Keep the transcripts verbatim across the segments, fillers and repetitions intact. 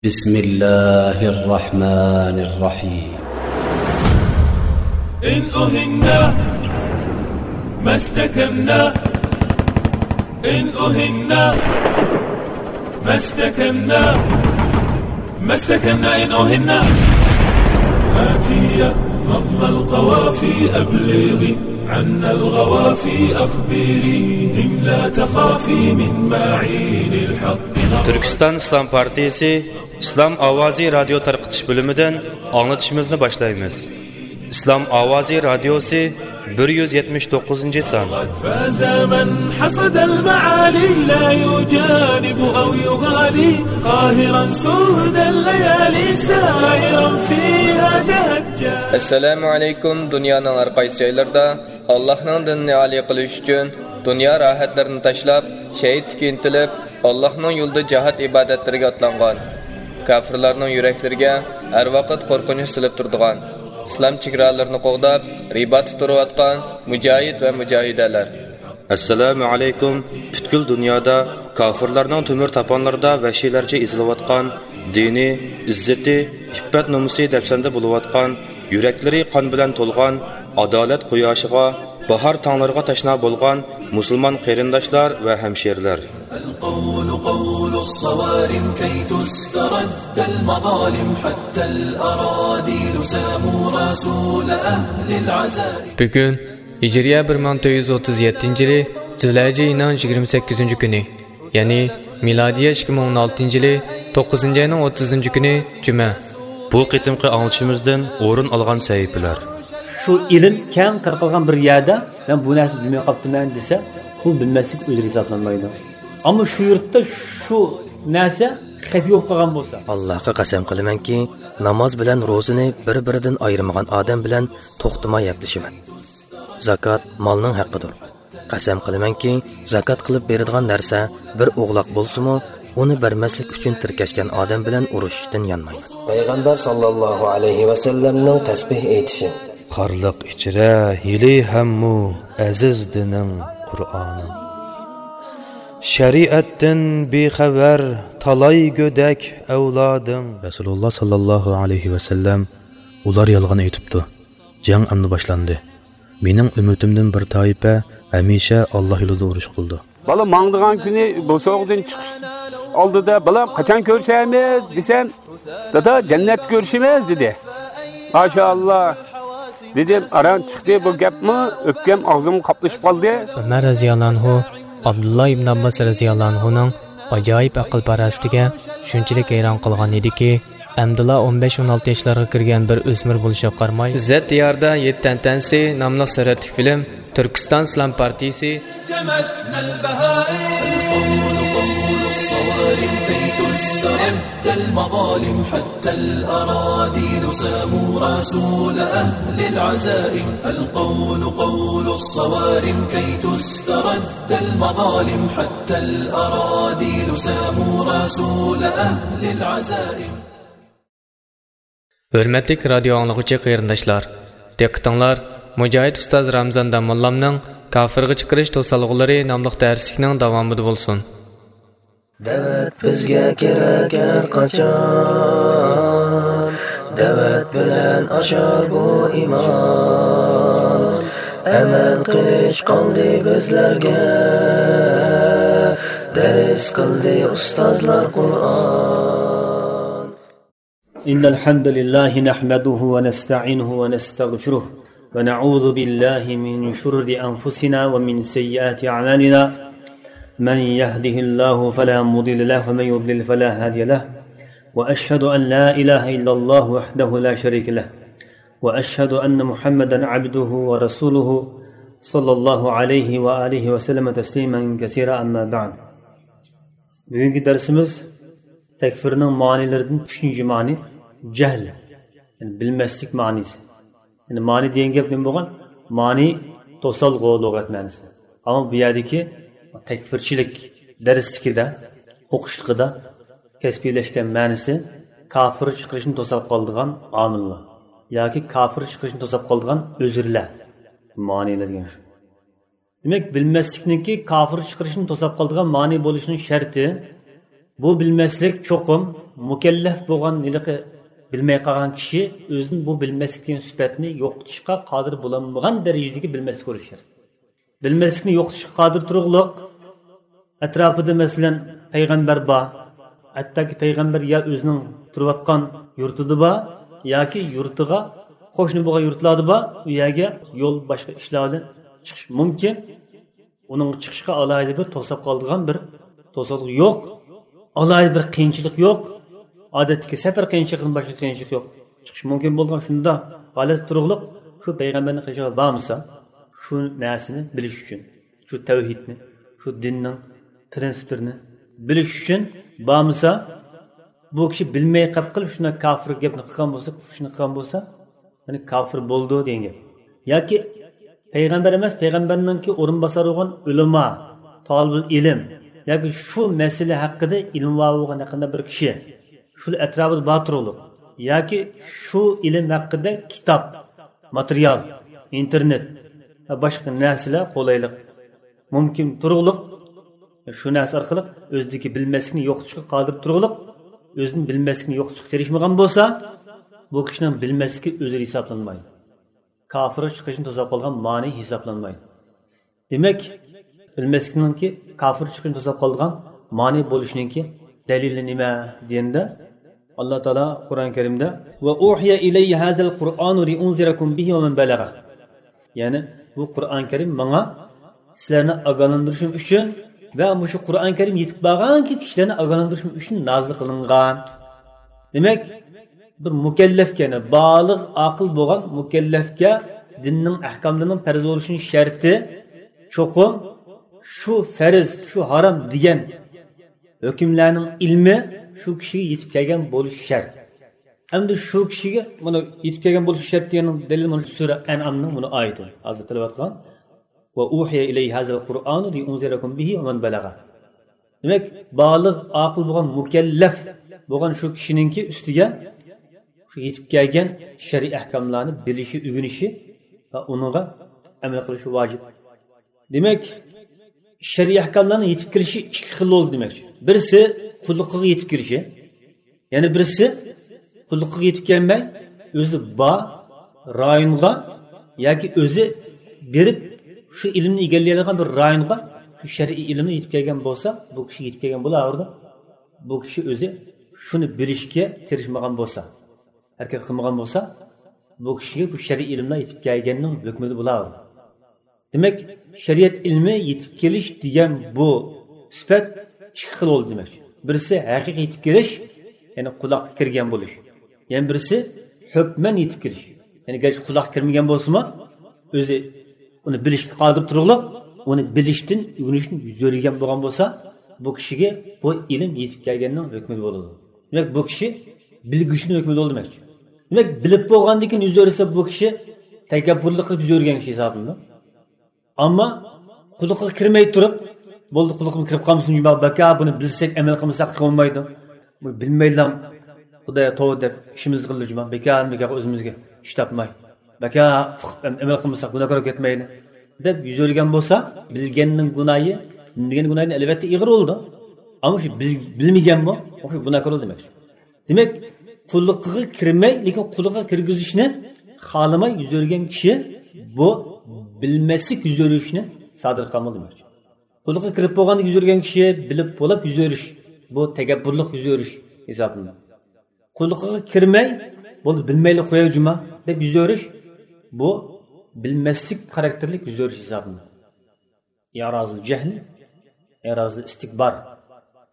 بسم الله الرحمن الرحيم. إن أهنا ما استكنا، إن أهنا ما استكنا، ما استكنا إن أهنا. هاتي يا نظم القوافي أبلغي عنا الغوافي أخبريهم لا تخافي من معين الحق. تۈركىستان ئىسلام پارتىيىسى ئىسلام ئاۋازى رادىيو تارقىتىش بۆلۈمىدىن ئاڭلىتىشىمىزنى باشلايمىز. ئىسلام ئاۋازى رادىيوسى، بىر يۈز يەتمىش توققۇزىنچى سان. فاز من حصد المعالي لا يجانب أو يغالي قاهرا سود الليالي سائرا فيها تهجى. ئەسسالامۇ ئەلەيكۇم. دۇنيانىڭ ھەر قايسى جايلىرىدا ئاللاھنىڭ دىنىنى ئالىي قىلىش ئۈچۈن دۇنيا راھەتلىرىنى تاشلاپ، شەھىدلىككە ئىنتىلىپ، ئاللاھنىڭ يولىدا جىھاد ئىبادەتلىرىگە ئاتلانغان، كاپىرلارنىڭ يۈرەكلىرىگە ھەر ۋاقىت قورقۇنچ سېلىپ تۇرىدىغان، ئىسلام چېگرالىرىنى قوغداپ، رىباتتا تۇرۇۋاتقان مۇجاھىد ۋە مۇجاھىدەلەر. ئەسسالامۇ ئەلەيكۇم. پۈتكۈل دۇنيادا كاپىرلارنىڭ تۆمۈر تاپانلىرىدا ۋەھشىيلەرچە ئېزىلىۋاتقان، دىنى، ئىززىتى، ئىپپەت-نومۇسى دەپسەندە بولۇۋاتقان، يۈرەكلىرى قان بىلەن تولغان، ئادالەت قۇياشىغا، باھار تاڭلىرىغا تەشنا بولغان مۇسۇلمان قېرىنداشلار ۋە ھەمشىرىلەر. القول قول الصوارم كي تسترد المظالم حتى الأراذل ساموا رسول أهل العزائم. بۈگۈن ھىجرىيە بىر مىڭ تۆت يۈز ئوتتۇز يەتتىنچى يىلى زۇلھەججە ئېيىنىڭ يىگىرمە سەككىزىنچى كۈنى، يەنى مىلادىيە ئىككى مىڭ ئون ئالتىنچى يىلى توققۇزىنچى ئاينىڭ ئوتتۇزىنچى كۈنى جۈمە. بۇ قېتىمقى ئاڭلىتىشىمىزدىن ئورۇن ئالغان سەھىپىلەر. شۇ ئىلىم كەڭ تارقالغان بىر يەردە مەن بۇ نەرسىنى بىلمەي قاپتىمەن دېسە، بۇ بىلمەسلىك ئۆزرە ھېسابلانمايدۇ. ئەمما شۇ يۇرتتا شۇ نەرسە خەپىيە بولۇپ قالغان بولسا. ئاللاھقا قەسەم قىلىمەنكى، ناماز بىلەن روزىنى بىر-بىرىدىن ئايرىمىغان ئادەم بىلەن توختىماي ھەپىلىشىمەن. زاكات مالنىڭ ھەققىدۇر. قەسەم قىلىمەنكى، زاكات قىلىپ بېرىدىغان نەرسە بىر ئوغلاق بولسىمۇ، ئۇنى بەرمەسلىك ئۈچۈن تىركەشكەن ئادەم بىلەن ئۇرۇشۇشتىن يانمايمەن. پەيغەمبەر ساللاللاھۇ ئەلەيھى ۋەسەللەمنىڭ تەسبىھ ئېيتىشى. خارلىق ئىچرە ھېلى ھەممۇ ئەزىز دىنىڭ، قۇرئانىڭ. شەرىئەتتىن بىخەۋەر تالاي گۆدەك ئەۋلادىڭ. رەسۇلۇللا ساللاللاھۇ ئەلەيھى ۋەسەللەم، ئۇلار يالغان ئېيتىپتۇ. جەڭ ئەمدى باشلاندى. مېنىڭ ئۈممىتىمدىن بىر تائىپە ھەمىشە ئاللا يولىدا ئۇرۇش قىلىدۇ. بالا ماڭىدىغان كۈنى بوسۇغىدىن چىقىش ئالدىدا، «بالام، قاچان كۆرۈشەرمىز؟» دېسەم، «دادا، جەننەتتە كۆرۈشىمىز» دېدى. ماشائاللا دېدىم، ئاران چىقتى بۇ گەپمۇ، ئۆپكەم ئاغزىمغا قاپلىشىپ قالدى. ئۆمەر رەزىياللا ئانھۇ ئابدۇللا ئىبن ئابباس رەزىياللا ئانھۇنىڭ ئاجايىپ ئەقىل-پاراسىتىگە شۇنچىلىك ھەيران قالغان ئىدىكى، ئەمدىلا ئون بەش، ئون ئالتە ياشلارغا كىرگەن بىر ئۆسمۈر بولۇشىغا قارىماي، ئىززەت دىيارىدا يەتتە ئەنئەنىسى ناملىق سۈرەتلىك فىلىم تۈركىستان ئىسلام پارتىيىسى. القول قول الصوارم كي تسترد المظالم حتى الأراذل ساموا رسول أهل العزائم. القول قول الصوارم كي تسترد المظالم حتى الأراذل ساموا رسول أهل العزائم. ھۆرمەتلىك رادىيو ئاڭلىغۇچى قېرىنداشلار، دىققىتىڭلار مۇجاھىد ئۇستاز رامزان داموللامنىڭ كافىرغا چىقىرىش توسالغۇلىرى ناملىق دەرسلىكنىڭ داۋامىدا بولسۇن. دەۋەت بىزگە كېرەك ھەر قاچان، دەۋەت بىلەن ئاشار بۇ ئىمان. ئەمەل قىلىش قالدى بىزلەرگە، دەرس قىلدى ئۇستازلار قۇرئان. إن الحمد لله نحمده ونستعينه ونستغفره ونعوذ بالله من شرور أنفسنا ومن سيئات أعمالنا. من يهده الله فلا مضل له ومن يضلل فلا هادي له. وأشهد أن لا إله إلا الله وحده لا شريك له. وأشهد أن محمدا عبده ورسوله صلى الله عليه وآله وسلم تسليما كثيرا. أما بعد. بۈگۈنكى دەرسىمىز تەكفىرنىڭ مانىلىرىدىن ئۈچىنچى مانى، جەھل، يەنى بىلمەسلىك مانىسى. يەنى مانى دېگەن گەپ نېمە بولغان؟ مانى توسالغۇ لۇغەت مەنىسى. ئەمما بۇ يەردىكى تەكفىرچىلىك دەرسلىكىدە، ئوقۇشلۇقىدا كەسپىيلەشكەن مەنىسى كافىر چىقىرىشنى توساپ قالىدىغان ئامىللار ياكى كافىر چىقىرىشنى توساپ قالىدىغان ئۆزۈرلەر. مانىلار دېگەن شۇ. دېمەك، بىلمەسلىكنىڭكى كافىر چىقىرىشنى توساپ قالىدىغان مانى بولۇشىنىڭ شەرتى، بۇ بىلمەسلىك چوقۇم مۇكەللەپ بولغان ھېلىقى بىلمەي قالغان كىشى ئۆزىدىن بۇ بىلمەسلىك دېگەن سۈپەتنى يوقىتىشقا قادىر بولالمىغان دەرىجىدىكى بىلمەسلىك بولۇشى شەرت. بىلمەسلىكنى يوقىتىشقا قادىر تۇرۇقلۇق ئەتراپىدا، مەسىلەن، پەيغەمبەر بار، ھەتتاكى پەيغەمبەر يا ئۆزىنىڭ تۇرۇۋاتقان يۇرتىدا بار، ياكى يۇرتىغا قوشنا بولغان يۇرتلاردا بار، ئۇ يەرگە يول، باشقا ئىشلار بىلەن چىقىش مۇمكىن. ئۇنىڭ چىقىشىغا ئالاھىدە بىر توساپ قالىدىغان بىر توسالغۇ يوق، ئالاھىدە بىر قىيىنچىلىق يوق. ئادەتتىكى سەپەر قىيىنچىلىقىدىن باشقا قىيىنچىلىق يوق. چىقىش مۇمكىن بولغان شۇنداق ھالەتتە تۇرۇقلۇق شۇ پەيغەمبەرنىڭ قېشىغا بارمىسا، شۇ نەرسىنى بىلىش ئۈچۈن، شۇ تەۋھىدنى، شۇ دىننىڭ پرىنسىپلىرىنى بىلىش ئۈچۈن بارمىسا، بۇ كىشى بىلمەي قاپ قىلىپ شۇنداق كاپىر گەپنى قىلغان بولسا، كۇفر ئىشنى قىلغان بولسا، يەنى كاپىر بولىدۇ دېگەن گەپ. ياكى پەيغەمبەر ئەمەس، پەيغەمبەرنىڭكى ئورۇنباسارى بولغان ئۆلىما، تالىبۇل ئىلىم، ياكى شۇ مەسىلە ھەققىدە ئىلمى بار بولغان ھەققىدە بىر كىشى، شۇ ئەتراپىدا بار تۇرۇقلۇق، ياكى شۇ ئىلىم ھەققىدە كىتاب، ماتېرىيال، ئىنتېرنېت ۋە باشقا نەرسىلەر قولايلىق، مۇمكىن تۇرۇقلۇق، شۇ نەرسە ئارقىلىق ئۆزىدىكى بىلمەسلىكنى يوقىتىشقا قادىر تۇرۇقلۇق، ئۆزىدىن بىلمەسلىكنى يوقىتىشقا تىرىشمىغان بولسا، بۇ كىشىنىڭ بىلمەسلىكى ئۆزرە ھېسابلانمايدۇ. كاپىرغا چىقىشنى توساپ قالغان مانى ھېسابلانمايدۇ. دېمەك، بىلمەسلىكنىڭكى كاپىر چىقىشنى توساپ قالىدىغان مانى بولۇشىنىڭكى دەلىلى نېمە دېگەندە، ئاللا تائالا قۇرئان كەرىمدە، «وأوحي إلي هذا القرآن لأنذركم به ومن بلغ.» يەنى، بۇ قۇرئان كەرىم ماڭا سىلەرنى ئاگاھلاندۇرۇشۇم ئۈچۈن ۋە مۇشۇ قۇرئان كەرىم يېتىپ بارغانكى كىشىلەرنى ئاگاھلاندۇرۇشۇم ئۈچۈن نازىل قىلىنغان. دېمەك، بىر مۇكەللەپكە، يەنى بالىغ، ئاقىل بولغان مۇكەللەپكە دىننىڭ ئەھكاملىرىنىڭ پەرز بولۇشىنىڭ شەرتى چوقۇم شۇ پەرز، شۇ ھارام دېگەن ھۆكۈملەرنىڭ ئىلمى شۇ كىشىگە يېتىپ كەلگەن بولۇشى شەرت. ئەمدى شۇ كىشىگە مانا يېتىپ كەلگەن بولۇشى شەرت دېگەننىڭ دەلىلى مانا سۈرە ئەنئامنىڭ مانا ئايىتى. ھازىر تىلىۋاتقان. «وأوحي إلي هذا القرآن لأنذركم به ومن بلغ.» دېمەك، بالىغ، ئاقىل بولغان، مۇكەللەپ بولغان شۇ كىشىنىڭكى ئۈستىگە شۇ يېتىپ كەلگەن شەرئىي ئەھكاملارنى بىلىشى، ئۆگىنىشى ۋە ئۇنىڭغا ئەمەل قىلىشى ۋاجىپ. دېمەك، شەرئىي ئەھكاملارنىڭ يېتىپ كېلىشى ئىككى خىل بولدى دېمەكچى. بىرسى قۇللۇقىغا يېتىپ كېلىشى، يەنە بىرسى قۇللۇقىغا يېتىپ كەلمەي، ئۆزى بار رايونغا ياكى ئۆزى بېرىپ شۇ ئىلىمنى ئىگىلىيەلەيدىغان بىر رايونغا شۇ شەرئىي ئىلىمنى يېتىپ كەلگەن بولسا، بۇ كىشى يېتىپ كەلگەن بولاۋېرىدۇ. بۇ كىشى ئۆزى شۇنى بىلىشكە تىرىشمىغان بولسا، ھەرىكەت قىلمىغان بولسا، بۇ كىشىگە بۇ شەرئىي ئىلىملەر يېتىپ كەلگەننىڭ ھۆكمىدە بولاۋېرىدۇ. دېمەك، شەرىئەت ئىلمى يېتىپ كېلىش دېگەن بۇ سۈپەت ئىككى خىل بولدى دېمەكچى. بىرسى ھەقىقىي يېتىپ كېلىش، يەنى قۇلاققا كىرگەن بولۇش. يەنە بىرسى ھۆكمەن يېتىپ كېلىش. يەنى گەرچە قۇلاققا كىرمىگەن بولسىمۇ، ئۆزى ئۇنى بىلىشكە قادىر تۇرۇقلۇق، ئۇنى بىلىشتىن، ئۆگىنىشتىن يۈز ئۆرۈگەن بولغان بولسا، بۇ كىشىگە بۇ ئىلىم يېتىپ كەلگەننىڭ ھۆكمىدە بولىدۇ. دېمەك، بۇ كىشى بىلگۈچىنىڭ ھۆكمىدە بولىدۇ دېمەكچى. دېمەك، بىلىپ بولغاندىن كېيىن يۈز ئۆرۈسە، بۇ كىشى تەكەببۇرلۇق قىلىپ يۈز ئۆرۈگەن كىشى ھېسابلىنىدۇ. ئەمما قۇلىقىغا كىرمەي تۇرۇپ، بولدى، قۇلىقىمغا كىرىپ قالمىسۇن جۇما، بەكا بۇنى بىلسەك، ئەمەل قىلمىساق بولمايدۇ. بۇنى بىلمەيلا، خۇدايا توۋا دەپ ئىشىمىزنى قىلدى جۇما، بەكا، بەكا ئۆزىمىزگە ئىش تاپماي، بەكا ئۇقۇپ ئەمەل قىلمىساق گۇناھكار بولۇپ كەتمەيلى دەپ يۈز ئۆرۈگەن بولسا، بىلگەننىڭ گۇناھى، بىلمىگەن گۇناھىدىن ئەلۋەتتە ئېغىر بولىدۇ. ئەمما شۇ بىل-، بىلمىگەنمۇ، شۇ گۇناھكار بولىدۇ دېمەك. دېمەك، قۇلىقىغا كىرمەي، لېكىن قۇلىقىغا كىرگۈزۈشنى خالىماي يۈز ئۆرۈگەن كىشى بۇ بىلمەسلىك يۈز ئۆرۈشنى سادىر قىلالمىدى دېمەكچى. قۇلىقىغا كىرىپ بولغاندىكىن يۈز ئۆرۈگەن كىشى بىلىپ بولۇپ يۈز ئۆرۈش، بۇ تەكەببۇرلۇق يۈز ئۆرۈش ھېسابلىنىدۇ. قۇلىقىغا كىرمەي، بولدى، بىلمەيلا قوياي جۇما دەپ يۈز ئۆرۈش، بۇ بىلمەسلىك خاراكتېرلىك يۈز ئۆرۈش ھېسابلىنىدۇ. ئىرازۇل جەھلى، ئىرازۇل ئىستىكبار.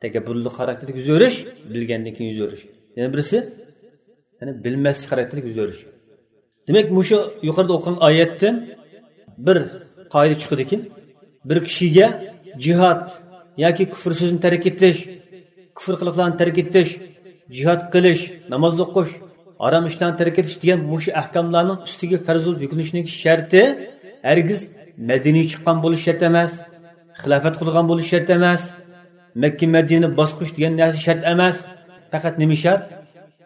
تەكەببۇرلۇق خاراكتېرلىك يۈز ئۆرۈش، بىلگەندىن كېيىن يۈز ئۆرۈش. يەنە بىرسى، يەنى بىلمەسلىك خاراكتېرلىك يۈز ئۆرۈش. دېمەك، مۇشۇ يۇقىرىدا ئوقۇغان ئايەتتىن بىر قائىدە چىقىدۇكى، بىر كىشىگە جىھاد ياكى كۇفر سۆزىنى تەرك ئېتىش، كۇفر قىلىقلارنى تەرك ئېتىش، جىھاد قىلىش، ناماز ئوقۇش، ھارام ئىشلارنى تەرك ئېتىش دېگەن مۇشۇ ئەھكاملارنىڭ ئۈستىگە پەرز بولۇپ يۈكلىنىشىنىڭ شەرتى ھەرگىز مەدىنىگە چىققان بولۇش شەرت ئەمەس، خىلاپەت قۇرغان بولۇش شەرت ئەمەس، مەككە مەدىنە باسقۇچ دېگەن نەرسە شەرت ئەمەس. پەقەت نېمە شەرت؟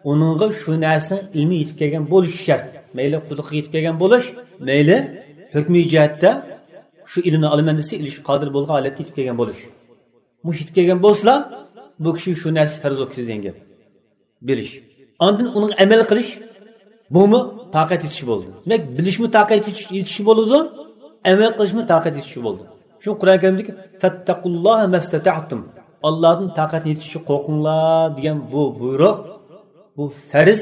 ئۇنىڭغا شۇ نەرسىنىڭ ئىلمى يېتىپ كەلگەن بولۇشى شەرت. مەيلى قۇلىقىغا يېتىپ كەلگەن بولۇش، مەيلى ھۆكمىي جەھەتتە شۇ ئىلىمنى ئالىمەن دېسە، ئېلىشقا قادىر بولغان ھالەتتە يېتىپ كەلگەن بولۇش. مۇشۇ يېتىپ كەلگەن بولسىلا، بۇ كىشىگە شۇ نەرسە پەرز بولۇپ كېتىدۇ دېگەن گەپ. بىلىش. ئاندىن ئۇنىڭغا ئەمەل قىلىش، بۇمۇ تاقەت يېتىشى بولىدۇ. دېمەك، بىلىشمۇ تاقەت يېتىش، يېتىشى بولىدۇ، ئەمەل قىلىشمۇ تاقەت يېتىشى بولىدۇ. شۇ قۇرئان كەرىمدىكى فەتتەقۇللاھە مەستەتەئتۇم، ئاللادىن تاقەت يېتىشىچە قورقۇڭلار دېگەن بۇ بۇيرۇق، بۇ پەرز،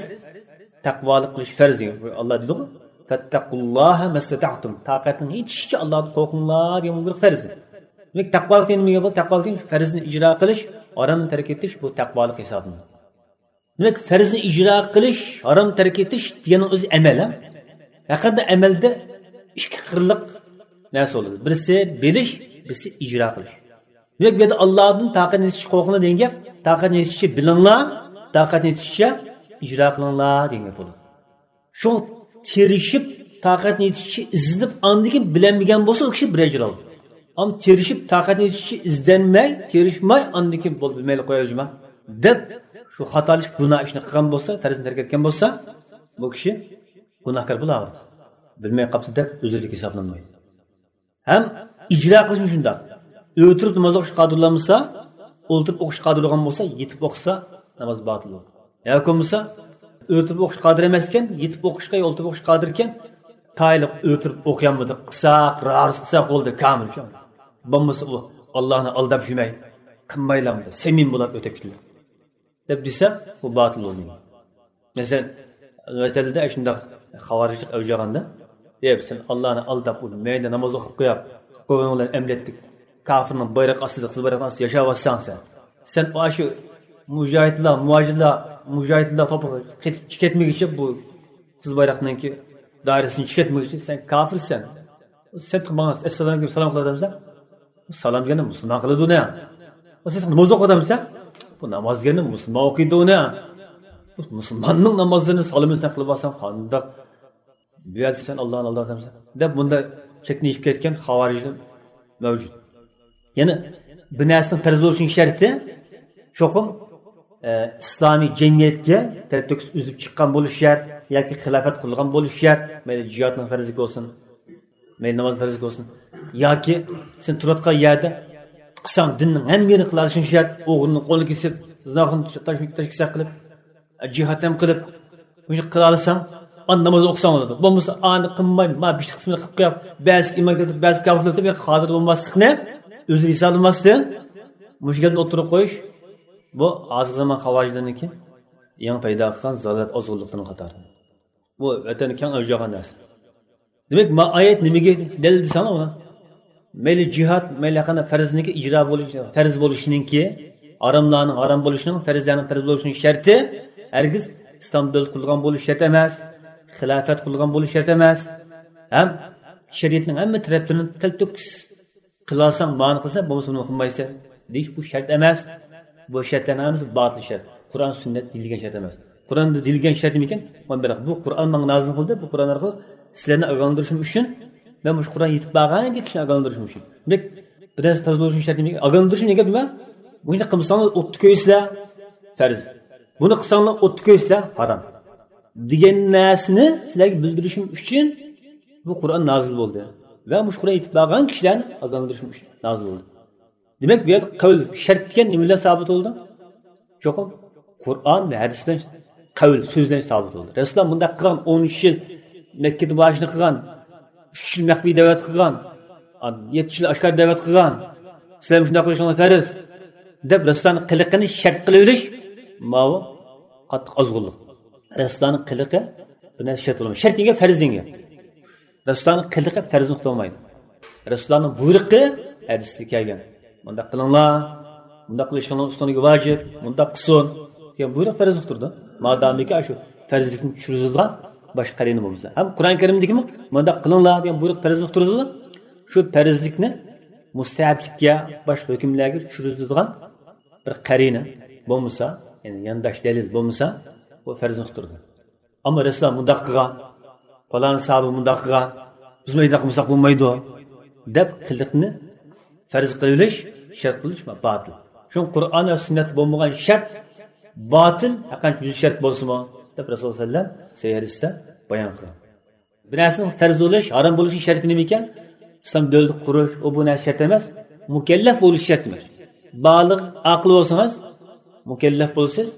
تەقۋالىق قىلىش پەرز دېگەن. ئاللا دېدىغۇ، فەتتەقۇللاھە مەستەتەئتۇم، تاقەتنىڭ يېتىشىچە ئاللادىن قورقۇڭلار دېگەن بۇ بىر پەرز. دېمەك، تەقۋالىق دېگەن نېمە بولدى؟ تەقۋالىق دېگەن پەرزنى ئىجرا قىلىش، ھارامنى تەرك ئېتىش، بۇ تەقۋالىق ھېسابلىنىدۇ. دېمەك، پەرزنى ئىجرا قىلىش، ھارام تەرك ئېتىش دېگەننىڭ ئۆزى ئەمەل، ھە؟ ھەقىقەتەن ئەمەلدە ئىككى قىرلىق نەرسە بولىدۇ. بىرسى بىلىش، بىرسى ئىجرا قىلىش. دېمەك، بۇ يەردە ئاللادىن تاقەتنى يېتىشىچە قورقۇڭلار دېگەن گەپ، تاقەتنى يېتىشىچە بىلىڭلار، تاقەتنى يېتىشىچە ئىجرا قىلىڭلار دېگەن گەپ بولىدۇ. شۇ تىرىشىپ، تاقەتنى يېتىشىچە ئىزدىنىپ، ئاندىن كېيىن بىلەلمىگەن بولسا، ئۇ كىشى بىر ئەجىر ئالىدۇ. ئەمما تىرىشىپ، تاقەتنى يېتىشىچە ئىزدەنمەي، تىرىشماي، ئاندىن كېيىن بولدى، مەيلى، قوياي جۇما دەپ، شۇ خاتالىشىپ گۇناھ ئىشنى قىلغان بولسا، پەرزنى تەرك ئەتكەن بولسا، بۇ كىشى گۇناھكار بولاۋېرىدۇ. بىلمەي قاپتۇ دەپ ئۆزرىلىك ھېسابلانمايدۇ. ھەم ئىجرا قىلىشمۇ شۇنداق. ئولتۇرۇپ ناماز ئوقۇشقا قادىر بولالمىسا، ئولتۇرۇپ ئوقۇشقا قادىر بولغان بولسا، يېتىپ ئوقۇسا، ناماز باتىل بولىدۇ. ياكى بولمىسا، ئۆتۈپ ئوقۇش قادىر ئەمەسكەن، يېتىپ ئوقۇشقا، ئولتۇرۇپ ئوقۇش قادىركەن، تايىنلىق ئۆتۈرۈپ ئوقۇيالمىدى، قىساق، رارس قىساق بولدى، كامىل. بولمىسا ئۇ، ئاللانى ئالداپ يۈرمەي، قىلمايلامدى، سەمىمىي بولۇپ ئۆتۈپ كېتىلدى دەپ دېسە، بۇ باتىل بولدى. مەسىلەن، ۋەتەندە شۇنداق خاۋارىجلىق ئەۋج ئالغاندا، دەپ، سەن ئاللانى ئالداپ، ئۇ مەيدە ناماز ئوقۇپ قويۇپ، قويۇڭلار ئەمەلىيەتتە كاپىرنىڭ بايرىقى ئاستىدا، قىزىل بايرىقنىڭ ئاستىدا ياشاۋاتساڭ سەن. سەن ئاشۇ مۇجاھىدلار، مۇھاجىرلار، مۇجاھىدلار توپىغا قېتىپ چىقىپ كەتمىگىچە، بۇ قىزىل بايراقنىڭكى دائىرىسىدىن چىقىپ كەتمىگىچە سەن كاپىرسەن. سەن ماڭا ئەسسالام دېگەن سالام قىلىدىمسەن؟ بۇ سالام دېگەننى مۇسۇلمان قىلىدۇ ئۇنى. بۇ سەن ناماز ئوقۇيدىمسەن؟ بۇ ناماز دېگەننى مۇسۇلمان ئوقۇيدۇ ئۇنى. بۇ مۇسۇلماننىڭ نامازلىرىنى سالىمىنى سەن قىلىپ ئالساڭ قانداق؟ بۇ يەردە سەن ئاللانى ئالدايسەن دەپ، بۇنداق چەكنىشىپ كەتكەن خاۋارىجلار مەۋجۇت. يەنە بىر نەرسىنىڭ پەرز بولۇشىنىڭ شەرتى چوقۇم، ئە، ئىسلامىي جەمئىيەتكە تەلتۆكۈس ئۈزۈپ چىققان بولۇش شەرت ياكى خىلاپەت قىلغان بولۇش شەرت. مەيلى جىھادنىڭ پەرزلىكى بولسۇن، مەيلى ناماز پەرزلىكى بولسۇن، ياكى سەن تۇرۇۋاتقان يەردە قىلساڭ دىننىڭ ھەممە يېرىنى قىلالىشىڭ شەرت. ئوغرىنىڭ قولىنى كېسىپ، زىناخورنى تاش-، تاش-، تاش-، كېسەك قىلىپ، جىھاد ھەم قىلىپ، مۇشۇ قىلالىساڭ، ئاندىن ناماز ئوقۇساڭ بولىدۇ. بولمىسا، ئانى قىلماي، ما بىشنى قىسمىنى قىلىپ قويۇپ، بەزى ئىمان كىرىپ، بەزى كاپىر بولۇپ، ھازىر بولماسلىقنى ئۆزى ھېسابلىماستىن، مۇشۇ گەپنى ئوتتۇرىغا قويۇش، بۇ ھازىرقى زامان خاۋارىجلىرىنىڭكى يېڭى پەيدا قىلغان زالالەت، ئازغۇنلۇقلىرىنىڭ قاتارىدا. بۇ ۋەتەندە كەڭ ئەۋج ئالغان نەرسە. دېمەك، ما ئايەت نېمىگە دەلىل دېسەڭلار ئۇنى؟ مەيلى جىھاد، مەيلى قانداق پەرزنىڭكى ئىجرا بولۇش، پەرز بولۇشىنىڭكى، ھاراملارنىڭ ھارام بولۇشىنىڭ، پەرزلەرنىڭ پەرز بولۇشىنىڭ شەرتى ھەرگىز ئىسلام دۆلىتى قۇرۇلغان بولۇش شەرت ئەمەس، خىلاپەت قۇرۇلغان بولۇش شەرت ئەمەس، ھەم شەرىئەتنىڭ ھەممە تەرەپلىرىنى تەلتۆكۈس قىلالىساڭ، مانا قىلسا، بولمىسا بۇنى قىلمايسەن دېيىش بۇ شەرت ئەمەس. بۇ شەرتلەرنىڭ ھەممىسى باتىل شەرت. قۇرئان، سۈننەت دېيىلگەن شەرت ئەمەس. قۇرئاندا دېيىلگەن شەرت نېمىكەن؟ مانا بۇ قۇرئان ماڭا نازىل قىلدى، بۇ قۇرئان ئارقىلىق سىلەرنى ئاگاھلاندۇرۇشۇم ئۈچۈن، مەن مۇشۇ قۇرئان يېتىپ بارغانكى كىشىنى ئاگاھلاندۇرۇشۇم ئۈچۈن. دېمەك، بىر نەرسە پەرز بولۇشىنىڭ شەرتى نېمىكەن؟ ئاگاھلاندۇرۇشۇم دېگەن گەپ نېمە؟ بۇنى قىلمىساڭلار ئوتتا كۆيىسىلەر، پەرز. بۇنى قىلساڭلار ئوتتا كۆيىسىلەر، ھارام دېگەن نەرسىنى سىلەرگە بىلدۈرۈشۈم ئۈچۈن بۇ قۇرئان نازىل بولدى. ۋە مۇشۇ قۇرئان يېتىپ بارغان كىشىلەرنى ئاگاھلاندۇرۇشۇم ئۈچۈن نازىل بولدى. دېمەك، بۇ يەردە قەۋل شەرت دېگەن نېمە بىلەن سابىت بولىدۇ؟ چوقۇم قۇرئان ۋە ھەدىس بىلەن، قەۋل سۆز بىلەن سابىت بولىدۇ. رەسۇلۇللا مۇنداق قىلغان، ئون ئۈچ يىل مەككىدە مۇھاجىرەت قىلغان، ئۈچ يىل مەخپىي دەۋەت قىلغان، يەتتە يىل ئاشكارا دەۋەت قىلغان، سىلەر مۇشۇنداق قىلىشىڭلار پەرز دەپ رەسۇلۇللانىڭ قىلىقىنى شەرت قىلىۋېلىش، ماۋۇ قاتتىق ئازغۇنلۇق. رەسۇلۇللانىڭ قىلىقى بىر نەرسە شەرت بولمايدۇ. شەرت دېگەن گەپ پەرز دېگەن گەپ. رەسۇلۇللانىڭ قىلىقى پەرزنى ئۇقتۇرمايدۇ. رەسۇلۇللانىڭ بۇيرۇقى ھەدىستە كەلگەن. مۇنداق قىلىڭلار، مۇنداق قىلىشىڭلار ئۈستىڭىزگە ۋاجىپ، مۇنداق قىلسۇن دېگەن بۇيرۇق پەرزنى ئۇقتۇرىدۇ. مادامىكى ئاشۇ پەرزلىكنى چۈشۈرۈزىدىغان باشقا قەرىنە بولمىسا. ھەم قۇرئان كەرىمدىكىمۇ مۇنداق قىلىڭلار دېگەن بۇيرۇق پەرزنى ئۇقتۇرىدۇ. شۇ پەرزلىكنى مۇستەھەبلىككە، باشقا ھۆكۈملەرگە چۈشۈرۈزىدىغان بىر قەرىنە بولمىسا، يەنى يانداش دەلىل بولمىسا، بۇ پەرزنى ئۇقتۇرىدۇ. ئەمما رەسۇلۇللا مۇنداق قىلغان، پالان ساھابە مۇنداق قىلغان، بىز مۇنداق قىلمىساق بولمايدۇ دەپ قىلىقنى پەرز قىلىۋېلىش، شەرت قىلىش باتىل. شۇڭا قۇرئان ۋە سۈننەتتە بولمىغان شەرت باتىل، ھەرقانچە يۈز شەرت بولسىمۇ دەپ رەسۇلۇللا سەللەللاھۇ ئەلەيھى ۋەسەللەم سەھىھ ھەدىستە بايان قىلغان. بىر نەرسىنىڭ پەرز بولۇش، ھارام بولۇشنىڭ شەرتى نېمە ئىكەن؟ ئىسلام دۆلىتى قۇرۇش، ئۇ بۇ نەرسە شەرت ئەمەس. مۇكەللەپ بولۇش شەرت ئەمەس. بالىغ، ئاقىل بولسىڭىز، مۇكەللەپ بولىسىز.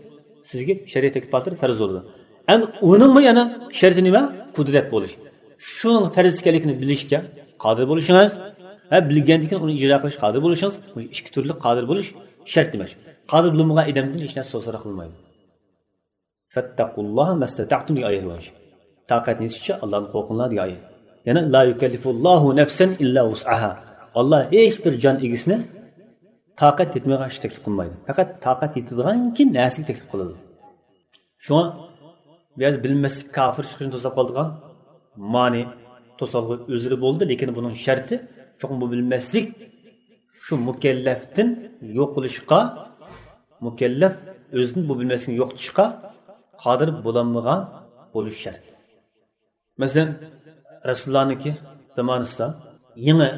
سىزگە شەرىئەت تەكلىپاتلىرى پەرز بولىدۇ. ئەمدى ئۇنىڭمۇ يەنە شەرتى نېمە؟ قۇدرەت بولۇش. شۇنىڭ پەرز ئىكەنلىكىنى ببىلىشكە قادىر بولۇشىڭىز ۋە بىلگەندىن كېيىن ئۇنى ئىجرا قىلىشقا قادىر بولۇشىڭىز، بۇ ئىككى تۈرلۈك قادىر بولۇش شەرت دېمەك. قادىر بولمىغان ئادەمدىن ھېچ نەرسە سوراق قىلمايدۇ. فاتقوا الله ما استطعتم دېگەن ئايەت بار. تاقەت يېتىشىچە ئاللاھتىن قورقۇڭلار دېگەن ئايەت. يەنە لا يكلف الله نفسا إلا وسعها. ئاللا ھېچ بىر جان ئىگىسىنى تاقەت يەتمەيدىغان ئىش تەكلىپ قىلمايدۇ. پەقەت تاقەت يېتىدىغانكى نەرسىگە تەكلىپ قىلىدۇ. شۇڭا بۇ يەردە بىلمەسلىك كاپىر چىقىشنى توساپ قالىدىغان مانى، توسالغۇ، ئۆزرى بولدى، لېكىن بۇنىڭ شەرتى چوقۇم بۇ بىلمەسلىك شۇ مۇكەللەپتىن يوقىلىشقا، مۇكەللەپ ئۆزىدىن بۇ بىلمەسلىكنى يوقىتىشقا قادىر بولالمىغان بولۇش شەرت. مەسىلەن، رەسۇلۇللانىڭكى زامانىسىدا يېڭى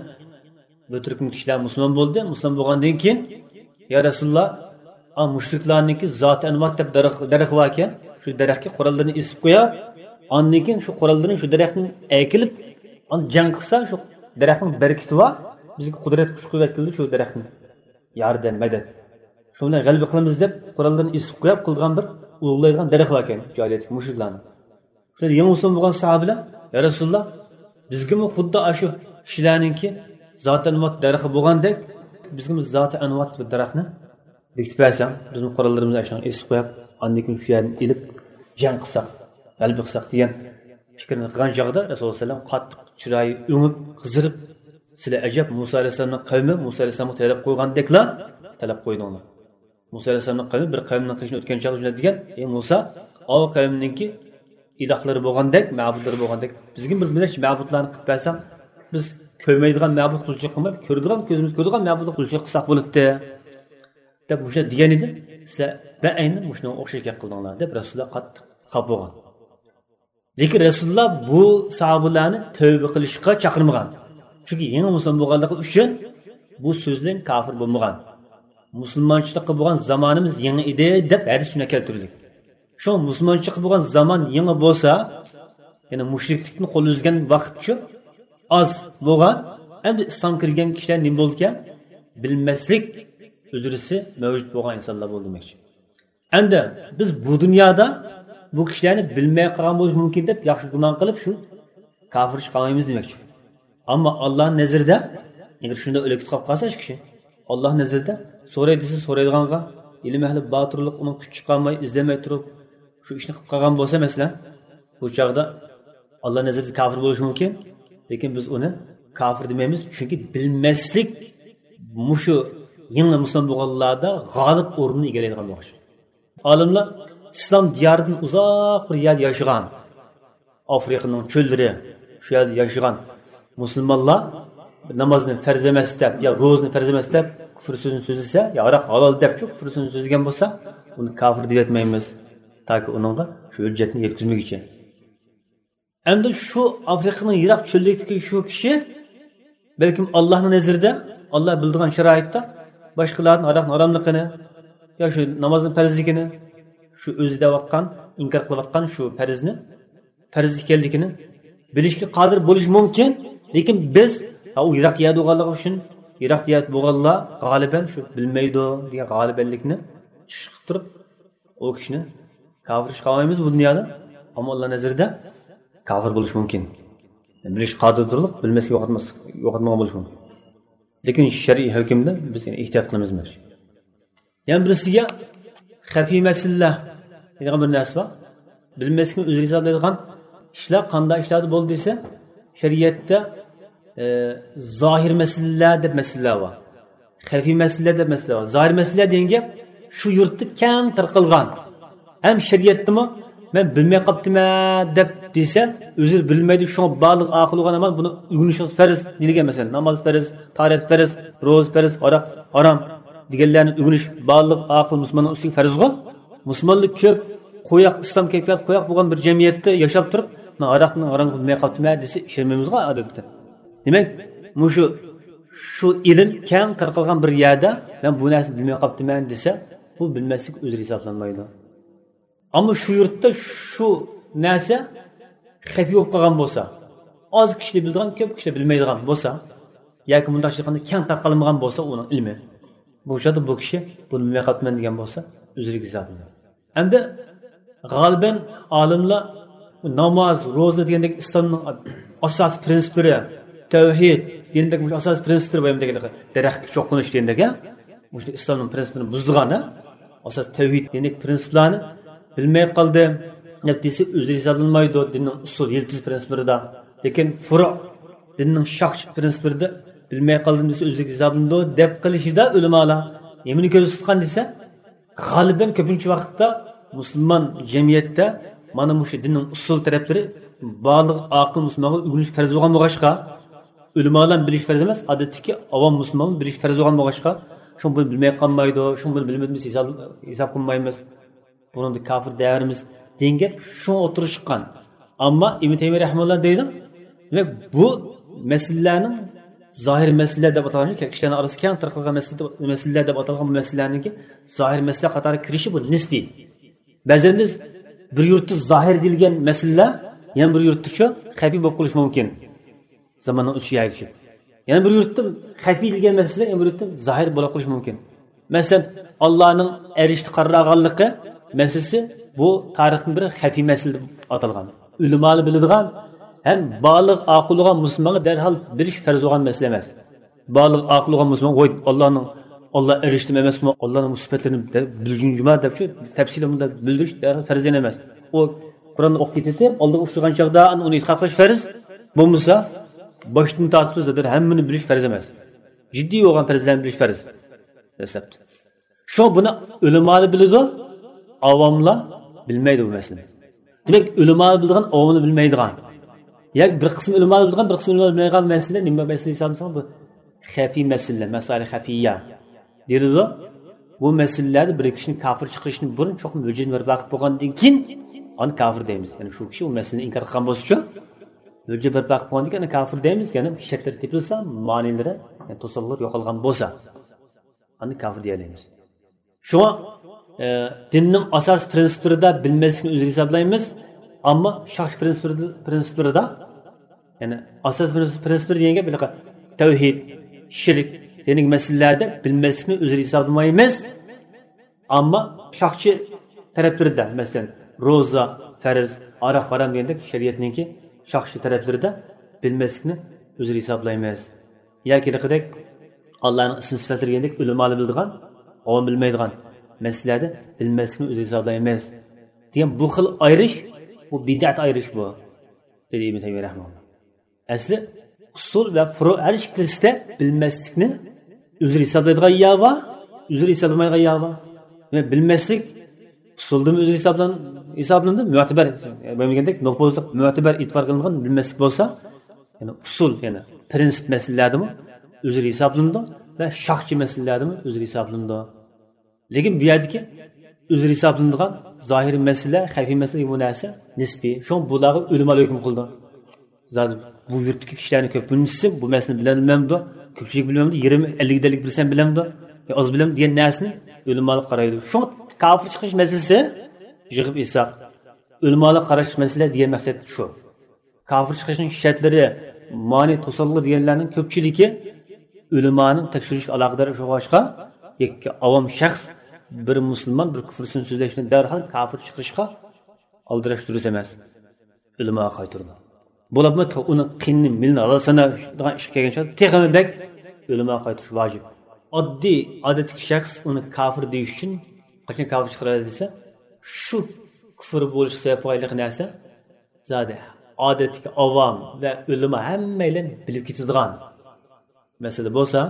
بىر تۈركۈم كىشىلەر مۇسۇلمان بولدى. مۇسۇلمان بولغاندىن كېيىن، يا رەسۇلۇللا، ئا، مۇشرىكلارنىڭكى زاتى ئەنۋات دەپ دەرەخ، دەرىخى باركەن، شۇ دەرەخكە قوراللىرىنى ئېسىپ قويۇپ، ئاندىن كېيىن شۇ قوراللىرىنى شۇ دەرەختىن ئەكېلىپ، ئاندىن جەڭ قىلسا، شۇ دەرەخنىڭ بەرىكىتى بار، بىزگە قۇدرەت، كۈچ قۇۋۋەت كېلىدۇ شۇ دەرەختىن. ياردەم، مەدەت. شۇ بىلەن غەلىبە قىلىمىز دەپ، قوراللىرىنى ئېسىپ قويۇپ قىلغان بىر ئۇلۇغلايدىغان دەرەخ باركەن، جاھىلىيەتتىكى مۇشرىكلارنىڭ. شۇ يېڭى مۇسۇلمان بولغان ساھابىلەر، يا رەسۇلۇللا، بىزگىمۇ خۇددى ئاشۇ كىشىلەرنىڭكى زاتى ئەنۋات دەرىخى بولغاندەك، بىزگىمۇ زاتى ئەنۋات بىر دەرەخنى بېكىتىپ بەرسەڭ، بىزمۇ قوراللىرىمىزنى ئاشۇنىڭغا ئېسىپ قويۇپ، ئاندىن كېيىن شۇ يەردىن ئېلىپ جەڭ قىلساق، غەلىبە قىلساق دېگەن پىكىرنى قىلغان چاغدا رەسۇلۇللا سەللەم قاتتىق چىرايى ئۆڭۈپ، قىزىرىپ، سىلەر ئەجەب، مۇسا ئەلەيھىسسالامنىڭ قەۋمى، مۇسا ئەلەيھىسسالامغا تەلەپ قويغاندەكلا تەلەپ قويدۇڭلار. مۇسا ئەلەيھىسسالامنىڭ قەۋمى بىر قەۋمنىڭ قېشىغا ئۆتكەن چاغدا شۇنداق دېگەن، ئەي مۇسا، ئاۋۇ قەۋمنىڭكى ئىلاھلىرى بولغاندەك، مەبۇدلىرى بولغاندەك، بىزگىمۇ بىر نەچچە مەبۇدلارنى قىلىپ بەرسەڭ، بىز كۆرمەيدىغان مەبۇد قۇلچىلىق قىلماي، كۆرىدىغان، كۆزىمىز كۆرىدىغان مەبۇدلار قۇلچىلىق قىلساق بولاتتى، دەپ مۇشۇنداق دېگەن ئىدى. سىلەر بەئەينى مۇشۇنىڭغا ئوخشاش گەپ قىلدىڭلار، دەپ رەسۇلۇللا قاتتىق خاپا بولغان. لېكىن رەسۇلۇللا بۇ ساھابىلەرنى تەۋبە قىلىشقا چاقىرمىغان. چۈنكى يېڭى مۇسۇلمان بولغانلىقى ئۈچۈن بۇ سۆز بىلەن كاپىر بولمىغان. مۇسۇلمانچىلىققا بولغان زامانىمىز يېڭى ئىدى دەپ ھەدىس شۇنداق كەلتۈردى. شۇڭا مۇسۇلمانچىلىققا بولغان زامان يېڭى بولسا، يەنى مۇشرىكلىكتىن قول ئۈزگەن ۋاقىت شۇ ئاز بولغان، ئەمدى ئىسلام كىرگەن كىشىلەر نېمە بولىدىكەن؟ بىلمەسلىك ئۈزرىسى مەۋجۇت بولغان ئىنسانلار بولدى دېمەكچى. ئەمدى بىز بۇ دۇنيادا بۇ كىشىلەرنى بىلمەي قالغان بولۇشى مۇمكىن دەپ ياخشى گۇمان قىلىپ شۇ كاپىر چىقارمايمىز دېمەكچى. ئەمما ئاللانىڭ نەزىرىدە ئەگەر شۇنداق ئۆلۈك قاپ قالسا ئىش كىشى، ئاللانىڭ نەزىرىدە سوراي دېسە سورايدىغانغا، ئىلىم ئەھلى باتۇرلۇق ئۇنىڭ كۈچ چىقارماي، ئىزدەنمەي تۇرۇپ شۇ ئىشنى قىلىپ قالغان بولسا مەسىلەن، بۇ چاغدا ئاللانىڭ نەزىرىدە كاپىر بولۇشى مۇمكىن. لېكىن بىز ئۇنى كاپىر دېمەيمىز، چۈنكى بىلمەسلىك مۇشۇ يېڭى مۇسۇلمان بولغانلاردا غالىب ئورنىنى ئىگىلەيدىغان بولغاچ. ئالىملار ئىسلام دىيارىدىن ئۇزاق بىر يەردە ياشىغان، ئافرىقىنىڭ چۆللىرى، شۇ يەردە ياشىغان مۇسۇلمانلار نامازنى پەرز ئەمەس دەپ يا روزىنى پەرز ئەمەس دەپ كۇفر سۆزىنى سۆزلىسە، يا ھاراق ھالال دەپ شۇ كۇفر سۆزىنى سۆزلىگەن بولسا، ئۇنى كاپىر دەپ ئېيتمايمىز، تاكى ئۇنىڭغا شۇ ھۆججەتنى يەتكۈزمىگۈچە. ئەمدى شۇ ئافرىقىنىڭ يىراق چۆللۈكتىكى شۇ كىشى بەلكىم ئاللانىڭ نەزىرىدە، ئاللا بىلىدىغان شارائىتتا باشقىلاردىن ھاراقنىڭ ھاراملىقىنى يا شۇ نامازنىڭ پەرزلىكىنى، شۇ ئۆزى دەۋاتقان، ئىنكار قىلىۋاتقان شۇ پەرزنى، پەرز ئىكەنلىكىنى بىلىشكە قادىر بولۇشى مۇمكىن. لېكىن بىز، ھا، ئۇ يىراق يەردە بولغانلىقى ئۈچۈن، يىراق يەردە بولغانلار غالىبەن شۇ بىلمەيدۇ دېگەن غالىبەنلىكنى چىقىپ تۇرۇپ، ئۇ كىشىنى كاپىر چىقارمايمىز بۇ دۇنيادا، ئەمما ئاللا نەزىرىدە كاپىر بولۇشى مۇمكىن. بىلىش قادىر تۇرۇق، بىلمەسكە يوقاتماس-، يوقاتمىغان بولۇشى مۇمكىن. لېكىن شەرئىي ھۆكۈمدە بىز يەنە ئېھتىيات قىلىمىز. يەنە بىرسىگە خەفىي مەسىلىلەر دەيدىغان بىر نەرسە بار. بىلمەسلىكنى ئۆزى ھېسابلايدىغان ئىشلار قانداق ئىشلاردىن بولدى دېسە، شەرىئەتتە، ئە، زاھىر مەسىلىلەر دەپ مەسىلىلەر بار. خەفىي مەسىلىلەر دەپ مەسىلە بار. زاھىر مەسىلىلەر دېگەن گەپ شۇ يۇرتتا كەڭ تارقالغان. ھەم شەرىئەتتىمۇ مەن بىلمەي قاپتىمەن دەپ دېسە، ئۆزى بىلمەيدۇ، شۇڭا بالىغ ئاقىل بولغان ھامان بۇنى ئۆگىنىشىڭىز پەرز دېيىلگەن. مەسىلەن، ناماز پەرز، تاھارەت پەرز، روزا پەرز، ھاراق ھارام دېگەنلەرنى ئۆگىنىش بالىغ ئاقىل مۇسۇلماننىڭ ئۈستىگە پەرزغۇ. مۇسۇلمانلار كۆپ قوياق، ئىسلام كەيپىياتى قوياق بولغان بىر جەمئىيەتتە ياشاپ تۇرۇپ، مەن ھاراقنى ھارام بىلمەي قاپتىمەن دېسە ئىشەنمەيمىزغۇ ئادەتتە. دېمەك، مۇشۇ، شۇ ئىلىم كەڭ تارقالغان بىر يەردە مەن بۇ نەرسىنى بىلمەي قاپتىمەن دېسە، بۇ بىلمەسلىك ئۆزرە ھېسابلانمايدۇ. ئەمما شۇ يۇرتتا شۇ نەرسە خەپىي بولۇپ قالغان بولسا، ئاز كىشىلەر بىلىدىغان، كۆپ كىشىلەر بىلمەيدىغان بولسا، ياكى مۇنداقچە ئېيتقاندا كەڭ تارقالمىغان بولسا ئۇنىڭ ئىلمى، بۇ چاغدا بۇ كىشى بۇنى بىلمەي قاپتىمەن دېگەن بولسا، ئۆزرە ھېسابلىنىدۇ. ئەمدى غالىبەن ئالىملار ناماز، روزا دېگەندەك ئىسلامنىڭ ئاساسىي پرىنسىپلىرى، تەۋھىد دېگەندەك مۇشۇ ئاساسىي پرىنسىپلىرى بار، دېگەندەك دەرەخكە چوقۇنۇش دېگەندەك، ھە؟ مۇشۇ ئىسلامنىڭ پرىنسىپلىرىنى بۇزىدىغان، ھە؟ ئاساس تەۋھىد دېگەندەك پرىنسىپلارنى بىلمەي قالدىم دەپ دېسە، ئۆزى ھېسابلانمايدۇ دىننىڭ ئۇسۇل يىلتىز پرىنسىپلىرىدا. لېكىن فۇرۇ دىننىڭ شاخچە پرىنسىپلىرىدا بىلمەي قالدىم دېسە، ئۆزلۈك ھېسابلىنىدۇ دەپ قىلىشىدا ئۆلىمالار نېمىنى كۆزدە تۇتقان دېسە، غالىبەن كۆپىنچە ۋاقىتتا مۇسۇلمان جەمئىيەتتە مانا مۇشۇ دىننىڭ ئۇسۇل تەرەپلىرى بالىغ ئاقىل مۇسۇلمانغا ئۆگىنىش پەرز بولغان بولغاچقا، ئۆلىمالار بىلىش پەرز ئەمەس، ئادەتتىكى ئاۋام مۇسۇلمان بىلىش پەرز بولغان بولغاچقا، شۇڭا بۇنى بىلمەي قالمايدۇ، شۇڭا بۇنى بىلمىدىمىز ھېساب، ھېساب قىلمايمىز. بۇنىڭدا كاپىر دەۋرىمىز دېگەن گەپ شۇڭا ئوتتۇرىغا چىققان. ئەمما ئىبن تەيمىيە رەھىمەھۇللا دەيدۇ، دېمەك، بۇ مەسىلىلەرنىڭ زاھىر مەسىلىلەر دەپ ئاتالغان، كىشىلەرنىڭ ئارىسىدا كەڭ تارقالغان مەسىلە، مەسىلىلەر دەپ ئاتالغان بۇ مەسىلىلەرنىڭكى زاھىر مەسىلە قاتارىغا كىرىشى بۇ نىسپىي. بەزەن بىز بىر يۇرتتا زاھىر دېيىلگەن مەسىلىلەر يەنە بىر يۇرتتىچۇ خەپىي بولۇپ قېلىشى مۇمكىن. زاماننىڭ ئۆتۈشىگە ئەگىشىپ. يەنە بىر يۇرتتا خەپىي دېگەن مەسىلە يەنە بىر يۇرتتا زاھىر بولۇپ قېلىشى مۇمكىن. مەسىلەن، ئاللانىڭ ئەرشتە قارار ئالغانلىقى مەسىلىسى بۇ تارىختىن بىر خەپىي مەسىلە دەپ ئاتالغان. ئۆلىمالار بىلىدىغان ھەم بالىغ ئاقىل بولغان مۇسۇلمانغا دەرھال بىلىش پەرز بولغان مەسىلە ئەمەس. بالىغ ئاقىل بولغان مۇسۇلمان، ۋاي، ئاللانىڭ، ئاللا ئەرشتىمۇ ئەمەسمۇ، ئاللانىڭ بۇ سۈپەتلىرىنى دە-، بىلگۈم جۇما دەپچۇ، تەپسىلىي بۇنداق بىلدۈرۈش دەرھال پەرز ئەمەس. ئۇ قۇرئاننى ئوقۇپ كېتىپ، ئالدىغا ئۇچرىغان چاغدا ئۇنى ئېتىقاد قىلىش پەرز. بولمىسا، باشتىن تارتىپ زادى ھەممىنى بىلىش پەرز ئەمەس. جىددىي بولغان پەرزلەرنى بىلىش پەرز. دەسلەپتە. شۇڭا بۇنى ئۆلىمالار بىلىدۇ، ئاۋاملار بىلمەيدۇ بۇ مەسىلىنى. دېمەك، ئۆلىمالار بىلىدىغان، ئاۋاملار بىلمەيدىغان. ياكى بىر قىسىم ئۆلىمالار بىلىدىغان، بىر قىسىم ئۆلىمالار بىلمەيدىغان مەسىلە نېمە مەسىلە دېسەڭ، بۇ خەفىي مەسىلە، مەسائىل خەفىيە دېيىلىدۇ. بۇ مەسىلىلەردە بىر كىشىنى كاپىر چىقىرىشتىن بۇرۇن چوقۇم ھۆججەتنى بەرپا قىلىپ بولغاندىن كېيىن ئاندىن كاپىر دەيمىز. يەنى شۇ كىشى ئۇ مەسىلىنى ئىنكار قىلغان بولسىچۇ، ھۆججەت بەرپا قىلىپ بولغاندىن كېيىن ئاندىن كاپىر دەيمىز. يەنى شەرتلىرى تېپىلسا، مانىلىرى، يەنى توسالغۇلار يوقالغان بولسا، ئاندىن كاپىر دېيەلەيمىز. شۇڭا، ئە، دىننىڭ ئاساسىي پرىنسىپلىرىدا بىلمەسلىكنى ئۆزرە ھېسابلايمىز. ئەمما شاخچە پرىنسىپلىرىدا، پرىنسىپلىرىدا، يەنى ئاساسىي پرىنسىپ، پرىنسىپلىرى دېگەن گەپ، ھېلىقى تەۋھىد، شىرك دېگەن مەسىلىلەردە بىلمەسلىكنى ئۆزرە ھېسابلىمايمىز. ئەمما شاخچە تەرەپلىرىدە، مەسىلەن، روزا، پەرز، ھارام، ھارام دېگەندەك شەرىئەتنىڭكى شاخچە تەرەپلىرىدە بىلمەسلىكنى ئۆزرە ھېسابلايمىز. ياكى ھېلىقىدەك ئاللانىڭ ئىسىم سۈپەتلىرى دېگەندەك ئۆلىمالار بىلىدىغان، ئاۋام بىلمەيدىغان مەسىلىلەردە بىلمەسلىكنى ئۆزرە ھېسابلايمىز دېگەن بۇ خىل ئايرىش، بۇ بىدئەت ئايرىش بۇ، دېدى ئىبن تەيمىيە رەھىمەھۇللا. ئەسلى ئۇسۇل ۋە فۇرۇ ھەر ئىككىلىسىدە بىلمەسلىكنى ئۆزرە ھېسابلايدىغان يا بار، ئۆزرە ھېسابلىمايدىغان يا بار. دېمەك، بىلمەسلىك ئۇسۇلدىمۇ ئۆزرە ھېسابلان-، ھېسابلىنىدۇ، مۆتىبەر، بۇ دېگەندەك نوپۇزلۇق، مۆتىبەر ئېتىبار قىلىنغان بىلمەسلىك بولسا، يەنى ئۇسۇل، يەنى پرىنسىپ مەسىلىلەردىمۇ ئۆزرە ھېسابلىنىدۇ ۋە شاخچە مەسىلىلەردىمۇ ئۆزرە ھېسابلىنىدۇ. لېكىن بۇ يەردىكى ئۆزرە ھېسابلىنىدىغان زاھىرىي مەسىلە، خەفىي مەسىلە بۇ نەرسە نىسپىي. شۇڭا بۇلارغا ئۆلىمالار ھۆكۈم قىلىدۇ. زادى بۇ يۇرتتىكى كىشىلەرنىڭ كۆپىنچىسى بۇ مەسىلىنى بىلەلمەمدۇ، كۆپچىلىك بىلمەمدۇ، يېرىم، ئەللىك ئەللىك بىلسەم بىلەمدۇ، يا ئاز بىلەمدۇ دېگەن نەرسىنى ئۆلىمالار قارايدۇ. شۇڭا كاپىر چىقىش مەسىلىسى يىغىپ ئېيتساق، ئۆلىمالار قاراش مەسىلە دېگەن مەقسەت شۇ. كاپىر چىقىشنىڭ شەرتلىرى، مانى، توسالغۇ دېگەنلەرنىڭ كۆپچىلىكى ئۆلىمانىڭ تەكشۈرۈشىگە ئالاقىدار ئىش بولغاچقا، يەككە ئاۋام شەخس بىر مۇسۇلمان بىر كۇفرىسىنى سۆزلەشنى دەرھال كاپىر چىقىرىشقا ئالدىراش دۇرۇس ئەمەس. ئۆلىما قايتۇرىدۇ. بولۇپمۇ تېخى ئۇنىڭ قېنىنى، مېلىنى ھالال سانايدىغان ئىشقا كەلگەن چاغدا تېخىمۇ بەك ئۆلىما قايتۇرۇش ۋاجىپ. ئاددىي، ئادەتتىكى شەخس ئۇنى كاپىر دېيىش ئۈچۈن قاچان كاپىر چىقىرىلدى دېسە، شۇ كۇفر بولۇشقا سەۋەب بولغان نەرسە زادى ئادەتتىكى ئاۋام ۋە ئۆلىما ھەممەيلەن بىلىپ كېتىدىغان مەسىلە بولسا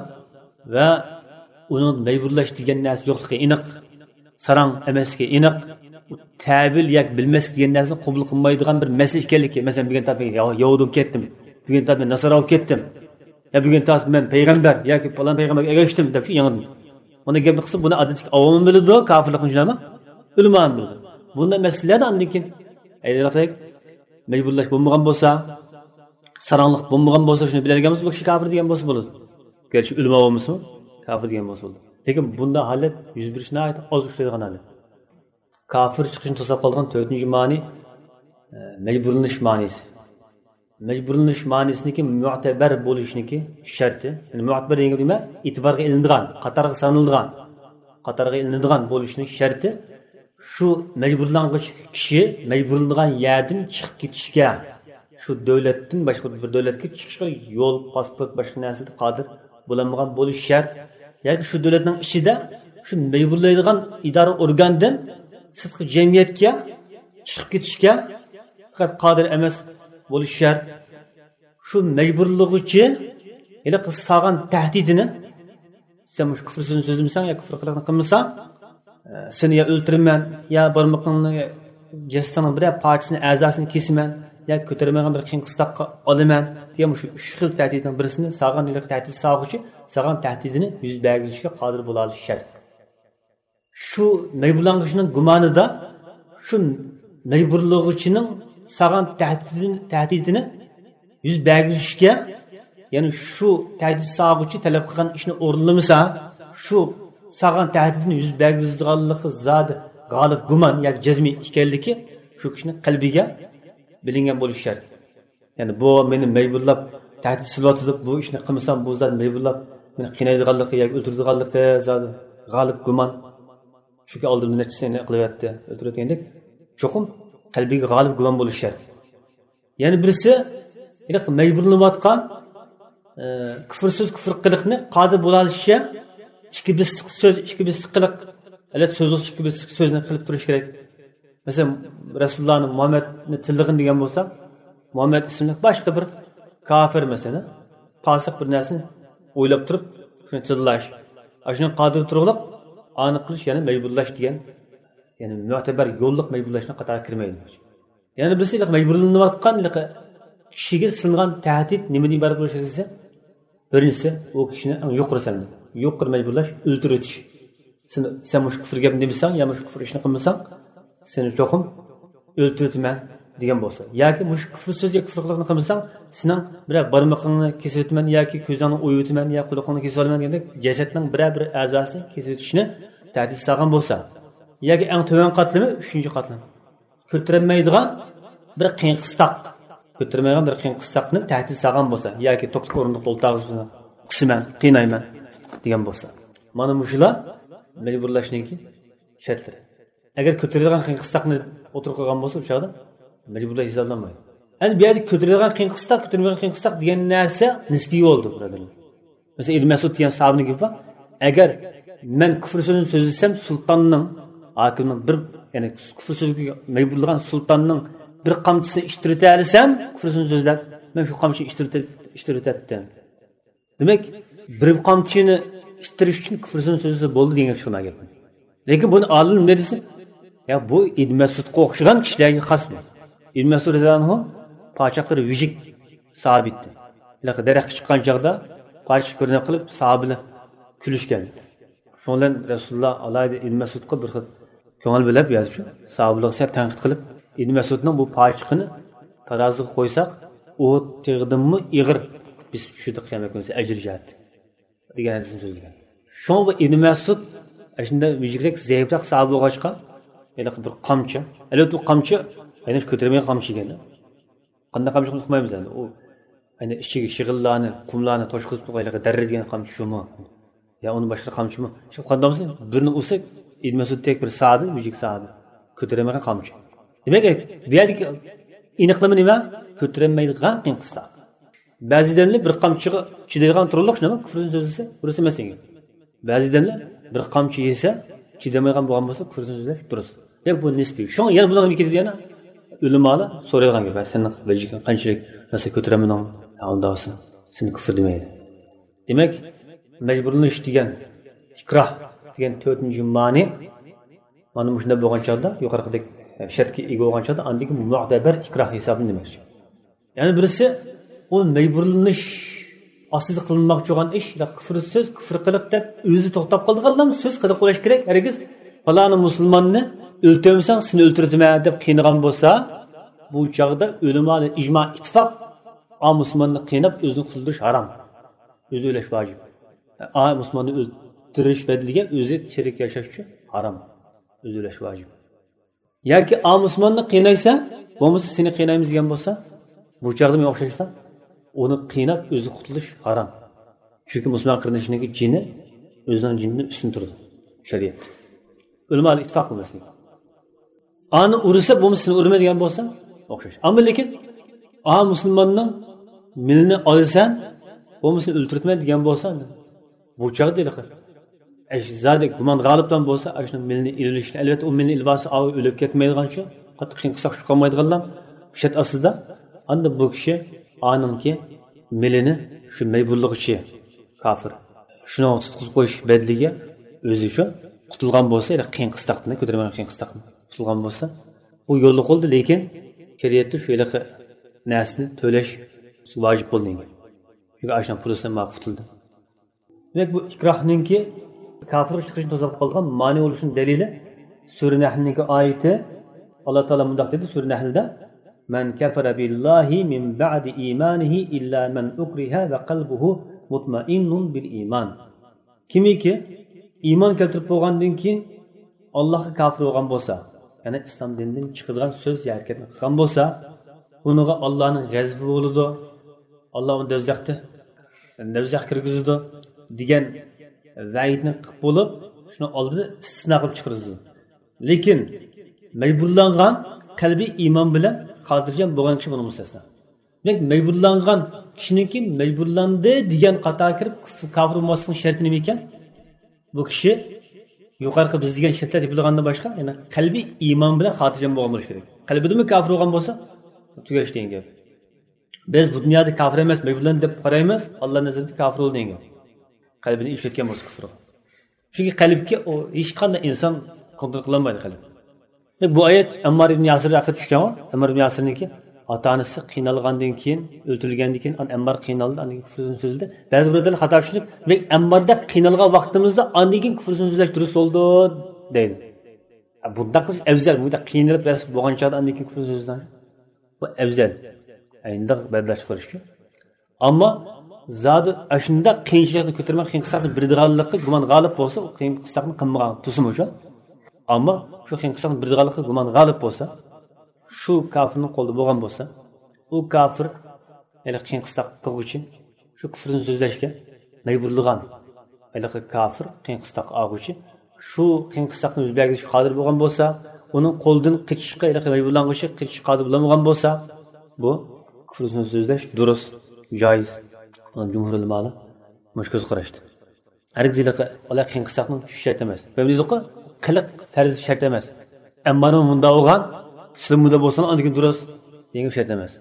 ۋە ئۇنىڭ مەجبۇرلاش دېگەن نەرسە يوقلۇقى ئېنىق، ساراڭ ئەمەسلىكى ئېنىق، تەۋىل ياكى بىلمەسلىك دېگەن نەرسىنى قوبۇل قىلمايدىغان بىر مەسىلە ئىكەنلىكى، مەسىلەن، بۈگۈن تارتىپ مەن يەھۇدىي بولۇپ كەتتىم، بۈگۈن تارتىپ مەن ناسارا بولۇپ كەتتىم، يا بۈگۈن تارتىپ مەن پەيغەمبەر ياكى پالان پەيغەمبەرگە ئەگەشتىم دەپ شۇ يېڭىدىن. ئۇنى گەپنى قىلسا، بۇنى ئادەتتىكى ئاۋاممۇ بىلىدۇ، كاپىرلىقنى شۇنداقمۇ؟ ئۆلىمامۇ بىلىدۇ. بۇنداق مەسىلىلەردە ئاندىن كېيىن ئەيلەقتەك مەجبۇرلاش بولمىغان بولسا، ساراڭلىق بولمىغان بولسا، شۇنى بىلەلىگەن بولسا، بۇ كىشى كاپىر دېگەن بولسا بولىدۇ. گەرچە ئۆلىما بولمىسىمۇ، كاپىر دېگەن بولسا بولىدۇ. لېكىن بۇنداق ھالەت يۈز بېرىشى ناھايىتى ئاز ئۇچرايدىغان ھالەت. كاپىر چىقىشنى توساپ قالىدىغان تۆتىنچى مانى، ئە، مەجبۇرلىنىش مانىسى. مەجبۇرلىنىش مانىسىنىڭكى مۇتەبەر بولۇشنىڭكى شەرتى، يەنى مۇتەبەر دېگەن نېمە؟ ئېتىبارغا ئېلىنىدىغان، قاتارغا سانىلىدىغان، قاتارغا ئېلىنىدىغان بولۇشنىڭ شەرتى شۇ مەجبۇرلانغۇچى كىشى مەجبۇرلىنىدىغان يەردىن چىقىپ كېتىشكە، شۇ دۆلەتتىن باشقا بىر دۆلەتكە چىقىشقا يول، پاسپورت، باشقا نەرسىدە قادىر بولالمىغان بولۇشى شەرت. ياكى شۇ دۆلەتنىڭ ئىچىدە شۇ مەجبۇرلايدىغان ئىدارە ئورگاندىن سىرتقى جەمئىيەتكە چىقىپ كېتىشكە پەقەت قادىر ئەمەس بولۇشى شەرت. شۇ مەجبۇرلىغۇچى ھېلىقى سالغان تەھدىتىنى، سەن مۇشۇ كۇفر سۆزىنى سۆزلىمىسەڭ يا كۇفر قىلىقنى قىلمىساڭ، ئە، سېنى يا ئۆلتۈرىمەن، يا بارمىقىڭنى، جەسىتىڭنىڭ بىرەر پارچىسىنى، ئەزاسىنى كېسىمەن، يا كۆتۈرەلمەيدىغان بىر قىيىن قىستاققا ئالىمەن دېگەن مۇشۇ ئۈچ خىل تەھدىتنىڭ بىرسىنى سالغان، ھېلىقى تەھدىت سالغۇچى سالغان تەھدىتىنى يۈز بەرگۈزۈشكە قادىر بولالىشى شەرت. شۇ مەجبۇرلانغۇچىنىڭ گۇمانىدا شۇ مەجبۇرلىغۇچىنىڭ سالغان تەھدىتىنى، تەھدىتىنى يۈز بەرگۈزۈشكە، يەنى شۇ تەھدىت سالغۇچى تەلەپ قىلغان ئىشنى ئورۇنلىمىسا، شۇ سالغان تەھدىتىنى يۈز بەرگۈزىدىغانلىقى زادى غالىب گۇمان ياكى جەزمىي ئىكەنلىكى شۇ كىشىنىڭ قەلبىگە بىلىنگەن بولۇشى شەرت. يەنى بۇ مېنى مەجبۇرلاپ تەھدىت سېلىۋاتىدۇ، بۇ ئىشنى قىلمىسام بۇ زادى مەجبۇرلاپ مېنى قىينايدىغانلىقى ياكى ئۆلتۈرىدىغانلىقى زادى غالىب گۇمان. چۈنكى ئالدىمدا نەچچىسىنى قىلىۋەتتى، ئۆلتۈرۈۋەتكەندەك. چوقۇم قەلبىگە غالىب گۇمان بولۇشى شەرت. يەنە بىرسى، ھېلىقى مەجبۇرلىنىۋاتقان، ئە، كۇفر سۆز، كۇفر قىلىقنى قادىر بولالىشى ئىككى بېسىقلىق سۆز، ئىككى بېسىقلىق قىلىق، ئەلۋەتتە، سۆز بولسا ئىككى بېسىقلىق سۆزنى قىلىپ تۇرۇش كېرەك. مەسىلەن، رەسۇلۇللانى، مۇھەممەدنى تىللىغىن دېگەن بولسا، مۇھەممەد ئىسىملىك باشقا بىر كاپىر، مەسىلەن، پاسىق بىر نەرسىنى ئويلاپ تۇرۇپ، شۇنى تىللاش. ئاشۇنى قادىر تۇرغۇلۇق، ئانى قىلىش، يەنى مەجبۇرلاش دېگەن، يەنى مۆتىبەر يوللۇق مەجبۇرلاشنىڭ قاتارىغا كىرمەيدۇ. يەنە بىرسى، ھېلىقى مەجبۇرلىنىۋاتقان ھېلىقى كىشىگە سېلىنغان تەھدىت نېمىدىن ئىبارەت بولۇشى دېسە، بىرىنچىسى، ئۇ كىشىنى ئەڭ يۇقىرى سەۋىيەدە، يۇقىرى مەجبۇرلاش، ئۆلتۈرۈۋېتىش. سېنى، سەن مۇشۇ كۇفر گەپنى دېمىسەڭ يا مۇشۇ كۇفر ئىشنى قىلمىساڭ، سېنى چوقۇم ئۆلتۈرۈۋېتىمەن دېگەن بولسا، ياكى مۇشۇ كۇفر سۆز يا كۇفر قىلىقنى قىلمىساڭ، سېنىڭ بىرەر بارمىقىڭنى كېسىۋېتىمەن ياكى كۆزۈڭنى ئويۇۋېتىمەن يا قۇلىقىڭنى كېسىۋالىمەن دېگەندەك جەسەتنىڭ بىرەر بىر ئەزاسىنى كېسىۋېتىشنى تەھدىت سالغان بولسا، ياكى ئەڭ تۆۋەن قاتلىمى، ئۈچىنچى قاتلام، كۆتۈرەلمەيدىغان بىر قىيىن قىستاق، كۆتۈرەلمەيدىغان بىر قىيىن قىستاقنى تەھدىت سالغان بولسا ياكى توكلۇق ئورۇندۇقتا ئولتۇرغۇزۇپ قىسىمەن قىينايمەن دېگەن بولسا، مانا مۇشۇلار مەجبۇرلاشنىڭكى شەرتلىرى. ئەگەر كۆتۈرىدىغان قىيىن قىستاقنى ئوتتۇرىغا قويغان بولسا، ئۇ چاغدا مەجبۇرلاش ھېسابلانمايدۇ. ئەمدى بۇ يەردە كۆتۈرىدىغان قىيىن قىستاق، كۆتۈرمەيدىغان قىيىن قىستاق دېگەن نەرسە نىسپىي بولىدۇ، بۇرادەرلەر. مەسىلەن، ئىبن مەسئۇد دېگەن ساھابىنىڭ گېپى بار. ئەگەر مەن كۇفر سۆزىنى سۆزلىسەم، سۇلتاننىڭ، ھاكىمنىڭ بىر، يەنى كۇفر سۆزگە مەجبۇرلىغان سۇلتاننىڭ بىر قامچىسىنى ئىتتىرىۋېتەلىسەم، كۇفر سۆزىنى سۆزلەپ، مەن شۇ قامچىنى ئىتتىرىۋېتە-، ئىتتىرىۋېتەتتىم. دېمەك، بىر قامچىنى ئىتتىرىش ئۈچۈن كۈفر سۆزىنى سۆزلىسە بولدى دېگەن گەپ چىقىدۇ گەپتىن. لېكىن بۇنى ئالىم نېمە دېسە، يا بۇ ئىبن مەسئۇدقا ئوخشىغان كىشىلەرگە خاس بۇ. ئىبن مەسئۇد رەزىياللاھۇ ئەنھۇ پاچاقلىرى ۋىجىك ساھابە ئىدى. ھېلىقى دەرەخكە چىققان چاغدا پاچىقى كۆرۈنۈپ قېلىپ، ساھابىلەر كۈلۈشكەن. شۇنىڭ بىلەن رەسۇلۇللا ئالاھىدە ئىبن مەسئۇدقا بىر خىل كۆڭۈل بۆلۈپ، يا شۇ ساھابىلەرگە سەل تەنقىد قىلىپ، ئىبن مەسئۇدنىڭ بۇ پاچىقىنى تارازىغا قويساق، ئۇھۇد تېغىدىنمۇ ئېغىر بېسىپ چۈشىدۇ قىيامەت كۈنىسى ئەجرى جەھەتتىن. دېگەن ھەدىسنى سۆزلىگەن. شۇڭا بۇ ئىبن مەسئۇد ئاشۇنداق ۋىجىكرەك، زەئىپرەك ساھابە بولغاچقا، ھېلىقى بىر قامچا، ئەلۋەتتە، ئۇ قامچا ھەيدەش كۆتۈرمىگەن قامچا ئىكەن. قانداق قامچا ئۇقمايمىز ئەمدى. ئۇ، يەنى ئىچىگە شېغىللارنى، قۇملارنى توشقۇزۇپ، ھېلىقى دەررە دېگەن قامچا شۇمۇ؟ يا ئۇنى باشقا قامچىمۇ؟ شۇ قانداق بولسا، بىرنى ئۇرسا، ئىبن مەسئۇدتەك بىر ساھابە، ۋىجىك ساھابە، كۆتۈرەلمىگەن قامچا. دېمەك، بۇ يەردىكى ئېنىقلىما نېمە؟ كۆتۈرەلمەيدىغان قىيىن قىستاق. بەزى ئادەملەر بىر قامچىغا چىدايدىغان تۇرۇقلۇق، شۇنداقمۇ؟ كۇفرىنى سۆزلىسە دۇرۇس ئەمەس دېگەن. بەزى ئادەملەر بىر قامچا يېسە، چىدىمايدىغان بولغان بولسا، كۇفرىنى سۆزلەش دۇرۇس. دېمەك، بۇ نىسپىي. شۇڭا يەنە بۇنىڭغا نېمە كېتىدۇ يەنە؟ ئۆلىمالار سورايدىغان گەپ، سەن ۋەجىھىڭ قانچىلىك نەرسە كۆتۈرەلمىدىڭ؟ ھە، ئۇنداق بولسا سېنى كۇفر دېمەيلى. دېمەك، مەجبۇرلىنىش دېگەن، ئىكراھ دېگەن تۆتىنچى مانى مانا مۇشۇنداق بولغان چاغدا، يۇقىرىقىدەك شەرتكە ئىگە بولغان چاغدا، ئاندىن كېيىن مۇئتەبەر ئىكراھ ھېسابلىنىدۇ دېمەكچى. يەنە بىرسى، ئۇ مەجبۇرلىنىش ئاستىدا قىلىنماقچى بولغان ئىش، يا كۇفر سۆز، كۇفر قىلىق دەپ ئۆزى توختاپ قالىدىغانلام سۆز قىلىق بولۇش كېرەك. ھەرگىز پالانى مۇسۇلماننى ئۆلتۈرمىسەڭ، سېنى ئۆلتۈرۈۋېتىمەن دەپ قىينىغان بولسا، بۇ چاغدا ئۆلىمالار ئىجما، ئىتتىپاق، ئا مۇسۇلماننى قىيناپ ئۆزىنى قۇتۇلدۇرۇش ھارام. ئۆزى ئۆلۈش ۋاجىپ. ئا مۇسۇلماننى ئۆلتۈرۈش بەدىلىگە ئۆزى تىرىك ياشاش ئۈچۈن ھارام. ئۆزى ئۆلۈش ۋاجىپ. ياكى ئا مۇسۇلماننى قىينايسەن، بولمىسا سېنى قىينايمىز دېگەن بولسا، بۇ چاغدا مانا ئوخشاشلا ئۇنى قىيناپ ئۆزى قۇتۇلۇش ھارام. چۈنكى مۇسۇلمان قېرىندىشىنىڭكى جېنى ئۆزىنىڭ جېنىدىن ئۈستۈن تۇرىدۇ شەرىئەتتە. ئۆلىمالار ئىتتىپاق بۇ مەسىلىگە. ئانى ئۇرسا، بولمىسا سېنى ئۇرىمەن دېگەن بولسا، ئوخشاش. ئەمما لېكىن، ئا مۇسۇلماننىڭ مېلىنى ئالىسەن، بولمىسا سېنى ئۆلتۈرتىمەن دېگەن بولسا، بۇ چاغدا ھېلىقى ئەش-، زادى گۇمان غالىبلام بولسا، ئاشۇنىڭ مېلىنى ئېلىۋېلىشنى، ئەلۋەتتە، ئۇ مېلىنى ئېلىۋالسا، ئاۋۇ ئۆلۈپ كەتمەيدىغان شۇ، قاتتىق قىيىن قىستاق چۈشۈپ قالمايدىغانلام شەرت ئاستىدا، ئاندا بۇ كىشى ئانىڭكى مېلىنى شۇ مەي بۇرۇلغۇچى كاپىر شۇنىڭغا تۇتقۇزۇپ قويۇش بەدىلىگە ئۆزى شۇ قۇتۇلغان بولسا، يەنى قىيىن قىستاقتىن، كۆتۈرمىگەن قىيىن قىستاقتىن قۇتۇلغان بولسا، ئۇ يوللۇق بولدى، لېكىن شەرىئەتتە شۇ ھېلىقى نەرسىنى تۆلەش ۋاجىپ بولدى. چۈنكى ئاشۇنىڭ پۇلىسىدىن مانا قۇتۇلدى. دېمەك، بۇ ئىكراھنىڭكى كاپىرغا چىقىشنى توسۇپ قالغان مانى بولۇشىنىڭ دەلىلى سۈرە نەھلنىڭكى ئايىتى. ئاللا تائالا مۇنداق دېدى سۈرە نەھلدە: «مەن كەفەرە بىللاھى مىن بەئدى ئىمانىھى ئىللا مەن ئۇكرىھە ۋە قەلبۇھۇ مۇتمەئىننۇن بىل ئىمان.» كىمكى ئىمان كەلتۈرۈپ بولغاندىن كېيىن ئاللاھقا كاپىر بولغان بولسا، يەنى ئىسلام دىنىدىن چىقىدىغان سۆز يا ھەرىكەتنى قىلغان بولسا، ئۇنىڭغا ئاللانىڭ غەزىپى بولىدۇ، ئاللا ئۇنى دوزاختا، دوزاخقا كىرگۈزىدۇ دېگەن ۋەئىدنى قىلىپ بولۇپ، شۇنىڭ ئالدىدا ئىستىسنا قىلىپ چىقىرىدۇ. لېكىن مەجبۇرلانغان قەلبى ئىمان بىلەن خاتىرجەم بولغان كىشى بۇنىڭ مۇستەسنا. دېمەك، مەجبۇرلانغان كىشىنىڭكى مەجبۇرلاندى دېگەن قاتارغا كىرىپ، كۇف-، كاپىر بولماسلىقنىڭ شەرتى نېمە ئىكەن؟ بۇ كىشى يۇقىرىقى بىز دېگەن شەرتلەر تېپىلغاندىن باشقا، يەنى قەلبىي ئىمان بىلەن خاتىرجەم بولغان بولۇشى كېرەك. قەلبىدىمۇ كاپىر بولغان بولسا، تۈگەش دېگەن گەپ. بىز بۇ دۇنيادا كاپىر ئەمەس، مەجبۇرلاندى دەپ قارايمىز، ئاللا نەزىرىدە كاپىر بولدى دېگەن گەپ. قەلبىدىن ئىشلەتكەن بولسا كۇفرىغا. چۈنكى قەلبكە ئۇ ھېچقانداق ئىنسان كونترول قىلالمايدۇ قەلب. بۇ ئايەت ئەممار ئىبن ياسىر ھەققىدە چۈشكەن، ئەممار ئىبن ياسىرنىڭكى ئاتا-ئانىسى قىينالغاندىن كېيىن، ئۆلتۈرۈلگەندىن كېيىن، ئەممار قىينالدى، ئاندىن كېيىن كۇفرىدىن سۆزلىدى. بەزى بىرادەرلەر خاتا چۈشىنىپ، دېمەك، ئەمماردەك قىينالغان ۋاقتىمىزدا ئاندىن كېيىن كۇفرىدىن سۆزلەش دۇرۇس بولىدۇ دەيدۇ. بۇنداق قىلىش ئەۋزەل، بۇنداق قىينىلىپ رەس بولغان چاغدا ئاندىن كېيىن كۇفرىدىن سۆزلەش، بۇ ئەۋزەل. ئەينىداق بەدلەش قىلىشچۇ. ئەمما زادى ئاشۇنداق قىيىنچىلىقنى كۆتۈرمەي، قىيىن قىستاقنى بېرىدىغانلىققا گۇمان غالىپ بولسا، ئۇ قىيىن قىستاقنى قىلمىغان تۇرسىمۇ شۇ. ئەمما شۇ قىيىن قىستاقنى بېرىدىغانلىققا گۇمان غالىپ بولسا، شۇ كاپىرنىڭ قولىدا بولغان بولسا، ئۇ كاپىر ھېلىقى قىيىن قىستاق قىلغۇچى شۇ كۇفرىدىن سۆزلەشكە مەجبۇرلىغان ھېلىقى كاپىر، قىيىن قىستاق ئالغۇچى شۇ قىيىن قىستاقتىن يۈز بەرگۈزۈشكە قادىر بولغان بولسا، ئۇنىڭ قولىدىن قېچىشقا ھېلىقى مەجبۇرلانغۇچى قېچىشقا قادىر بولالمىغان بولسا، بۇ كۇفرىدىن سۆزلەش دۇرۇس، جايىز. ئۇنىڭ جۇمھۇر ئۆلىمالار مۇشۇ كۆز قاراشتا. ھەرگىز ھېلىقى ئالاي قىيىن قىستاقنىڭ چۈشۈشى شەرت ئەمەس. ۋە دېدۇققۇ، قىلىق پەرز شەرت ئەمەس. ئەممارمۇ مۇنداق بولغان، سىلىمۇ مۇنداق بولسىڭلار ئاندىن كېيىن دۇرۇس دېگەن شەرت ئەمەس.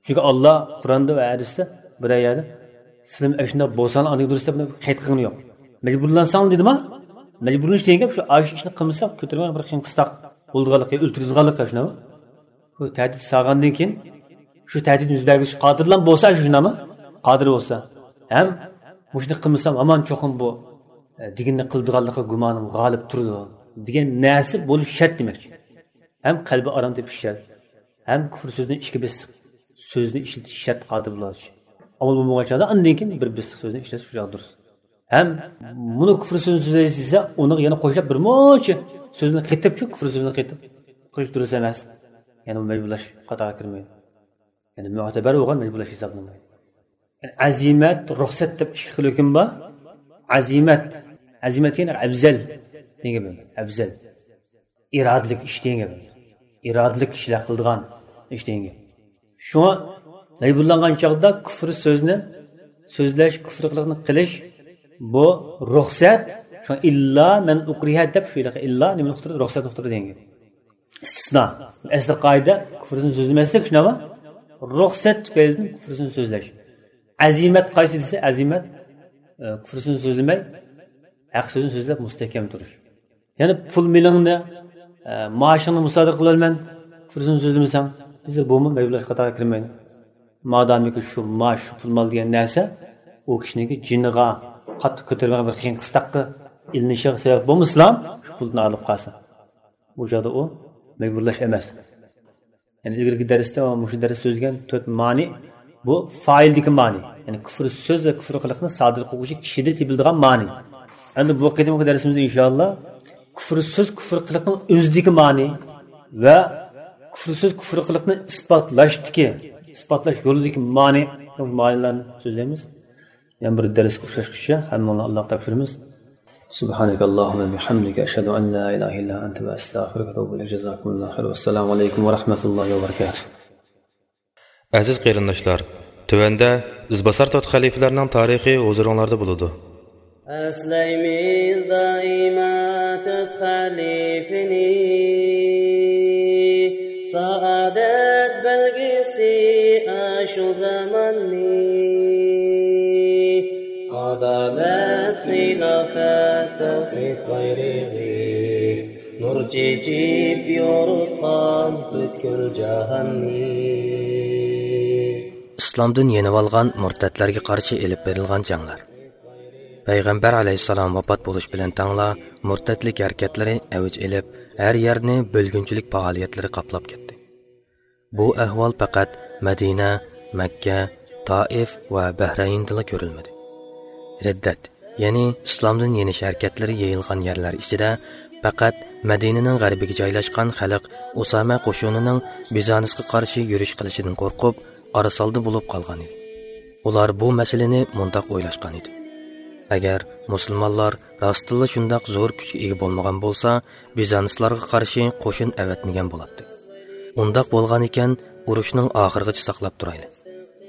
چۈنكى ئاللا قۇرئاندا ۋە ھەدىستە بىرەر يەردە سىلىم ئەشۇنداق بولساڭلار ئاندىن دۇرۇس دەپ قەيت قىلغىنى يوق. مەجبۇرلانساڭلار دېدىما؟ مەجبۇرلىنىش دېگەن گەپ شۇ، ئاشۇ ئىشنى قىلمىساق كۆتۈرمە بىر قىيىن قىستاق بولىدىغانلىقى، ئۆلتۈرىدىغانلىقى شۇنداقمۇ؟ بۇ تەھدىت سالغاندىن كېيىن شۇ تەھدىتنى يۈز بەرگۈزۈشكە قادىرلام بولسا شۇنداقمۇ؟ قادىر بولسا. ھەم مۇشۇنى قىلمىسام ھامان چوقۇم بۇ، ئە، دېگىنىنى قىلىدىغانلىقى گۇمانىم غالىب تۇرىدۇ دېگەن نەرسە بولۇش شەرت دېمەكچى. ھەم قەلبى ئارام تېپىش شەرت، ھەم كۇفر سۆزىنى ئىككى بېسىق سۆزنى ئىشلىتىش شەرت قادىر بولۇش. ئامال بولمىغان چاغدا ئاندىن كېيىن بىر بېسىق سۆزنى ئىشلەتسە شۇ چاغدا دۇرۇس. ھەم مۇنۇ كۇفر سۆزىنى سۆزلەيسىز دېسە، ئۇنىڭغا يەنە قوشۇپ بىر مۇنچە سۆزنى قېتىپ، شۇ كۇفر سۆزىنى قېتىپ قىلىش دۇرۇس ئەمەس. يەنە بۇ مەجبۇرلاش قاتارىغا كىرمەيدۇ. يەنى مۆتىبەر بولغان مەجبۇرلاش ھېسابلانمايدۇ. يەنى ئەزىمەت، رۇخسەت دەپ ئىككى خىل ھۆكۈم بار. ئەزىمەت، ئەزىمەت يەنى ئەۋزەل دېگەن گەپ. ئەۋزەل. ئىرادىلىك ئىش دېگەن گەپ. ئىرادىلىك كىشىلەر قىلىدىغان ئىش دېگەن گەپ. شۇڭا مەجبۇرلانغان چاغدا كۇفر سۆزنى سۆزلەش، كۇفر قىلىقنى قىلىش، بۇ رۇخسەت. شۇڭا ئىللا مەن ئۇكرىھە دەپ شۇ يەردە ئىللا نېمىنى ئۇقتۇردى؟ رۇخسەتنى ئۇقتۇردى دېگەن گەپ. ئىستىسنا. ئەسلى قائىدە كۇفرىسىنى سۆزلىمەسلىك، شۇنداقمۇ؟ رۇخسەت تۈپەيلىدىن كۇفرىسىنى سۆزلەش. ئەزىمەت قايسى دېسە، ئەزىمەت، ئە، كۇفرىسىنى سۆزلىمەي، ھەق سۆزنى سۆزلەپ مۇستەھكەم تۇرۇش. يەنى پۇل مېلىڭنى، ئە، مائاشىڭنى مۇسادىرە قىلىۋالىمەن، كۇفرىسىنى سۆزلىمىسەڭ، بىزدە بۇمۇ مەجبۇرلاش قاتارىغا كىرمەيدۇ. مادامىكى شۇ مائاش، شۇ پۇل مال دېگەن نەرسە ئۇ كىشىنىڭكى جېنىغا قاتتىق كۆتۈرمىگەن بىر قىيىن قىستاققا ئىلىنىشىغا سەۋەب بولمىسىلا، شۇ پۇلدىن ئايرىلىپ قالسا. بۇ چاغدا ئۇ مەجبۇرلاش ئەمەس. يەنى ئىلگىرىكى دەرستە ۋە مۇشۇ دەرستە سۆزلىگەن تۆت مانى، بۇ فائىلدىكى مانى. يەنى كۇفر سۆز ۋە كۇفر قىلىقنى سادىر قىلغۇچى كىشىدە تېپىلىدىغان مانى. ئەمدى بۇ قېتىمقى دەرسىمىزدە ئىنشائاللا كۇفر سۆز، كۇفر قىلىقنىڭ ئۆزىدىكى مانى ۋە كۇفر سۆز، كۇفر قىلىقنى ئىسپاتلاشتىكى، ئىسپاتلاش يولىدىكى مانى، مانىلارنى سۆزلەيمىز. يەنە بىر دەرسكە ئۇچراشقىچە ھەممىڭلارنى ئاللاغا تاپشۇرىمىز. سبحانك اللهم وبحمدك، أشهد أن لا إله إلا أنت، أستغفرك وأتوب إليك. جزاكم الله خير. والسلام عليكم ورحمة الله وبركاته. ئەزىز قېرىنداشلار، تۆۋەندە ئىزباسار تۆت خەلىپىلەرنىڭ تارىخى ھۇزۇرۇڭلاردا بولىدۇ. ئەسلەيمىز دائىما تۆت خەلىپىنى، سائادەت بەلگىسى ئاشۇ زاماننى. ئادالەت، خىلاپەت، تەۋھىد بايرىقى، نۇر چېچىپ يورۇتقان پۈتكۈل جاھاننى. ئىسلامدىن يېنىۋالغان مۇرتەتلەرگە قارشى ئېلىپ بېرىلغان جەڭلەر. پەيغەمبەر ئەلەيھىسسالام ۋاپات بولۇش بىلەن تەڭلا مۇرتەتلىك ھەرىكەتلىرى ئەۋج ئېلىپ، ھەر يەرنى بۆلگۈنچىلىك پائالىيەتلىرى قاپلاپ كەتتى. بۇ ئەھۋال پەقەت مەدىنە، مەككە، تائىف ۋە بەھرەيندىلا كۆرۈلمىدى. رىددەت، يەنى ئىسلامدىن يېنىش ھەرىكەتلىرى يېيىلغان يەرلەر ئىچىدە پەقەت مەدىنىنىڭ غەربىگە جايلاشقان خەلق ئۇسامە قوشۇنىنىڭ بىزانسقا قارشى يۈرۈش قىلىشىدىن قورقۇپ، ئارىسالدى بولۇپ قالغان ئىدى. ئۇلار بۇ مەسىلىنى مۇنداق ئويلاشقان ئىدى: ئەگەر مۇسۇلمانلار راستتىنلا شۇنداق زور كۈچكە ئىگە بولمىغان بولسا، بىزانسلارغا قارشى قوشۇن ئەۋەتمىگەن بولاتتى. ئۇنداق بولغان ئىكەن، ئۇرۇشنىڭ ئاخىرىغىچە ساقلاپ تۇرايلى.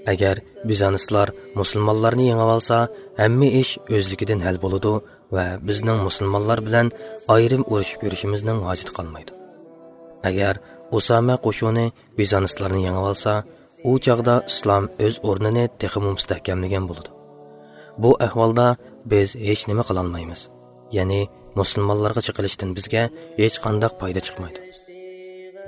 ئەگەر بىزانسلار مۇسۇلمانلارنى يېڭىۋالسا، ھەممە ئىش ئۆزلۈكىدىن ھەل بولىدۇ ۋە بىزنىڭ مۇسۇلمانلار بىلەن ئايرىم ئۇرۇشۇپ يۈرۈشىمىزنىڭ ھاجىتى قالمايدۇ. ئەگەر ئۇسامە قوشۇنى بىزانسلارنى يېڭىۋالسا، ئۇ چاغدا ئىسلام ئۆز ئورنىنى تېخىمۇ مۇستەھكەملىگەن بولىدۇ. بۇ ئەھۋالدا بىز ھېچ نېمە قىلالمايمىز. يەنى مۇسۇلمانلارغا چېقىلىشتىن بىزگە ھېچقانداق پايدا چىقمايدۇ.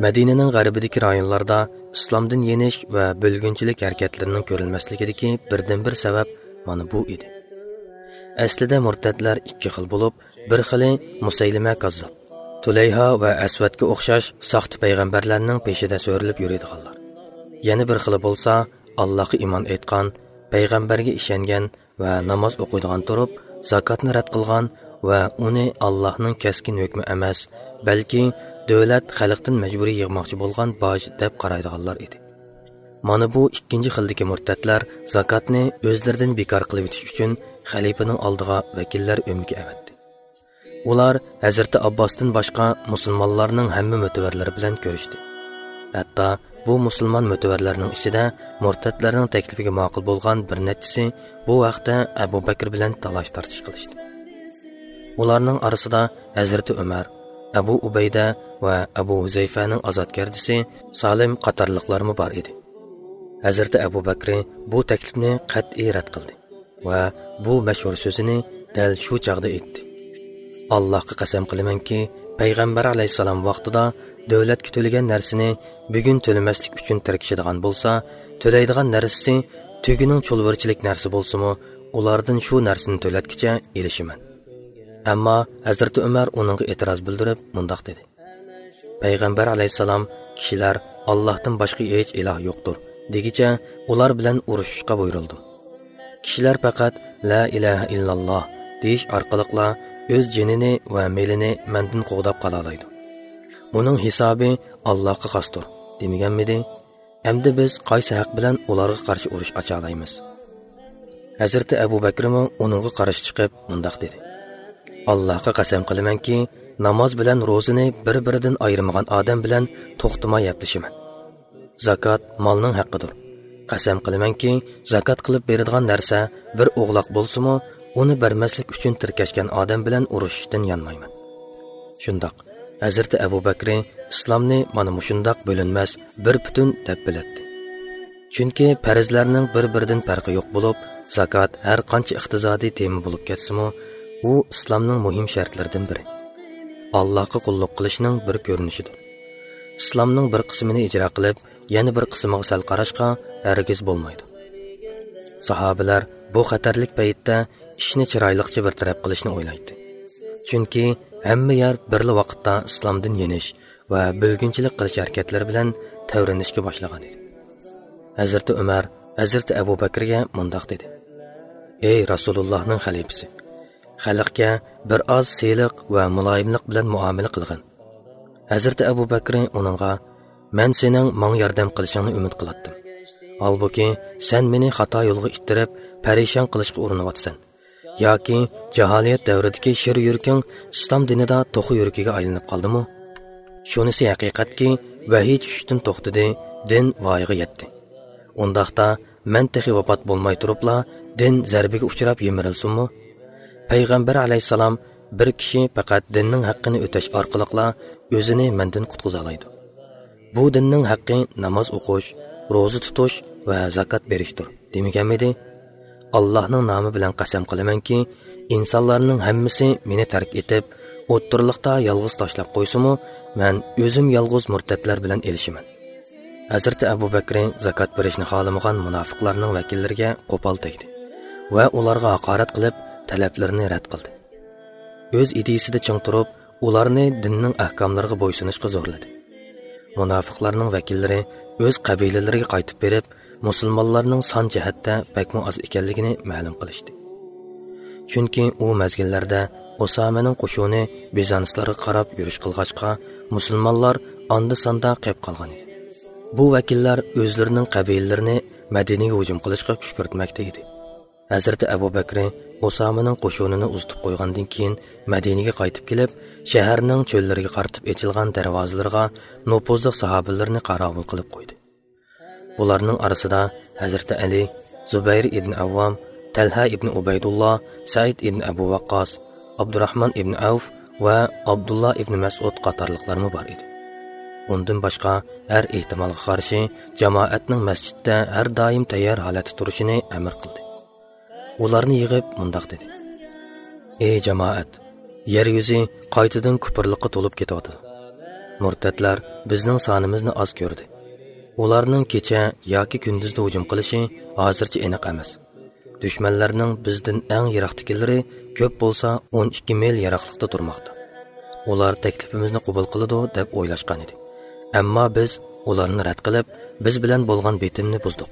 مەدىنىنىڭ غەربىدىكى رايونلاردا ئىسلامدىن يېنىش ۋە بۆلگۈنچىلىك ھەرىكەتلىرىنىڭ كۆرۈلمەسلىكىدىكى بىردىنبىر سەۋەب مانا بۇ ئىدى. ئەسلىدە مۇرتەتلەر ئىككى خىل بولۇپ، بىر خىلى مۇسەيلىمە كاززاپ، تۇلەيھا ۋە ئەسۋەدكە ئوخشاش ساختا پەيغەمبەرلەرنىڭ پېشىدە سۆرىلىپ يۈرىدىغانلار. يەنە بىر خىلى بولسا، ئاللاھقا ئىمان ئېيتقان، پەيغەمبەرگە ئىشەنگەن ۋە ناماز ئوقۇيدىغان تۇرۇپ، زاكاتنى رەت قىلغان ۋە ئۇنى ئاللاھنىڭ كەسكىن ھۆكمى ئەمەس، بەلكى دۆلەت خەلقتىن مەجبۇرىي يىغماقچى بولغان باج دەپ قارايدىغانلار ئىدى. مانا بۇ ئىككىنچى خىلدىكى مۇرتەتلەر زاكاتنى ئۆزلىرىدىن بىكار قىلىۋېتىش ئۈچۈن خەلىپىنىڭ ئالدىغا ۋەكىللەر ئۆمىكى ئەۋەتتى. ئۇلار ھەزرىتى ئابباستىن باشقا مۇسۇلمانلارنىڭ ھەممە مۆتىۋەرلىرى بىلەن كۆرۈشتى. ھەتتا بۇ مۇسۇلمان مۆتىۋەرلەرنىڭ ئىچىدە مۇرتەتلەرنىڭ تەكلىپىگە ماقۇل بولغان بىر نەچچىسى بۇ ھەقتە ئەبۇ بەكرى بىلەن تالاش-تارتىش قىلىشتى. ئۇلارنىڭ ئارىسىدا ھەزرىتى ئۆمەر، ئەبۇ ئۇبەيدە ۋە ئەبۇ ھۇزەيفەنىڭ ئازادگەردىسى سالىم قاتارلىقلارمۇ بار ئىدى. ھەزرىتى ئەبۇ بەكرى بۇ تەكلىپنى قەتئىي رەت قىلدى ۋە بۇ مەشھۇر سۆزىنى دەل شۇ چاغدا ئېيتتى: «ئاللاھقا قەسەم قىلىمەنكى، پەيغەمبەر ئەلەيھىسسالام ۋاقتىدا دۆلەتكە تۆلىگەن نەرسىنى بۈگۈن تۆلىمەسلىك ئۈچۈن تىركىشىدىغان بولسا، تۆلەيدىغان نەرسىسى تۆگىنىڭ چۇلۋۇرچىلىك نەرسە بولسىمۇ، ئۇلاردىن شۇ نەرسىنى تۆلەتكىچە ئېلىشىمەن.» ئەمما ھەزرىتى ئۆمەر ئۇنىڭغا ئېتىراز بىلدۈرۈپ مۇنداق دېدى: «پەيغەمبەر ئەلەيھىسسالام، كىشىلەر، ئاللاھتىن باشقا ھېچ ئىلاھ يوقتۇر، دېگىچە ئۇلار بىلەن ئۇرۇشۇشقا بۇيرۇلدۇم. كىشىلەر پەقەت لا ئىلاھە ئىللاللا دېيىش ئارقىلىقلا ئۆز جېنىنى ۋە مېلىنى مەندىن قوغداپ قالالايدۇ. ئۇنىڭ ھېسابى ئاللاھقا خاستۇر، دېمىگەنمىدى؟ ئەمدى بىز قايسى ھەق بىلەن ئۇلارغا قارشى ئۇرۇش ئاچالايمىز؟» ھەزرىتى ئەبۇ بەكرىمۇ ئۇنىڭغا قارشى چىقىپ مۇنداق دېدى: «ئاللاھقا قەسەم قىلىمەنكى، ناماز بىلەن روزىنى بىر-بىرىدىن ئايرىمىغان ئادەم بىلەن توختىماي ھەپلىشىمەن. زاكات مالنىڭ ھەققىدۇر. قەسەم قىلىمەنكى، زاكات قىلىپ بېرىدىغان نەرسە بىر ئوغلاق بولسىمۇ، ئۇنى بەرمەسلىك ئۈچۈن تىركەشكەن ئادەم بىلەن ئۇرۇشۇشتىن يانمايمەن.» شۇنداق، ھەزرىتى ئەبۇ بەكرى ئىسلامنى مانا مۇشۇنداق بۆلۈنمەس، بىر پۈتۈن دەپ بىلەتتى. چۈنكى پەرزلەرنىڭ بىر-بىرىدىن پەرقى يوق بولۇپ، زاكات ھەر قانچە ئىقتىسادىي تېما بولۇپ كەتسىمۇ، ئۇ ئىسلامنىڭ مۇھىم شەرتلىرىدىن بىرى. ئاللاھقا قۇللۇق قىلىشنىڭ بىر كۆرۈنۈشىدۇر. ئىسلامنىڭ بىر قىسمىنى ئىجرا قىلىپ، يەنە بىر قىسمىغا سەل قاراشقا ھەرگىز بولمايدۇ. ساھابىلەر بۇ خەتەرلىك پەيتتە ئىشنى چىرايلىقچە بىر تەرەپ قىلىشنى ئويلايتتى. چۈنكى ھەممە يەر بىرلا ۋاقىتتا ئىسلامدىن يېنىش ۋە بۆلگۈنچىلىك قىلىش ھەرىكەتلىرى بىلەن تەۋرىنىشكە باشلىغان ئىدى. ھەزرىتى ئۆمەر ھەزرىتى ئەبۇ بەكرىگە مۇنداق دېدى: «ئەي رەسۇلۇللاھنىڭ خەلىپىسى، خەلقكە بىر ئاز سىلىق ۋە مۇلايىملىق بىلەن مۇئامىلە قىلغىن.» ھەزرىتى ئەبۇ بەكرى ئۇنىڭغا: «مەن سېنىڭ ماڭا ياردەم قىلىشىڭنى ئۈمىد قىلاتتىم. ھالبۇكى، سەن مېنى خاتا يولغا ئىتتىرىپ، پەرىشان قىلىشقا ئۇرۇنۇۋاتىسەن. ياكى جاھالىيەت دەۋرىدىكى شىر يۈرىكىڭ ئىسلام دىنىدا توخۇ يۈرىكىگە ئايلىنىپ قالدىمۇ؟ شۇنىسى ھەقىقەتكى، ۋەھىي چۈشۈشتىن توختىدى، دىن ۋايىغا يەتتى. ئۇنداقتا، مەن تېخى ۋاپات بولماي تۇرۇپلا دىن زەربىگە ئۇچراپ يىمىرىلسۇنمۇ؟ پەيغەمبەر ئەلەيھىسسالام، بىر كىشى پەقەت دىننىڭ ھەققىنى ئۆتەش ئارقىلىقلا ئۆزىنى مەندىن قۇتقۇزالايدۇ. بۇ دىننىڭ ھەققى ناماز ئوقۇش، روزا تۇتۇش ۋە زاكات بېرىشتۇر، دېمىگەنمىدى؟ ئاللاھنىڭ نامى بىلەن قەسەم قىلىمەنكى، ئىنسانلارنىڭ ھەممىسى مېنى تەرك ئېتىپ، ئوتتۇرىلىقتا يالغۇز تاشلاپ قويسىمۇ، مەن ئۆزۈم يالغۇز مۇرتەتلەر بىلەن ئېلىشىمەن. ھەزرىتى ئەبۇ بەكرى زاكات بېرىشنى خالىمىغان مۇناپىقلارنىڭ ۋەكىللىرىگە قوپال تەگدى ۋە ئۇلارغا ھاقارەت قىلىپ، تەلەپلىرىنى رەت قىلدى. ئۆز ئىدىيىسىدە چىڭ تۇرۇپ، ئۇلارنى دىننىڭ ئەھكاملىرىغا بويسۇنۇشقا زورلىدى. مۇناپىقلارنىڭ ۋەكىللىرى ئۆز قەبىلىلىرىگە قايتىپ بېرىپ، مۇسۇلمانلارنىڭ سان جەھەتتە بەكمۇ ئاز ئىكەنلىكىنى مەلۇم قىلىشتى. چۈنكى ئۇ مەزگىللەردە ئۇسامىنىڭ قوشۇنى بىزانسلارغا قاراپ يۈرۈش قىلغاچقا، مۇسۇلمانلار ئاندا-ساندا قېپ قالغان ئىدى. بۇ ۋەكىللەر ئۆزلىرىنىڭ قەبىلىلىرىنى مەدىنىگە ھۇجۇم قىلىشقا كۈشكۈرتمەكتە ئىدى. ھەزرىتى ئەبۇ بەكرى ئۇسامىنىڭ قوشۇنىنى ئۇزىتىپ قويغاندىن كېيىن، مەدىنىگە قايتىپ كېلىپ، شەھەرنىڭ چۆللىرىگە قارىتىپ ئېچىلغان دەرۋازىلىرىغا نوپۇزلۇق ساھابىلىرىنى قاراۋۇل قىلىپ قويدى. بۇلارنىڭ ئارىسىدا ھەزرىتى ئەلى، زۇبەير ئىبن ئەۋۋام، تەلھە ئىبن ئۇبەيدۇللا، سەئىد ئىبن ئەبۇ ۋەققاس، ئابدۇراھمان ئىبن ئەۋف ۋە ئابدۇللا ئىبن مەسئۇد قاتارلىقلارمۇ بار ئىدى. ئۇندىن باشقا، ھەر ئېھتىمالغا قارشى، جامائەتنىڭ مەسچىتتە ھەر دائىم تەييار ھالەتتە تۇرۇشىنى ئەمر قىلدى. ئۇلارنى يىغىپ مۇنداق دېدى: «ئەي جامائەت، يەر يۈزى قايتىدىن كۇپۇرلۇققا تولۇپ كېتىۋاتىدۇ. مۇرتەتلەر بىزنىڭ سانىمىزنى ئاز كۆردى. ئۇلارنىڭ كېچە ياكى كۈندۈزدە ھۇجۇم قىلىشى ھازىرچە ئېنىق ئەمەس. دۈشمەنلەرنىڭ بىزدىن ئەڭ يىراقتىكىلىرى كۆپ بولسا ئون ئىككى مىل يىراقلىقتا تۇرماقتا. ئۇلار تەكلىپىمىزنى قوبۇل قىلىدۇ دەپ ئويلاشقان ئىدى. ئەمما بىز ئۇلارنى رەت قىلىپ، بىز بىلەن بولغان بېتىمنى بۇزدۇق.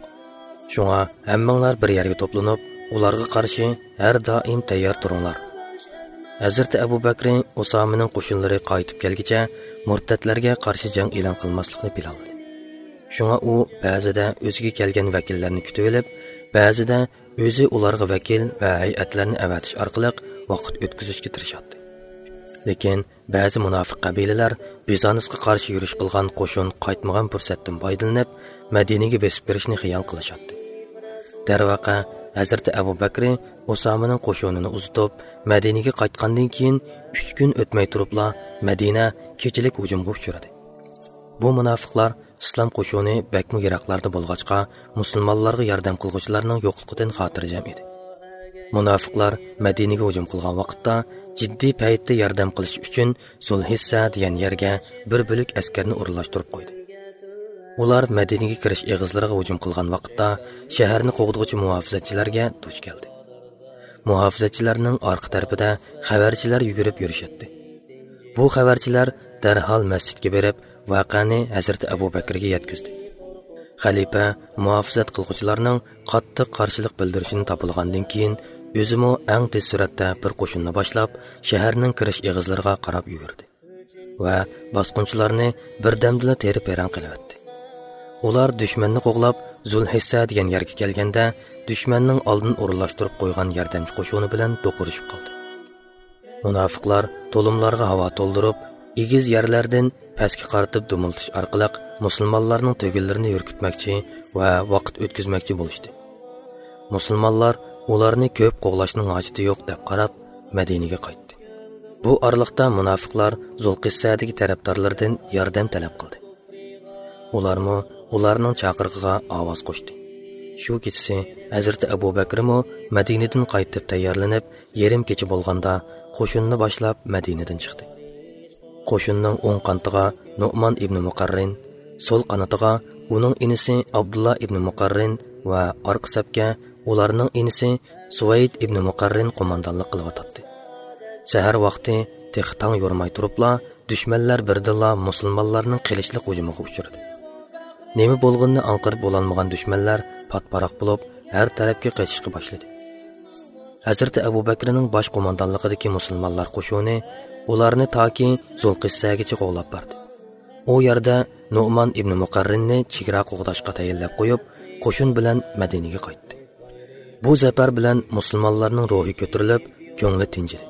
شۇڭا ھەممىڭلار بىر يەرگە توپلىنىپ، ئۇلارغا قارشى ھەر دائىم تەييار تۇرۇڭلار.» ھەزرىتى ئەبۇ بەكرى ئۇسامىنىڭ قوشۇنلىرى قايتىپ كەلگىچە مۇرتەتلەرگە قارشى جەڭ ئېلان قىلماسلىقنى پىلانلىدى. شۇڭا ئۇ بەزىدە ئۆزىگە كەلگەن ۋەكىللەرنى كۈتۈۋېلىپ، بەزىدە ئۆزى ئۇلارغا ۋەكىل ۋە ھەيئەتلەرنى ئەۋەتىش ئارقىلىق ۋاقىت ئۆتكۈزۈشكە تىرىشاتتى. لېكىن بەزى مۇناپىق قەبىلىلەر بىزانسقا قارشى يۈرۈش قىلغان قوشۇن قايتمىغان پۇرسەتتىن پايدىلىنىپ، مەدىنىگە بېسىپ كىرىشنى خىيال قىلىشاتتى. دەرۋەقە، ھەزرىتى ئەبۇ بەكرى ئۇسامىنىڭ قوشۇنىنى ئۇزىتىپ، مەدىنىگە قايتقاندىن كېيىن، ئۈچ كۈن ئۆتمەي تۇرۇپلا مەدىنە كېچىلىك ھۇجۇمغا ئۇچرىدى. بۇ مۇناپىقلار ئىسلام قوشۇنى بەكمۇ يىراقلاردا بولغاچقا، مۇسۇلمانلارغا ياردەم قىلغۇچىلارنىڭ يوقلۇقىدىن خاتىرجەم ئىدى. مۇناپىقلار مەدىنىگە ھۇجۇم قىلغان ۋاقىتتا، جىددىي پەيتتە ياردەم قىلىش ئۈچۈن زۇلھىسسە دېگەن يەرگە بىر بۆلەك ئەسكەرنى ئورۇنلاشتۇرۇپ قويدى. ئۇلار مەدىنىگە كىرىش ئېغىزلىرىغا ھۇجۇم قىلغان ۋاقىتتا، شەھەرنى قوغدىغۇچى مۇھاپىزەتچىلەرگە دۇچ كەلدى. مۇھاپىزەتچىلەرنىڭ ئارقا تەرىپىدە خەۋەرچىلەر يۈگۈرۈپ يۈرۈشەتتى. بۇ خەۋەرچىلەر دەرھال مەسچىتكە بېرىپ، ۋەقەنى ھەزرىتى ئەبۇ بەكرىگە يەتكۈزدى. خەلىپە مۇھاپىزەت قىلغۇچىلارنىڭ قاتتىق قارشىلىق بىلدۈرۈشىنى تاپىلىغاندىن كېيىن، ئۆزىمۇ ئەڭ تېز سۈرئەتتە بىر قوشۇننى باشلاپ، شەھەرنىڭ كىرىش ئېغىزلىرىغا قاراپ يۈگۈردى ۋە باسقۇنچىلارنى بىردەمدىلا تېرە-پېرەڭ قىلىۋەتتى. ئۇلار دۈشمەننى قوغلاپ، زۇلھىسسە دېگەن يەرگە كەلگەندە، دۈشمەننىڭ ئالدىن ئورۇنلاشتۇرۇپ قويغان ياردەمچى قوشۇنى بىلەن دوقۇرۇشۇپ قالدى. مۇناپىقلار تولۇملارغا ھاۋا تولدۇرۇپ، ئېگىز يەرلەردىن پەسكە قارىتىپ دۇمۇلتۇش ئارقىلىق مۇسۇلمانلارنىڭ تۆگىلىرىنى يۈركۈتمەكچى ۋە ۋاقىت ئۆتكۈزمەكچى بولۇشتى. مۇسۇلمانلار ئۇلارنى كۆپ قوغلاشنىڭ ھاجىتى يوق دەپ قاراپ، مەدىنىگە قايتتى. بۇ ئارىلىقتا مۇناپىقلار زۇلقىسسەدىكى تەرەپدارلىرىدىن ياردەم تەلەپ قىلدى. ئۇلارمۇ ئۇلارنىڭ چاقىرىقىغا ئاۋاز قوشتى. شۇ كېچىسى ھەزرىتى ئەبۇ بەكرىمۇ مەدىنىدىن قايتىپ تەييارلىنىپ، يېرىم كېچە بولغاندا قوشۇننى باشلاپ مەدىنىدىن چىقتى. قوشۇننىڭ ئوڭ قانىتىغا نۇئمان ئىبنى مۇقەررىن، سول قانىتىغا ئۇنىڭ ئىنىسى ئابدۇللا ئىبنى مۇقەررىن ۋە ئارقا سەپكە ئۇلارنىڭ ئىنىسى سۇۋەيد ئىبنى مۇقەررىن قوماندانلىق قىلىۋاتاتتى. سەھەر ۋاقتى تېخى تاڭ يورۇماي تۇرۇپلا، دۈشمەنلەر بىردىنلا مۇسۇلمانلارنىڭ قىلىچلىق ھۇجۇمىغا ئۇچرىدى. نېمە بولغىنىنى ئاڭقىرىپ بولالمىغان دۈشمەنلەر پات-پاراق بولۇپ، ھەر تەرەپكە قېچىشقا باشلىدى. ھەزرىتى ئەبۇ بەكرىنىڭ باش قوماندانلىقىدىكى مۇسۇلمانلار قوشۇنى ئۇلارنى تاكى زۇلقىسسەگىچە قوغلاپ باردى. ئۇ يەردە نۇئمان ئىبنى مۇقەررىننى چېگرا قوغداشقا تەيىنلەپ قويۇپ، قوشۇن بىلەن مەدىنىگە قايتتى. بۇ زەپەر بىلەن مۇسۇلمانلارنىڭ روھى كۆتۈرۈلۈپ، كۆڭلى تىنچىدى.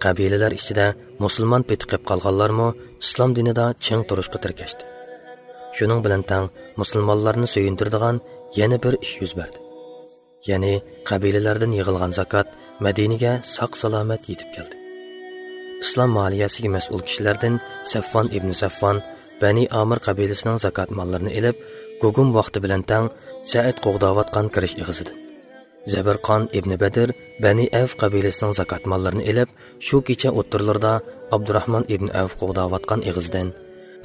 قەبىلىلەر ئىچىدە مۇسۇلمان پېتى قېلىپ قالغانلارمۇ ئىسلام دىنىدا چىڭ تۇرۇشقا تىركەشتى. شۇنىڭ بىلەن تەڭ مۇسۇلمانلارنى سۆيۈندۈرىدىغان يەنە بىر ئىش يۈز بەردى. يەنى قەبىلىلەردىن يىغىلغان زاكات مەدىنىگە ساق-سالامەت يېتىپ كەلدى. ئىسلام مالىيەسىگە مەسئۇل كىشىلەردىن سەفۋان ئىبنى سەفۋان بەنى ئامىر قەبىلىسىنىڭ زاكات ماللىرىنى ئېلىپ، گۇگۇم ۋاقتى بىلەن تەڭ سەئىد قوغداۋاتقان كىرىش ئېغىزىدىن، زەبىرقان ئىبنى بەدىر بەنى ئەۋف قەبىلىسىنىڭ زاكات ماللىرىنى ئېلىپ، شۇ كېچە ئوتتۇرىلىرىدا ئابدۇراھمان ئىبنى ئەۋف قوغداۋاتقان ئېغىزىدىن،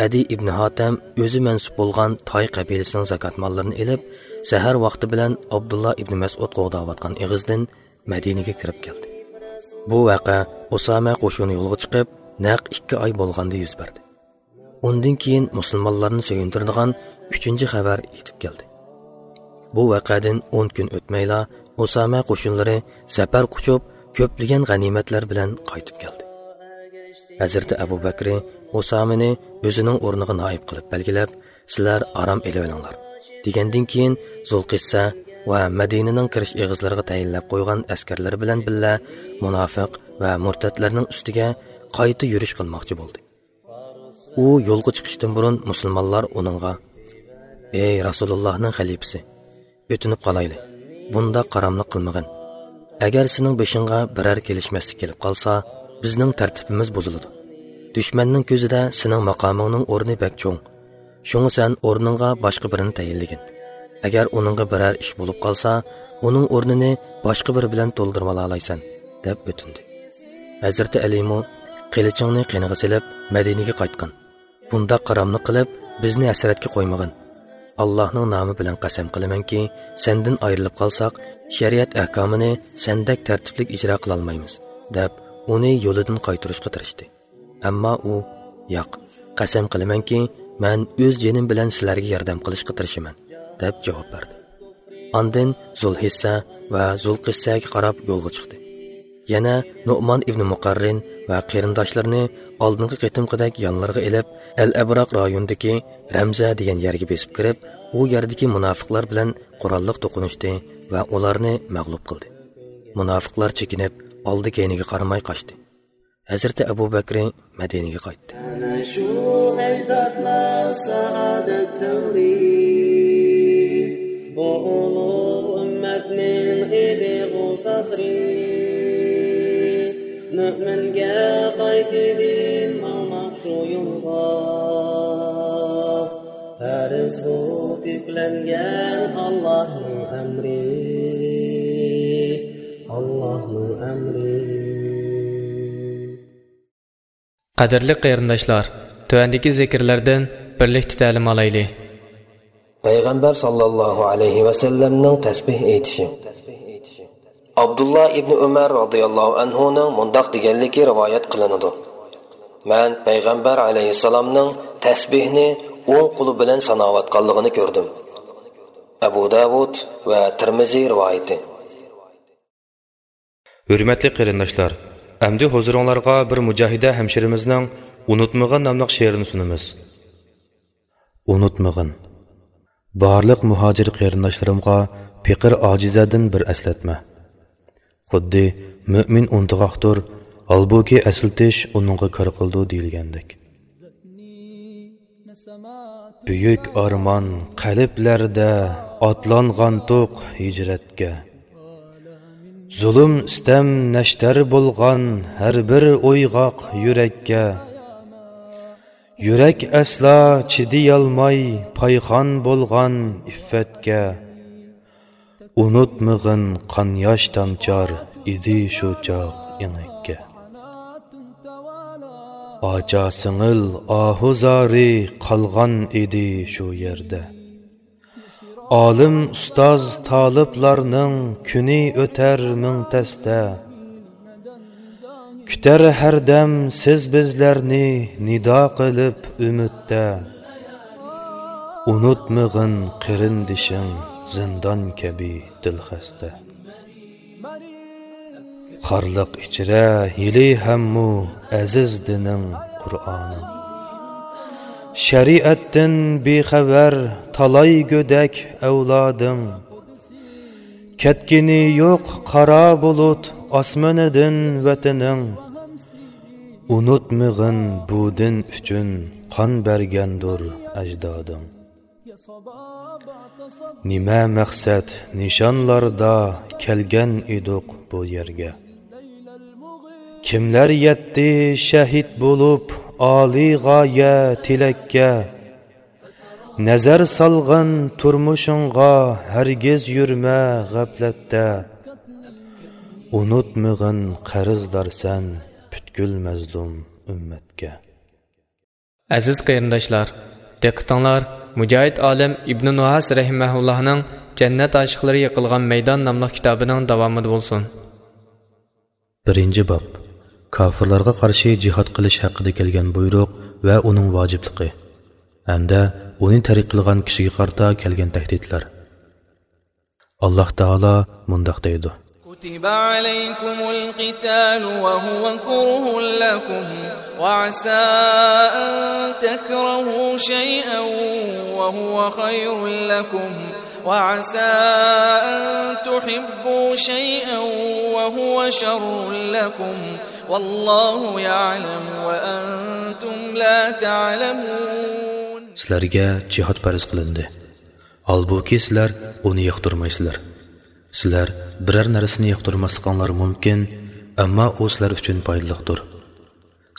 ئەدى ئىبنى ھاتەم ئۆزى مەنسۇپ بولغان تاي قەبىلىسىنىڭ زاكات ماللىرىنى ئېلىپ، سەھەر ۋاقتى بىلەن ئابدۇللا ئىبنى مەسئۇد قوغداۋاتقان ئېغىزىدىن مەدىنىگە كىرىپ كەلدى. بۇ ۋەقە ئۇسامە قوشۇنى يولغا چىقىپ، نەق ئىككى ئاي بولغاندا يۈز بەردى. ئۇندىن كېيىن مۇسۇلمانلارنى سۆيۈندۈرىدىغان ئۈچىنچى خەۋەر يېتىپ كەلدى. بۇ ۋەقەدىن ئون كۈن ئۆتمەيلا، ئۇسامە قوشۇنلىرى زەپەر قۇچۇپ، كۆپلىگەن غەنىيمەتلەر بىلەن قايتىپ كەلدى. ھەزرىتى ئەبۇ بەكرى ئۇسامىنى ئۆزىنىڭ ئورنىغا نائىب قىلىپ بەلگىلەپ، «سىلەر ئارام ئېلىۋېلىڭلار» دېگەندىن كېيىن، زۇلقىسسە ۋە مەدىنىنىڭ كىرىش ئېغىزلىرىغا تەيىنلەپ قويغان ئەسكەرلىرى بىلەن بىللە مۇناپىق ۋە مۇرتەتلەرنىڭ ئۈستىگە قايتا يۈرۈش قىلماقچى بولدى. ئۇ يولغا چىقىشتىن بۇرۇن مۇسۇلمانلار ئۇنىڭغا، «ئەي رەسۇلۇللاھنىڭ خەلىپىسى، ئۆتۈنۈپ قالايلى، بۇنداق قاراملىق قىلمىغىن. ئەگەر سېنىڭ بېشىڭغا بىرەر كېلىشمەسلىك كېلىپ قالسا، بىزنىڭ تەرتىپىمىز بۇزۇلىدۇ. دۈشمەننىڭ كۆزىدە سېنىڭ ماقامىڭنىڭ ئورنى بەك چوڭ. شۇڭا سەن ئورنۇڭغا باشقا بىرىنى تەيىنلىگىن. ئەگەر ئۇنىڭغا بىرەر ئىش بولۇپ قالسا، ئۇنىڭ ئورنىنى باشقا بىرى بىلەن تولدۇرۇۋالالايسەن» دەپ ئۆتۈندى. ھەزرىتى ئەلىمۇ، «قىلىچىڭنى قېنىغا سېلىپ، مەدىنىگە قايتقىن. بۇنداق قاراملىق قىلىپ، بىزنى ھەسرەتكە قويمىغىن. ئاللاھنىڭ نامى بىلەن قەسەم قىلىمەنكى، سەندىن ئايرىلىپ قالساق، شەرىئەت ئەھكامىنى سەندەك تەرتىپلىك ئىجرا قىلالمايمىز» دەپ، ئۇنى يولىدىن قايتۇرۇشقا تىرىشتى. ئەمما ئۇ، «ياق، قەسەم قىلىمەنكى، مەن ئۆز جېنىم بىلەن سىلەرگە ياردەم قىلىشقا تىرىشىمەن» دەپ جاۋاب بەردى. ئاندىن زۇلھىسسە ۋە زۇلقىسسەگە قاراپ يولغا چىقتى. يەنە نۇئمان ئىبنى مۇقەررىن ۋە قېرىنداشلىرىنى ئالدىنقى قېتىمقىدەك يانلىرىغا ئېلىپ، ئەل ئەبراق رايونىدىكى رەمزە دېگەن يەرگە بېسىپ كىرىپ، ئۇ يەردىكى مۇناپىقلار بىلەن قوراللىق توقۇنۇشتى ۋە ئۇلارنى مەغلۇپ قىلدى. مۇناپىقلار چېكىنىپ، ئالدى-كەينىگە قارىماي قاچتى. ھەزرىتى ئەبۇ بەكرى مەدىنىگە قايتتى. ئەنە شۇ ئەجدادلار سائادەت تەۋرى، بۇ ئۇلۇغ ئۈممەتنىڭ ئىدىغۇ پەخرى. مۆمىنگە قايتىدىن ماڭماق شۇ يولغا، پەرز بولۇپ يۈكلەنگەن ئاللاھنىڭ ئەمرى، ئاللاھنىڭ ئەمرى. قەدىرلىك قېرىنداشلار، تۆۋەندىكى زىكىرلەردىن بىرلىكتە تەلىم ئالايلى. پەيغەمبەر ساللاللاھۇ ئەلەيھى ۋەسەللەمنىڭ تەسبىھ ئېيتىشى. ئابدۇللا ئىبنى ئۆمەر رازىياللاھۇ ئەنھۇنىڭ مۇنداق دېگەنلىكى رىۋايەت قىلىنىدۇ: «مەن پەيغەمبەر ئەلەيھىسسالامنىڭ تەسبىھنى ئوڭ قولى بىلەن ساناۋاتقانلىقىنى كۆردۈم.» ئەبۇ داۋۇد ۋە تىرمىزى رىۋايىتى. ھۆرمەتلىك قېرىنداشلار، ئەمدى ھۇزۇرۇڭلارغا بىر مۇجاھىدە ھەمشىرىمىزنىڭ «ئۇنتۇمىغىن» ناملىق شېئىرىنى سۇنىمىز. ئۇنتۇمىغىن. بارلىق مۇھاجىر قېرىنداشلىرىمغا پېقىر ئاجىزەدىن بىر ئەسلەتمە. خۇددى مۆمىن ئۇنتۇغاقتۇر، ھالبۇكى ئەسلىتىش ئۇنىڭغا كار قىلىدۇ دېيىلگەندەك. بۈيۈك ئارمان قەلبلەردە ئاتلانغانتۇق ھىجرەتكە. زۇلۇم، سىتەم نەشتەر بولغان ھەر بىر ئويغاق يۈرەككە. يۈرەك ئەسلا چىدىيالماي پايخان بولغان ئىففەتكە. ئۇنتۇمىغىن، قان ياش تامچار ئىدى شۇ چاغ ئېڭەككە. ئاچا سىڭىل ئاھۇ زارى قالغان ئىدى شۇ يەردە. ئالىم ئۇستاز تالىپلارنىڭ كۈنى ئۆتەر مىڭ تەستە. كۈتەر ھەردەم سىز بىزلەرنى نىدا قىلىپ ئۈمىدتە. ئۇنتۇمىغىن قېرىندىشىڭ زىندان كەبى دىلخەستە. خارلىق ئىچرە ھېلى ھەممۇ ئەزىز دىنىڭ، قۇرئانىڭ. شەرىئەتتىن بىخەۋەر تالاي گۆدەك ئەۋلادىڭ. كەتكىنى يوق قارا بۇلۇت ئاسمىنىدىن ۋەتىنىڭ. ئۇنۇتمىغىن بۇ دىن ئۈچۈن قان بەرگەندۇر ئەجدادىڭ. نېمە مەقسەت نىشانلاردا كەلگەن ئىدۇق بۇ يەرگە؟ كىملەر يەتتى شەھىت بولۇپ ئالىي غايە تىلەككە؟ نەزەر سالغىن تۇرمۇشۇڭغا، ھەرگىز يۈرمە غەپلەتتە. ئۇنۇتمىغىن قەرزدارسەن پۈتكۈل مەزلۇم ئۈممەتكە. ئەزىز قېرىنداشلار، دىققىتىڭلار مۇجاھىد ئالىم ئىبنى نۇھاس رەھىمەھۇللاھنىڭ جەننەت ئاشىقلىرى يىقىلغان مەيدان ناملىق كىتابىنىڭ داۋامىدا بولسۇن. بىرىنچى باب. كاپىرلارغا قارشى جىھاد قىلىش ھەققىدە كەلگەن بۇيرۇق ۋە ئۇنىڭ ۋاجىپلىقى ھەمدە ئۇنى تەرك قىلغان كىشىگە قارىتا كەلگەن تەھدىتلەر. ئاللاھ تائالا مۇنداق دەيدۇ. كتب عليكم القتال وهو كره لكم وعسى أن تكرهوا شيئا وهو خير لكم وعسى أن تحبوا شيئا وهو شر لكم والله يعلم وأنتم لا تعلمون. سىلەرگە جىھاد پەرز قىلىندى. ھالبۇكى، سىلەر ئۇنى ياقتۇرمايسىلەر. سىلەر بىرەر نەرسىنى ياقتۇرماسلىقىڭلار مۇمكىن، ئەمما ئۇ سىلەر ئۈچۈن پايدىلىقتۇر.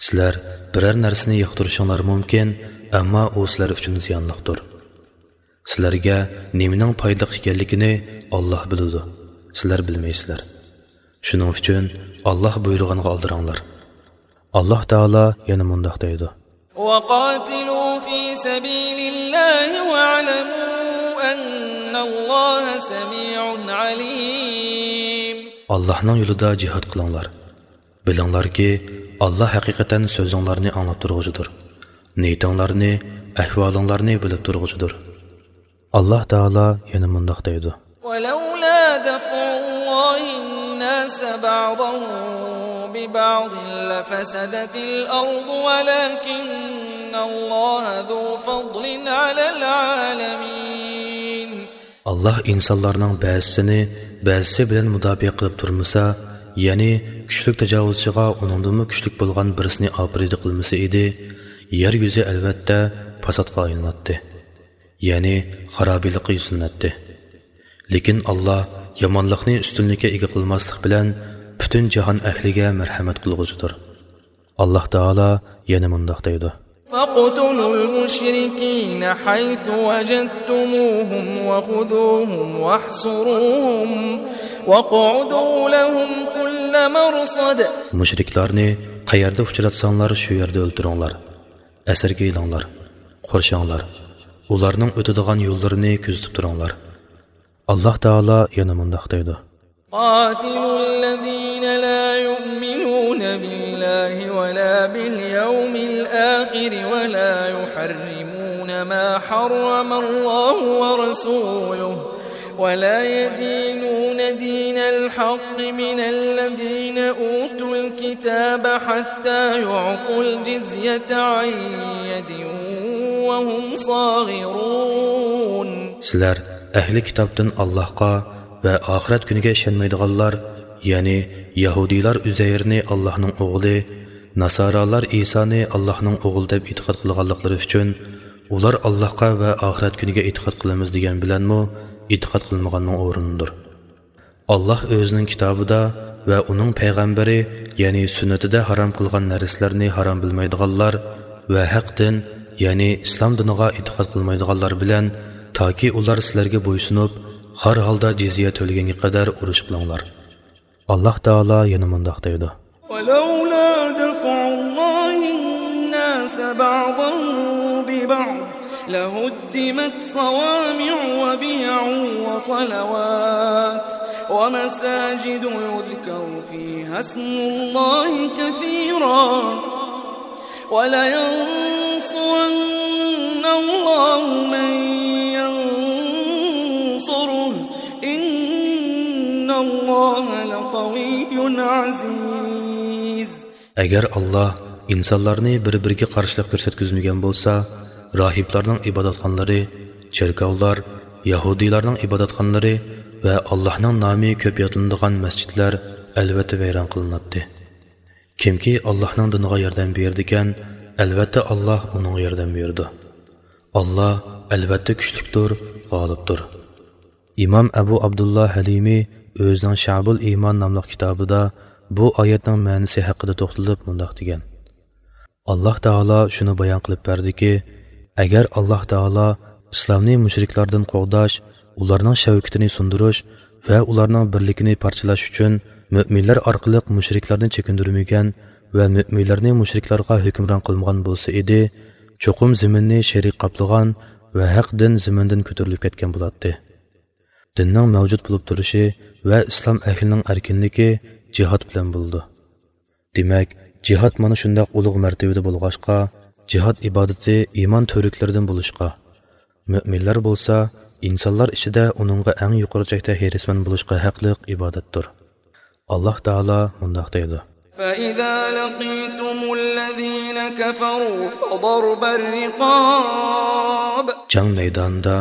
سىلەر بىرەر نەرسىنى ياقتۇرۇشۇڭلار مۇمكىن، ئەمما ئۇ سىلەر ئۈچۈن زىيانلىقتۇر. سىلەرگە نېمىنىڭ پايدىلىق ئىكەنلىكىنى ئاللاھ بىلىدۇ، سىلەر بىلمەيسىلەر. شۇنىڭ ئۈچۈن ئاللاھ بۇيرۇغانغا ئالدىراڭلار. ئاللاھ تائالا يەنە مۇنداق دەيدۇ. وقاتلوا في سبيل الله واعلموا أن الله سميع عليم. ئاللاھنىڭ يولىدا جىھاد قىلىڭلار. بىلىڭلاركى، ئاللاھ ھەقىقەتەن سۆزۈڭلارنى ئاڭلاپ تۇرغۇچىدۇر. نىيىتىڭلارنى، ئەھۋالىڭلارنى بىلىپ تۇرغۇچىدۇر. ئاللاھ تائالا يەنە مۇنداق دەيدۇ. ولولا دفع الله الناس بعضهم ببعض لفسدت الأرض ولكن الله ذو فضل على العالمين. ئاللاھ ئىنسانلارنىڭ بەزىسىنى بەزىسى بىلەن مۇداپىئە قىلىپ تۇرمىسا، يەنى كۈچلۈك تاجاۋۇزچىغا ئۇنىڭدىنمۇ كۈچلۈك بولغان بىرسىنى ئاپىرىدە قىلمىسا ئىدى، يەر يۈزى ئەلۋەتتە پاساتقا ئايلىناتتى. يەنى خارابىلىققا يۈزلىنەتتى. لېكىن ئاللاھ يامانلىقنى ئۈستۈنلۈككە ئىگە قىلماسلىق بىلەن پۈتۈن جاھان ئەھلىگە مەرھەمەت قىلغۇچىدۇر. ئاللاھ تائالا يەنە مۇنداق دەيدۇ. فاقتلوا المشركين حيث وجدتموهم وخذوهم واحصروهم واقعدوا لهم كل مرصد. مۇشرىكلارنى قەيەردە ئۇچراتساڭلار، شۇ يەردە ئۆلتۈرۈڭلار. ئەسىرگە ئېلىڭلار، قورشاڭلار. ئۇلارنىڭ ئۆتىدىغان يوللىرىنى كۆزىتىپ تۇرۇڭلار. ئاللاھ تائالا يەنە مۇنداق دەيدۇ. قاتلوا الذين لا يؤمنون بالله ولا باليوم الآخر ولا يحرمون ما حرم الله ورسوله ولا يدينون دين الحق من الذين أوتوا الكتاب حتى يعطوا الجزية عن يد وهم صاغرون. سىلەر ئەھلى كىتابتىن ئاللاھقا ۋە ئاخىرەت كۈنىگە ئىشەنمەيدىغانلار، يەنى يەھۇدىيلار ئۈزەيرنى ئاللاھنىڭ ئوغلى، ناسارالار ئىسانى ئاللاھنىڭ ئوغلى دەپ ئېتىقاد قىلغانلىقلىرى ئۈچۈن، ئۇلار ئاللاھقا ۋە ئاخىرەت كۈنىگە ئېتىقاد قىلىمىز دېگەن بىلەنمۇ ئېتىقاد قىلمىغاننىڭ ئورنىدۇر. ئاللاھ ئۆزىنىڭ كىتابىدا ۋە ئۇنىڭ پەيغەمبىرى، يەنى سۈننىتىدە ھارام قىلغان نەرسىلەرنى ھارام بىلمەيدىغانلار ۋە ھەق دىن، يەنى ئىسلام دىنىغا ئېتىقاد قىلمايدىغانلار بىلەن، تاكى ئۇلار سىلەرگە بويسۇنۇپ، خار ھالدا جىزيە تۆلىگەنگە قەدەر ئۇرۇش قىلىڭلار. ئاللاھ تائالا يەنە مۇنداق دەيدۇ. ولولا دفع الله الناس بعضهم ببعض لهدمت صوامع وبيع وصلوات ومساجد يذكر فيها اسم الله كثيرا ولينصرن الله من ينصره إن الله لقوي عزيز. ئەگەر ئاللاھ ئىنسانلارنى بىر-بىرىگە قارشىلىق كۆرسەتكۈزمىگەن بولسا، راھىبلارنىڭ ئىبادەتخانىلىرى، چېركاۋلار، يەھۇدىيلارنىڭ ئىبادەتخانىلىرى ۋە ئاللاھنىڭ نامى كۆپ يادلىنىدىغان مەسچىتلەر ئەلۋەتتە ۋەيران قىلىناتتى. كىمكى ئاللاھنىڭ دىنىغا ياردەم بېرىدىكەن، ئەلۋەتتە ئاللاھ ئۇنىڭغا ياردەم بېرىدۇ. ئاللاھ ئەلۋەتتە كۈچلۈكتۇر، غالىبتۇر. ئىمام ئەبۇ ئابدۇللا ھەلىمى ئۆزىنىڭ شەئبۇل ئىمان ناملىق كىتابىدا بۇ ئايەتنىڭ مەنىسى ھەققىدە توختىلىپ مۇنداق دېگەن: ئاللاھ تائالا شۇنى بايان قىلىپ بەردىكى، ئەگەر ئاللاھ تائالا ئىسلامنى مۇشرىكلاردىن قوغداش، ئۇلارنىڭ شەۋكىتىنى سۇندۇرۇش ۋە ئۇلارنىڭ بىرلىكىنى پارچىلاش ئۈچۈن مۆمىنلەر ئارقىلىق مۇشرىكلارنى چېكىندۈرمىگەن ۋە مۆمىنلەرنى مۇشرىكلارغا ھۆكۈمران قىلمىغان بولسا ئىدى، چوقۇم زېمىننى شېرىك قاپلىغان ۋە ھەق دىن زېمىندىن كۆتۈرۈلۈپ كەتكەن بولاتتى. دىننىڭ مەۋجۇت بولۇپ تۇرۇشى ۋە ئىسلام ئەھلىنىڭ ئەركىنلىكى جىھاد بىلەن بولىدۇ. دېمەك، جىھاد مانا شۇنداق ئۇلۇغ مەرتىۋىدە بولغاچقا، جىھاد ئىبادىتى ئىمان تۈۋرۈكلىرىدىن بولۇشقا، مۆمىنلەر بولسا ئىنسانلار ئىچىدە ئۇنىڭغا ئەڭ يۇقىرى چەكتە ھېرىسمەن بولۇشقا ھەقلىق ئىبادەتتۇر. ئاللاھ تائالا مۇنداق دەيدۇ: فإذا لقيتم الذين كفروا فضرب الرقاب. جەڭ مەيدانىدا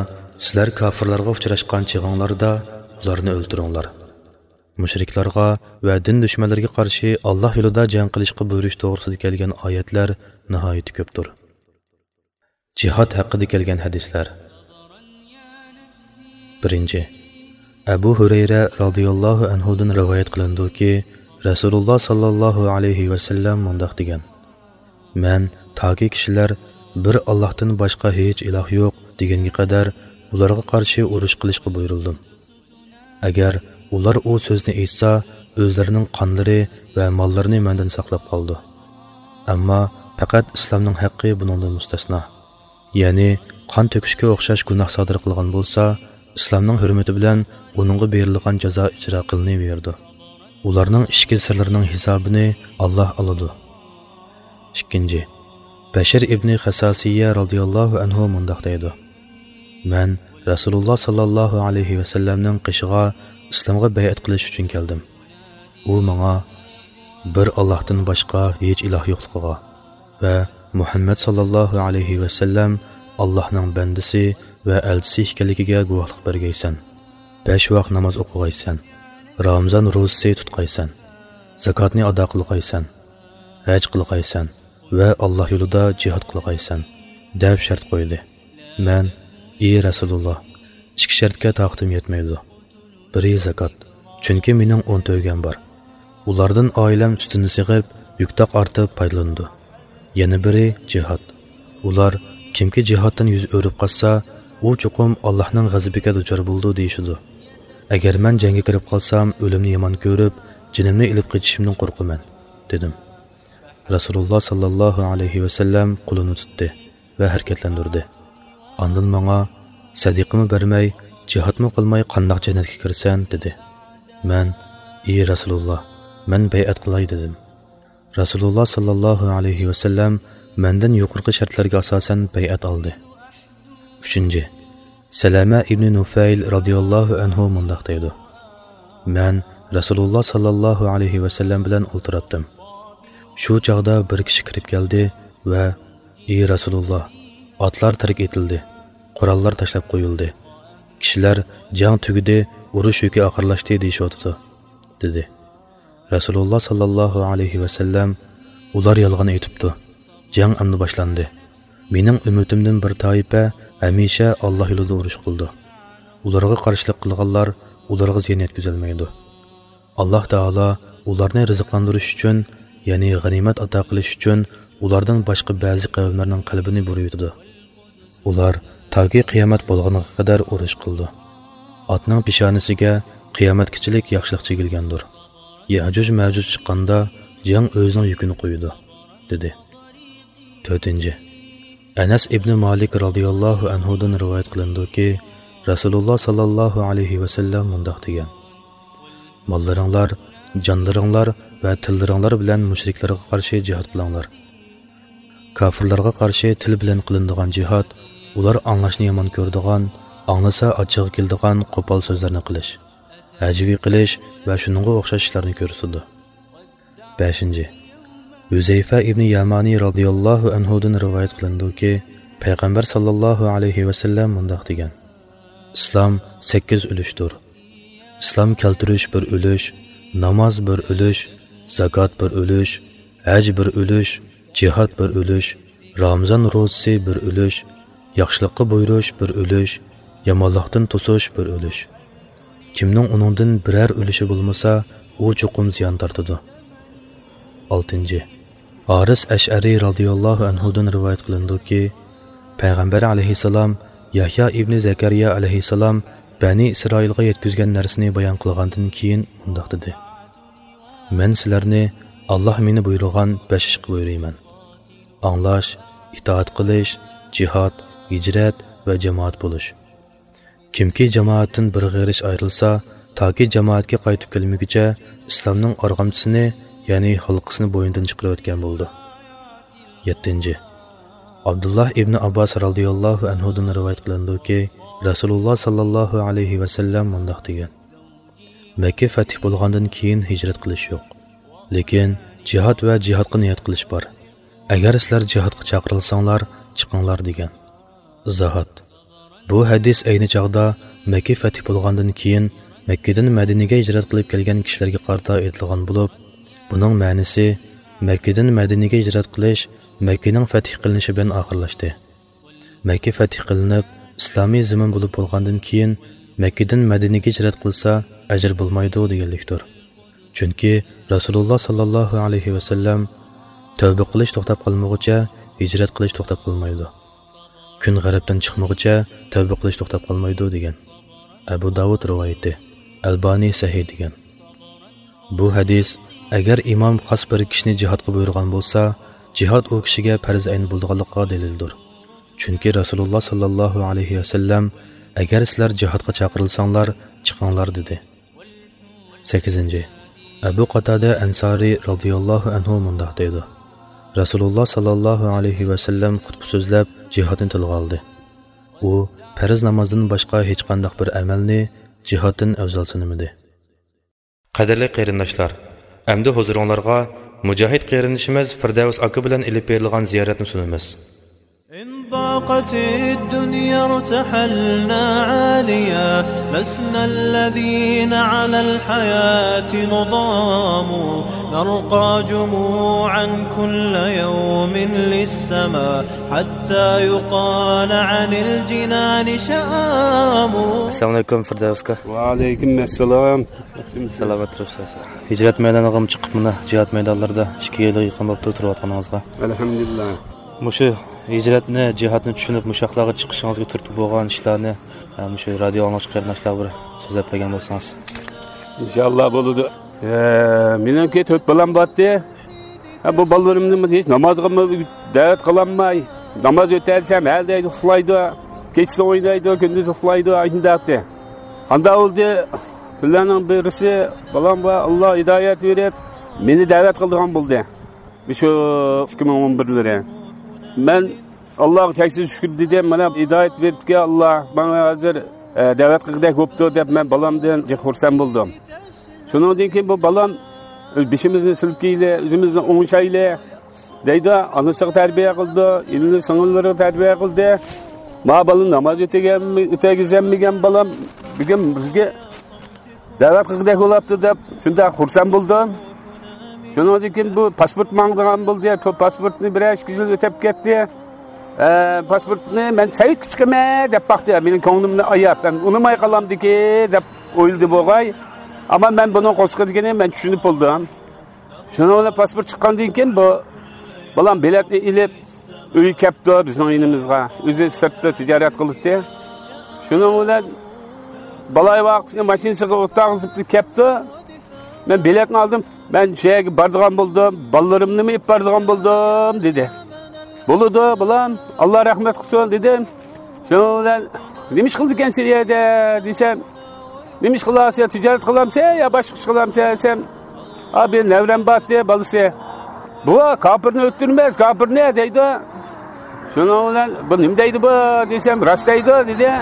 سىلەر كاپىرلارغا ئۇچراشقان چېغىڭلاردا ئۇلارنى ئۆلتۈرۈڭلار. مۇشرىكلارغا ۋە دىن دۈشمەنلىرىگە قارشى ئاللاھ يولىدا جەڭ قىلىشقا بۇيرۇش توغرىسىدا كەلگەن ئايەتلەر ناھايىتى كۆپتۇر. جىھاد ھەققىدە كەلگەن ھەدىسلەر. بىرىنچى، ئەبۇ ھۇرەيرە رازىياللاھۇ ئەنھۇدىن رىۋايەت قىلىنىدۇكى، رەسۇلۇللاھ ساللاللاھۇ ئەلەيھى ۋەسەللەم مۇنداق دېگەن: مەن تاكى كىشىلەر بىر ئاللاھتىن باشقا ھېچ ئىلاھ يوق دېگەنگە قەدەر ئۇلارغا قارشى ئۇرۇش قىلىشقا بۇيرۇلدۇم. ئەگەر ئۇلار ئۇ سۆزنى ئېيتسا، ئۆزلىرىنىڭ قانلىرى ۋە ماللىرىنى مەندىن ساقلاپ قالىدۇ. ئەمما پەقەت ئىسلامنىڭ ھەققى بۇنىڭدىن مۇستەسنا. يەنى قان تۆكۈشكە ئوخشاش گۇناھ سادىر قىلغان بولسا، ئىسلامنىڭ ھۆرمىتى بىلەن ئۇنىڭغا بېرىلغان جازا ئىجرا قىلىنىۋېرىدۇ. ئۇلارنىڭ ئىچكى سىرلىرىنىڭ ھېسابىنى ئاللاھ ئالىدۇ. ئىككىنچى، بەشىر ئىبنى خەساسىيە رازىياللاھۇ ئەنھۇ مۇنداق دەيدۇ: مەن رەسۇلۇللاھ ساللاللاھۇ ئەلەيھى ۋەسەللەمنىڭ قېشىغا ئىسلامغا بەيئەت قىلىش ئۈچۈن كەلدىم. ئۇ ماڭا، بىر ئاللاھتىن باشقا ھېچ ئىلاھ يوقلۇقىغا ۋە مۇھەممەد ساللاللاھۇ ئەلەيھى ۋەسەللەم ئاللاھنىڭ بەندىسى ۋە ئەلچىسى ئىكەنلىكىگە گۇۋاھلىق بەرگەيسەن. بەش ۋاق ناماز ئوقۇغايسەن. رامىزان روزىسى تۇتقايسەن. زاكاتنى ئادا قىلغايسەن. ھەج قىلغايسەن ۋە ئاللاھ يولىدا جىھاد قىلغايسەن، دەپ شەرت قويدى. مەن، ئى رەسۇلۇللاھ، ئىككى شەرتكە تاقىتىم يەتمەيدۇ. بىرى زاكات، چۈنكى مېنىڭ ئون تۆگەم بار. ئۇلاردىن ئائىلەم سۈتۈننى سېغىپ، يۈك-تاق ئارتىپ پايدىلىنىدۇ. يەنە بىرى جىھاد. ئۇلار، كىمكى جىھادتىن يۈز ئۆرۈپ قاچسا، ئۇ چوقۇم ئاللاھنىڭ غەزىپىگە دۇچار بولىدۇ، دېيىشىدۇ. ئەگەر مەن جەڭگە كىرىپ قالسام، ئۆلۈمنى يامان كۆرۈپ، جېنىمنى ئېلىپ قېچىشىمدىن قورقىمەن، دېدىم. رەسۇلۇللاھ ساللاللاھۇ ئەلەيھى ۋەسەللەم قولىنى تۇتتى ۋە ھەرىكەتلەندۈردى. ئاندىن ماڭا، سەدىقىمۇ بەرمەي، جىھادمۇ قىلماي قانداق جەننەتكە كىرىسەن؟ دېدى. مەن، ئى رەسۇلۇللاھ، مەن بەيئەت قىلاي، دېدىم. رەسۇلۇللاھ ساللاللاھۇ ئەلەيھى ۋەسەللەم مەندىن يۇقىرىقى شەرتلەرگە ئاساسەن بەيئەت ئالدى. ئۈچىنچى، سەلەمە ئىبنى نۇفەيل رازىياللاھۇ ئەنھۇ مۇنداق دەيدۇ: مەن رەسۇلۇللاھ ساللاللاھۇ ئەلەيھى ۋەسەللەم بىلەن ئولتۇراتتىم. شۇ چاغدا بىر كىشى كىرىپ كەلدى ۋە، ئى رەسۇلۇللاھ، ئاتلار تەرك ئېتىلدى، قوراللار تاشلاپ قويۇلدى. كىشىلەر، جەڭ تۈگىدى، ئۇرۇش يۈكى ئاخىرلاشتى دېيىشىۋاتىدۇ، دېدى. رەسۇلۇللاھ ساللاللاھۇ ئەلەيھى ۋەسەللەم، ئۇلار يالغان ئېيتىپتۇ. جەڭ ئەمدى باشلاندى. مېنىڭ ئۈممىتىمدىن بىر تائىپە ھەمىشە ئاللاھ يولىدا ئۇرۇش قىلىدۇ. ئۇلارغا قارشىلىق قىلغانلار ئۇلارغا زىيان يەتكۈزەلمەيدۇ. ئاللاھ تائالا ئۇلارنى رىزىقلاندۇرۇش ئۈچۈن، يەنى غەنىيمەت ئاتا قىلىش ئۈچۈن ئۇلاردىن باشقا بەزى قەۋملەرنىڭ قەلبىنى بۇرۇۋېتىدۇ. ئۇلار تاكى قىيامەت بولغىنىغا قەدەر ئۇرۇش قىلىدۇ. ئاتنىڭ پېشانىسىگە قىيامەتكىچىلىك ياخشىلىق چىگىلگەندۇر. يەئجۇج مەئجۇج چىققاندا جەڭ ئۆزىنىڭ يۈكىنى قويىدۇ، دېدى. تۆتىنچى، ئەنەس ئىبنى مالىك رازىياللاھۇ ئەنھۇدىن رىۋايەت قىلىنىدۇكى، رەسۇلۇللاھ ساللاللاھۇ ئەلەيھى ۋەسەللەم مۇنداق دېگەن: ماللىرىڭلار، جانلىرىڭلار ۋە تىللىرىڭلار بىلەن مۇشرىكلارغا قارشى جىھاد قىلىڭلار. كاپىرلارغا قارشى تىل بىلەن قىلىنىدىغان جىھاد، ئۇلار ئاڭلاشنى يامان كۆرىدىغان، ئاڭلىسا ئاچچىقى كېلىدىغان قوپال سۆزلەرنى قىلىش، ھەجۋىي قىلىش ۋە شۇنىڭغا ئوخشاش ئىشلارنى كۆرسىتىدۇ. بەشىنچى، ھۈزەيفە ئىبنى يامانى رازىياللاھۇ ئەنھۇدىن رىۋايەت قىلىنىدۇكى، پەيغەمبەر ساللاللاھۇ ئەلەيھى ۋەسەللەم مۇنداق دېگەن: ئىسلام سەككىز ئۈلۈشتۇر. ئىسلام كەلتۈرۈش بىر ئۈلۈش، ناماز بىر ئۈلۈش، زاكات بىر ئۈلۈش، ھەج بىر ئۈلۈش، جىھاد بىر ئۈلۈش، رامىزان روزىسى بىر ئۈلۈش، ياخشىلىققا بۇيرۇش بىر ئۈلۈش، يامانلىقتىن توسۇش بىر ئۈلۈش. كىمنىڭ ئۇنىڭدىن بىرەر ئۈلۈشى بولمىسا، ئۇ چوقۇم زىيان تارتىدۇ. ئالتىنچى، ھارىس ئەشئەرى رازىياللاھۇ ئەنھۇدىن رىۋايەت قىلىنىدۇكى، پەيغەمبەر ئەلەيھىسسالام يەھيا ئىبنى زەكەرىيا ئەلەيھىسسالام بەنى ئىسرائىلغا يەتكۈزگەن نەرسىنى بايان قىلغاندىن كېيىن مۇنداق دېدى: مەن سىلەرنى ئاللاھ مېنى بۇيرۇغان بەش ئىشقا بۇيرۇيمەن: ئاڭلاش، ئىتائەت قىلىش، جىھاد، ھىجرەت ۋە جامائەت بولۇش. كىمكى جامائەتتىن بىر غېرىچ ئايرىلسا، تاكى جامائەتكە قايتىپ كەلمىگۈچە ئىسلامنىڭ ئارغامچىسىنى، يەنى ھالقىسىنى بوينىدىن چىقىرىۋەتكەن بولىدۇ. يەتتىنچى، ئابدۇللاھ ئىبنى ئابباس رازىياللاھۇ ئەنھۇدىن رىۋايەت قىلىنىدۇكى، رەسۇلۇللاھ ساللاللاھۇ ئەلەيھى ۋەسەللەم مۇنداق دېگەن: مەككە فەتھ بولغاندىن كېيىن ھىجرەت قىلىش يوق. لېكىن جىھاد ۋە جىھادقا نىيەت قىلىش بار. ئەگەر سىلەر جىھادقا چاقىرىلساڭلار، چىقىڭلار دېگەن. ئىزاھات. بۇ ھەدىس ئەينى چاغدا مەككە فەتھ بولغاندىن كېيىن مەككىدىن مەدىنىگە ھىجرەت قىلىپ كەلگەن كىشىلەرگە قارىتا ئېيتىلغان بولۇپ، بۇنىڭ مەنىسى مەككىدىن مەدىنىگە ھىجرەت قىلىش مەككىنىڭ فەتھ قىلىنىشى بىلەن ئاخىرلاشتى. مەككە فەتھ قىلىنىپ، ئىسلامىي زېمىن بولۇپ بولغاندىن كېيىن، مەككىدىن مەدىنىگە ھىجرەت قىلسا، ئەجىر بولمايدۇ دېگەنلىكتۇر. چۈنكى رەسۇلۇللاھ ساللاللاھۇ ئەلەيھى ۋەسەللەم، تەۋبە قىلىش توختاپ قالمىغۇچە، ھىجرەت قىلىش توختاپ قالمايدۇ. كۈن غەربتىن چىقمىغۇچە، تەۋبە قىلىش توختاپ قالمايدۇ دېگەن. ئەبۇ داۋۇد رىۋايىتى، ئەلبانى سەھىھ دېگەن. بۇ ھەدىس، ئەگەر ئىمام خاس بىر كىشىنى جىھادقا بۇيرۇغان بولسا، جىھاد ئۇ كىشىگە پەرز ئەين بولىدىغانلىقىغا دەلىلدۇر. چۈنكى رەسۇلۇللاھ ساللاللاھۇ ئەلەيھى ۋەسەللەم، ئەگەر سىلەر جىھادقا چاقىرىلساڭلار، چىقىڭلار دېدى. سەككىزىنچى، ئەبۇ قاتادە ئەنسارى رازىياللاھۇ ئەنھۇ مۇنداق دەيدۇ: رەسۇلۇللاھ ساللاللاھۇ ئەلەيھى ۋەسەللەم خۇتبە سۆزلەپ، جىھادنى تىلغا ئالدى. ئۇ پەرز نامازدىن باشقا ھېچقانداق بىر ئەمەلنى جىھادتىن ئەۋزەل سانىمىدى. قەدىرلىك قېرىنداشلار، ئەمدى ھۇزۇرۇڭلارغا مۇجاھىد قېرىندىشىمىز فىردەۋس ئاكا بىلەن ئېلىپ بېرىلغان زىيارەتنى سۇنىمىز. إن ضاقت الدنيا ارتحلنا عاليا، لسنا الذين على الحياة نضام، نرقى جموعا كل يوم للسما، حتى يقال عن الجنان شآم. ئەسسالامۇ ئەلەيكۇم، فىردەۋس ئاكا. ۋەئەلەيكۇم ئەسسالام. سالامەت تۇرۇپسىز. ھىجرەت مەيدانىغىمۇ چىقىپ، مانا جىھاد مەيدانلىرىدا ئىككى يىلغا يېقىن بوپتۇ تۇرۇۋاتقىنىڭىزغا. ئەلھەمدۇلىللا. مۇشۇ ھىجرەتنى، جىھادنى چۈشىنىپ، مۇشۇ ياقلارغا چىقىشىڭىزغا تۈرتكە بولغان ئىشلارنى، ھە، مۇشۇ رادىيو ئاڭلىغۇچى قېرىنداشلار بىر سۆزلەپ بەرگەن بولسىڭىز. ئىنشاللا بولىدۇ. ھە، مېنىڭكى تۆت بالام بارتى. ھە، بۇ بالىلىرىمنى ھېچ نامازغىمۇ دەۋەت قىلالماي، ناماز ئۆتەلسەم، ھە دەيدۇ، ئۇخلايدۇ. كېچىسى ئوينايدۇ، كۈندۈزى ئۇخلايدۇ، ئاشۇنداقتى. قانداق بولدى؟ كۈنلەرنىڭ بىرسى بالامغا ئاللا ھىدايەت بېرىپ، مېنى دەۋەت قىلىدىغان بولدى. شۇ ئىككى مىڭ ئون بىرلىرى. مەن ئاللاغا چەكسىز شۈكۈر دېدىم، مانا ھىدايەت بېرىپتىكەن ئاللا، ماڭا ھازىر، ئە، دەۋەت قىلغۇدەك بوپتۇ دەپ، مەن بالامدىن جىق خۇرسەن بولدۇم. شۇنىڭدىن كېيىن بۇ بالام، بېشىمىزنى سىلكىيلى، ئۆزىمىزنى ئوڭشايلى دەيدۇ، ئانىسىغا تەربىيە قىلىدۇ، ئىنى سىڭىللىرىغا تەربىيە قىلدى. ما بالىنى ناماز ئۆتىگەن-، ئۆتەگۈزەلمىگەن بالام بۈگۈن بىزگە دەۋەت قىلغۇدەك بولاپتۇ دەپ شۇنداق خۇرسەن بولدۇم. شۇنىڭدىن كېيىن بۇ پاسپورت ماڭىدىغان بولدى. پاسپورتنى بىرەر ئىككى يىل ئۆتەپ كەتتى. ئە، پاسپورتنى مەن سەۋىتكە چىقىمەن دەپ باقتى. مېنىڭ كۆڭلۈمنى ئاياپ، مەن ئۇنىماي قالامدىكى دەپ ئويلىدى بوغاي. ئەمما مەن بۇنىڭ قورسىقىدىكىنى مەن چۈشىنىپ بولدۇم. شۇنىڭ بىلەن پاسپورت چىققاندىن كېيىن بۇ بالام بېلەتنى ئېلىپ، ئۆيگە كەپتۇ بىزنىڭ يېنىمىزغا. ئۆزى سىرتتا تىجارەت قىلاتتى. شۇنىڭ بىلەن بالايىۋاقىتنى ماشىنىسىغا ئولتۇرغۇزۇپ كەپتۇ. مەن بېلەتنى ئالدىم. مەن شۇ يەرگە بارىدىغان بولدۇم. بالىلىرىمنىمۇ ئېلىپ بارىدىغان بولدۇم، دېدى. بولىدۇ، بالام، ئاللا رەھمەت قىلسۇن، دېدىم. شۇنىڭ بىلەن، نېمە ئىش قىلىدىكەنسەن ئۇ يەردە؟ دېسەم، نېمە ئىش قىلارسەن، تىجارەت قىلامسەن يا باشقا ئىش قىلامسەن دېسەم، ئا، بىر نەۋرەم بارتى، بالىسى. بۇ كاپىرنى ئۆلتۈرمەس، كاپىرنى دەيدۇ. شۇنىڭ بىلەن، بۇ نېمە دەيدۇ بۇ دېسەم، راست دەيدۇ دېدى.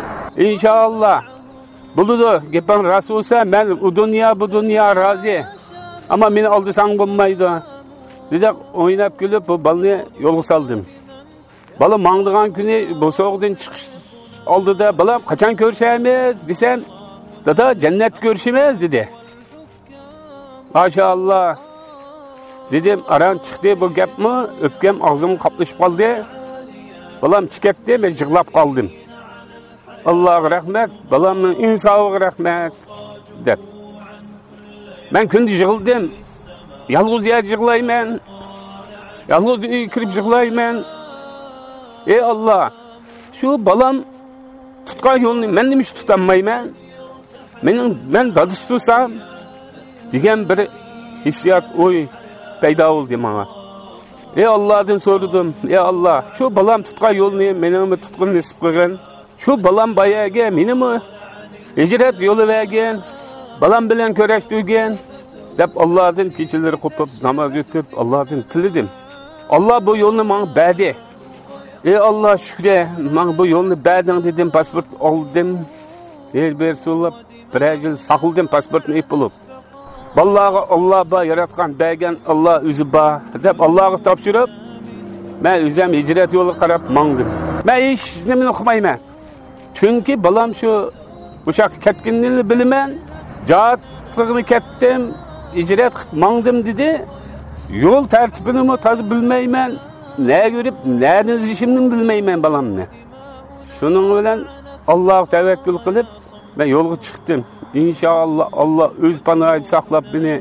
ئىنشائاللا. بولىدۇ، گېپىڭ راست بولسا، مەن ئۇ دۇنيا، بۇ دۇنيا رازى. ئەمما مېنى ئالدىساڭ بولمايدۇ، دېدى. ئويناپ كۈلۈپ بۇ بالىنى يولغا سالدىم. بالا ماڭىدىغان كۈنى بوسۇغىدىن چىقىش ئالدىدا، بالام، قاچان كۆرۈشەرمىز دېسەم، «دادا، جەننەتتە كۆرۈشىمىز» دېدى. «ماشائاللا» دېدىم. ئاران چىقتى بۇ گەپمۇ، ئۆپكەم ئاغزىمغا قاپلىشىپ قالدى. بالام چىقىپ كەتتى، مەن يىغلاپ قالدىم. «ئاللاغا رەھمەت، بالامنىڭ ئىنسابىغا رەھمەت» دەپ. مەن كۈندە يىغلىدىم. يالغۇز يەردە يىغلايمەن. يالغۇز ئۆيگە كىرىپ يىغلايمەن. «ئەي ئاللا، شۇ بالام تۇتقان يولنى مەن نېمىشقا تۇتالمايمەن؟ مېنىڭ، مەن دادىسى تۇرسام» دېگەن بىر ھېسسىيات، ئوي پەيدا بولدى ماڭا. ئەي ئاللادىن سورىدىم، «ئەي ئاللا، شۇ بالام تۇتقان يولنى مېنىڭمۇ تۇتقىلى نېسىپ قىلغىن. شۇ بالام بار يەرگە مېنىمۇ ھىجرەت يولى بەرگىن، بالام بىلەن كۆرۈشتۈرگىن» دەپ، ئاللادىن كېچىلىرى قوپۇپ، ناماز ئۆتۈپ، ئاللادىن تىلىدىم. «ئاللا بۇ يولنى ماڭا بەردى. ئەي ئاللا، شۈكرى، ماڭا بۇ يولنى بەردىڭ» دېدىم. پاسپورت ئالدىم. ھېلىبېرى سوراپ، بىرەر يىل ساقلىدىم پاسپورتنى ئېلىپ بولۇپ. «بالىلارغا ئاللا بار، ياراتقان، بەرگەن ئاللا ئۆزى بار» دەپ، ئاللاغا تاپشۇرۇپ، مەن ئۆزۈم ھىجرەت يولىغا قاراپ ماڭدىم. مەن ھېچ نېمىنى ئۇقمايمەن. چۈنكى بالام شۇ، ئۇ ياققا كەتكىنىنى بىلىمەن. «جىھاد قىلغىلى كەتتىم، ھىجرەت قىلىپ ماڭدىم» دېدى. يول تەرتىپىنىمۇ تازا بىلمەيمەن. نەگە يۈرۈپ، نەدىن ئىزدىشىمنىمۇ بىلمەيمەن بالامنى. شۇنىڭ بىلەن ئاللاغا تەۋەككۈل قىلىپ، مەن يولغا چىقتىم. ئىنشائاللا، ئاللا ئۆز پاناھىدا ساقلاپ مېنى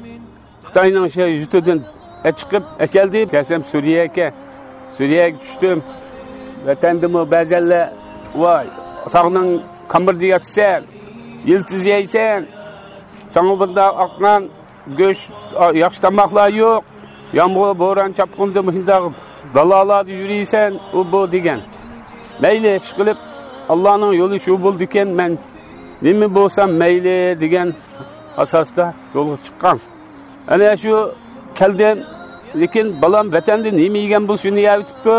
خىتاينىڭ شۇ يۇرتىدىن ئەچىقىپ ئەكەلدى. كەلسەم سۈرىيەگە، سۈرىيەگە چۈشتۈم. ۋەتەندىمۇ بەزەنلەر، ۋاي، تاغنىڭ كامىرىدا ياتىسەن، يىلتىز يەيسەن، ساڭا بۇنداق ئاق نان، گۆش، ياخشى تاماقلار يوق. يامغۇر، بوران، چاپقۇندا مۇشۇنداق دالالاردا يۈرىسەن، ئۇ بۇ دېگەن. مەيلى، ئىشقىلىپ، ئاللانىڭ يولى شۇ بولىدىكەن، مەن نېمە بولسام مەيلى دېگەن ئاساستا يولغا چىققان. ئەنە شۇ كەلدىم. لېكىن بالام ۋەتەندە نېمە يېگەن بولسا، شۇنى يەۋېتىپتۇ.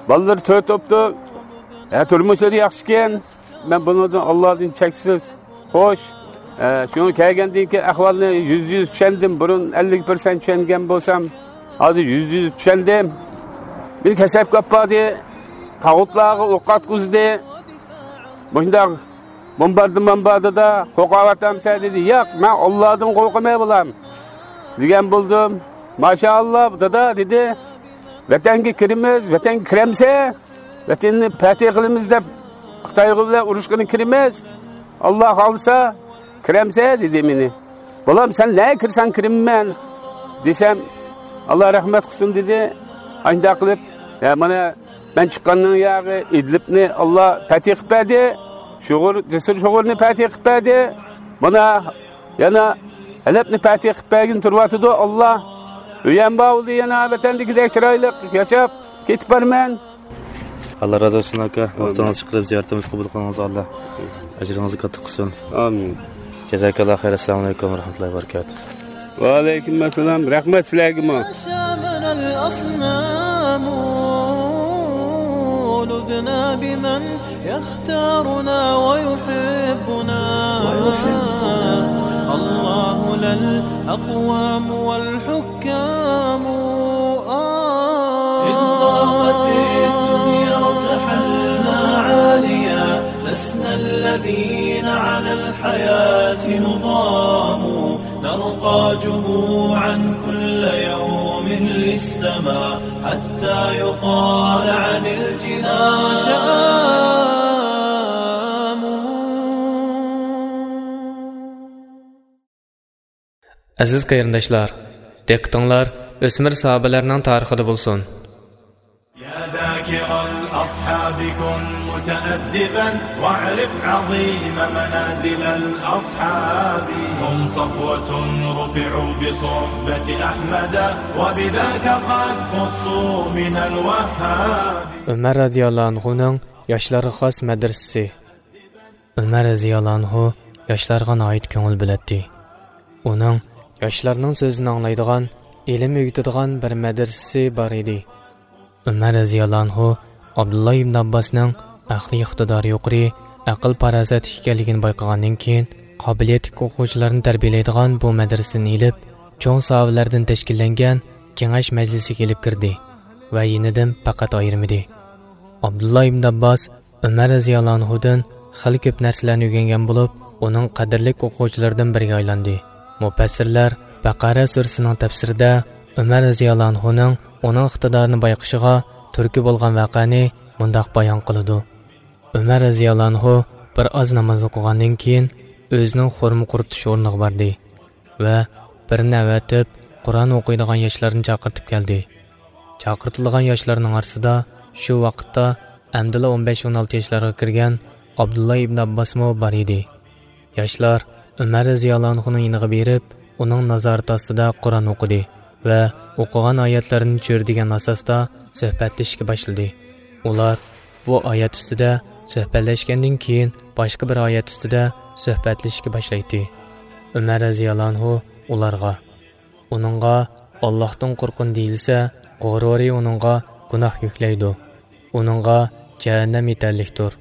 بالىلىرى تۆت بوپتۇ. ھە، تۇرمۇشلىرى ياخشىكەن. مەن بۇنىڭدىن ئاللادىن چەكسىز خوش. ئە، شۇڭا كەلگەندىن كېيىن ئەھۋالنى يۈزدە يۈز چۈشەندىم. بۇرۇن ئەللىك پىرسەنت چۈشەنگەن بولسام، ھازىر يۈزدە يۈز چۈشەندىم. بىر كەسەپكە ئاپاردى، تاغۇتلارغا ئوق ئاتقۇزدى. مۇشۇنداق بومباردىمان باردىدا، «قورقۇۋاتامسەن؟» دېدى. «ياق، مەن ئاللادىن قورقىمەن، بالام» دېگەن بولدۇم. «ماشائاللا، دادا» دېدى. «ۋەتەنگە كىرىمىز، ۋەتەنگە كىرەمسەن؟ ۋەتەننى پەتھى قىلىمىز دەپ خىتايغا بىلەن ئۇرۇشقىنى كىرىمىز. ئاللا خالىسا كىرەمسەن؟» دېدى مېنى. «بالام، سەن نەگە كىرسەڭ كىرىمەن» دېسەم، «ئاللا رەھمەت قىلسۇن» دېدى. ئاشۇنداق قىلىپ، ھە، مانا مەن چىققاننىڭ ياغى ئىدلىبنى ئاللا پەتھى قىلىپ بەردى. شوغۇر، جەسۇر شوغۇرنى پەتھى قىلىپ بەردى. مانا يەنە ھەلەبنى پەتھى قىلىپ بەرگىلى تۇرۇۋاتىدۇ ئاللا. ئۆيەم بار بولدى يەنە، ۋەتەندىكىدەك چىرايلىق ياشاپ كېتىپ بارىمەن. ئاللا رازى بولسۇن ئاكا، ۋاقتىڭىزنى چىقىرىپ زىيارىتىمىزنى قوبۇل قىلغىنىڭىزغا ئاللا ئەجرىڭىزنى كاتتا قىلسۇن. ئامىن. جازاكاللا خەير، ئەسسالامۇ ئەلەيكۇم ۋە رەھمەتۇللاھى ۋە بەرىكاتۇھ. ۋەئەلەيكۇم ئەسسالام، رەھمەت سىلەرگىمۇ. شامنا الأصنام، لذنا بمن يختارنا ويحبنا. الله لا الأقوام والحكام. إن ضاقت الدنيا ارتحلنا عاليا، لسنا الذين على الحياة نضام. نرقى جموعا كل يوم للسماء، حتى يقال عن الجنان شآم. ئەزىز قېرىنداشلار، دىققىتىڭلار ئۆسمۈر ساھابىلەرنىڭ تارىخىدا بولسۇن. يا ذاكر الأصحاب كن متأدبا، واعرف عظيم منازل الأصحاب. هم صفوة رفعوا بصحبة أحمد، وبذاك قد خصوا من الوهاب. ئۆمەر رەزىياللاھۇ ئەنھۇنىڭ ياشلارغا خاس مەدرىسىسى. ئۆمەر رەزىياللاھۇ ئەنھۇ ياشلارغا ناھايىتى كۆڭۈل بۆلەتتى. ئۇنىڭ ياشلارنىڭ سۆزىنى ئاڭلايدىغان، ئىلىم ئۆگىتىدىغان بىر مەدرىسىسى بار ئىدى. ئۆمەر رەزىياللاھۇ ئەنھۇ ئابدۇللا ئىبن ئابباسنىڭ ئەقلىي ئىقتىدارى يۇقىرى، ئەقىل-پاراسەتلىك ئىكەنلىكىنى بايقىغاندىن كېيىن، قابىلىيەتلىك ئوقۇغۇچىلارنى تەربىيەلەيدىغان بۇ مەدرىسىدىن ئېلىپ، چوڭ ساھابىلەردىن تەشكىللەنگەن كېڭەش مەجلىسىگە ئېلىپ كىردى ۋە يېنىدىن پەقەت ئايرىمىدى. ئابدۇللا ئىبن ئابباس ئۆمەر رەزىياللاھۇ ئەنھۇدىن خېلى كۆپ نەرسىلەرنى ئۆگەنگەن بولۇپ، ئۇنىڭ قەدىرلىك ئوقۇغۇچىلىرىدىن بىرىگە ئايلاندى. مۇپەسسىرلەر بەقەرە سۈرىسىنىڭ تەپسىرىدە ئۆمەر رەزىياللاھۇنھۇنىڭ ئۇنىڭ ئىقتىدارىنى بايقىشىغا تۈرتكە بولغان ۋەقەنى مۇنداق بايان قىلىدۇ: ئۆمەر رەزىياللاھۇنھۇ بىر ئاز ناماز ئوقۇغاندىن كېيىن، ئۆزىنىڭ خورما قۇرۇتۇش ئورنىغا باردى ۋە بىرىنى ئەۋەتىپ، قۇرئان ئوقۇيدىغان ياشلارنى چاقىرتىپ كەلدى. چاقىرتىلغان ياشلارنىڭ ئارىسىدا شۇ ۋاقىتتا ئەمدىلا ئون بەش، ئون ئالتە ياشلارغا كىرگەن ئابدۇللا ئىبن ئابباسمۇ بار ئىدى. ياشلار ئۆمەر رەزىياللاھۇنھۇنىڭ يېنىغا بېرىپ، ئۇنىڭ نازارىتى ئاستىدا قۇرئان ئوقۇدى ۋە ئوقۇغان ئايەتلىرىنى چۆرىدىگەن ئاساستا سۆھبەتلىشىشكە باشلىدى. ئۇلار بۇ ئايەت ئۈستىدە سۆھبەتلەشكەندىن كېيىن، باشقا بىر ئايەت ئۈستىدە سۆھبەتلىشىشكە باشلايتتى. ئۆمەر رەزىياللاھۇنھۇ ئۇلارغا، ئۇنىڭغا ئاللاھتىن قورققىن دېيىلسە، غۇرۇرى ئۇنىڭغا گۇناھ يۈكلەيدۇ. ئۇنىڭغا جەھەننەم يېتەرلىكتۇر.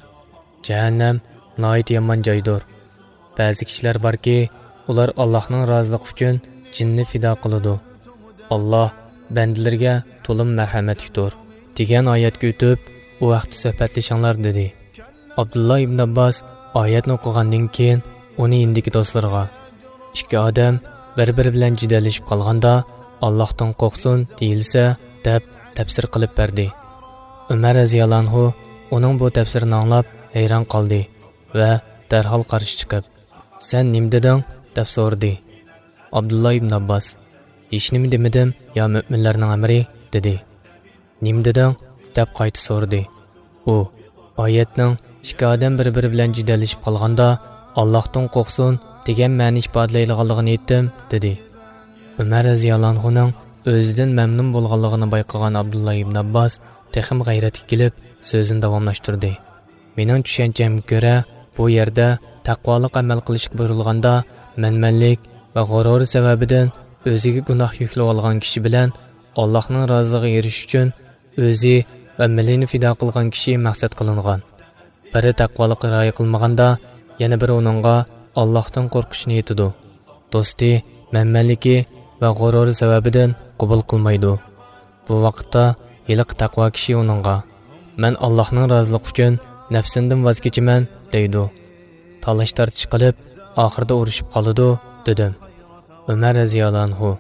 جەھەننەم ناھايىتى يامان جايدۇر. بەزى كىشىلەر باركى، ئۇلار ئاللاھنىڭ رازىلىقى ئۈچۈن جېنىنى پىدا قىلىدۇ. ئاللاھ بەندىلىرىگە تولىمۇ مەرھەمەتلىكتۇر، دېگەن ئايەتكە ئۆتۈپ، ئۇ ھەقتە سۆھبەتلىشىڭلار، دېدى. ئابدۇللا ئىبن ئابباس ئايەتنى ئوقۇغاندىن كېيىن، ئۇنى يېنىدىكى دوستلىرىغا، ئىككى ئادەم بىر-بىرى بىلەن جېدەللىشىپ قالغاندا، ئاللاھتىن قورقسۇن دېيىلسە، دەپ تەپسىر قىلىپ بەردى. ئۆمەر رەزىياللاھۇنھۇ ئۇنىڭ بۇ تەپسىرىنى ئاڭلاپ ھەيران قالدى ۋە دەرھال قارشى چىقىپ، سەن نېمە دېدىڭ؟ دەپ سورىدى. ئابدۇللا ئىبن ئابباس، ھېچنېمە دېمىدىم، يا مۆمىنلەرنىڭ ئەمىرى، دېدى. نېمە دېدىڭ؟ دەپ قايتا سورىدى. ئۇ، ئايەتنىڭ ئىككى ئادەم بىر-بىرى بىلەن جېدەللىشىپ قالغاندا، ئاللاھتىن قورقسۇن دېگەن مەنىنى ئىپادىلەيدىغانلىقىنى ئېيتتىم، دېدى. ئۆمەر رەزىياللاھۇنھۇنىڭ ئۆزىدىن مەمنۇن بولغانلىقىنى بايقىغان ئابدۇللا ئىبن ئابباس تېخىمۇ غەيرەتكە كېلىپ، سۆزىنى داۋاملاشتۇردى. مېنىڭ چۈشەنچەمگە كۆرە، بۇ يەردە تەقۋالىق ئەمەل قىلىشقا بۇيرۇلغاندا، مەنمەنلىك ۋە غۇرۇرى سەۋەبىدىن ئۆزىگە گۇناھ يۈكلىۋالغان كىشى بىلەن ئاللاھنىڭ رازىلىقىغا ئېرىشىش ئۈچۈن ئۆزى ۋە مېلىنى پىدا قىلغان كىشى مەقسەت قىلىنغان. بىرى تەقۋالىققا رىئايە قىلمىغاندا، يەنە بىرى ئۇنىڭغا ئاللاھتىن قورقۇشنى ئېيتىدۇ. دوستى مەنمەنلىكى ۋە غۇرۇرى سەۋەبىدىن قوبۇل قىلمايدۇ. بۇ ۋاقىتتا ھېلىقى تەقۋا كىشى ئۇنىڭغا، مەن ئاللاھنىڭ رازىلىقى ئۈچۈن نەپسىمدىن ۋاز كېچىمەن، دەيدۇ. تالاش-تارتىش قىلىپ، ئاخىرىدا ئۇرۇشۇپ قالىدۇ، دېدىم. ئۆمەر رەزىياللاھۇنھۇ،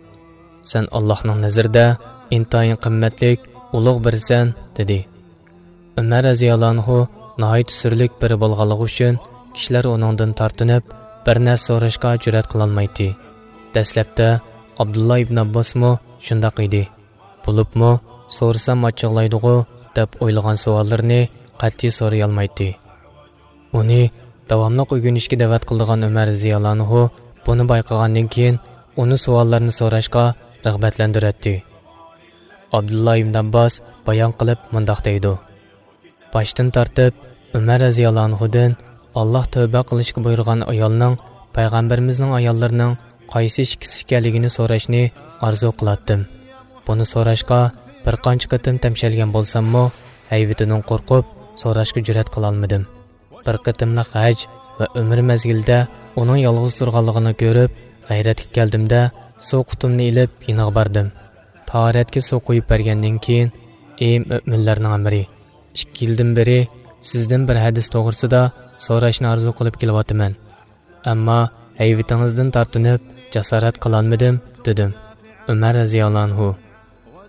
سەن ئاللاھنىڭ نەزىرىدە ئىنتايىن قىممەتلىك، ئۇلۇغ بىرىسەن، دېدى. ئۆمەر رەزىياللاھۇنھۇ ناھايىتى سۈرلۈك بىرى بولغانلىقى ئۈچۈن، كىشىلەر ئۇنىڭدىن تارتىنىپ، بىر نەرسە سوراشقا جۈرئەت قىلالمايتتى. دەسلەپتە ئابدۇللا ئىبن ئابباسمۇ شۇنداق ئىدى. بولۇپمۇ، سورىسام ئاچچىقلايدىغۇ دەپ ئويلىغان سوئاللىرىنى قەتئىي سورىيالمايتتى. ئۇنى داۋاملىق ئۆگىنىشكە دەۋەت قىلىدىغان ئۆمەر رەزىياللاھۇنھۇ بۇنى بايقىغاندىن كېيىن، ئۇنى سوئاللارنى سوراشقا رىغبەتلەندۈرەتتى. ئابدۇللا ئىبن ئابباس بايان قىلىپ مۇنداق دەيدۇ: باشتىن تارتىپ ئۆمەر رەزىياللاھۇنھۇدىن ئاللاھ تەۋبە قىلىشقا بۇيرۇغان ئايالنىڭ پەيغەمبىرىمىزنىڭ ئاياللىرىنىڭ قايسى ئىككىسى ئىكەنلىكىنى سوراشنى ئارزۇ قىلاتتىم. بۇنى سوراشقا بىر قانچە قېتىم تەمشەلگەن بولساممۇ، ھەيۋىتىدىن قورقۇپ سوراشقا جۈرئەت قىلالمىدىم. بىر قېتىملىق ھەج ۋە ئۆمرە مەزگىلىدە ئۇنىڭ يالغۇز تۇرغانلىقىنى كۆرۈپ، غەيرەتكە كەلدىمدە، سۇ قۇتۇمنى ئېلىپ يېنىغا باردىم. تاھارەتكە سۇ قۇيۇپ بەرگەندىن كېيىن، ئى مۆمىنلەرنىڭ ئەمىرى، ئىككى يىلدىن بېرى سىزدىن بىر ھەدىس توغرىسىدا سوراشنى ئارزۇ قىلىپ كېلىۋاتىمەن. ئەمما ھەيۋىتىڭىزدىن تارتىنىپ جاسارەت قىلالمىدىم، دېدىم. ئۆمەر رەزىياللاھۇنھۇ،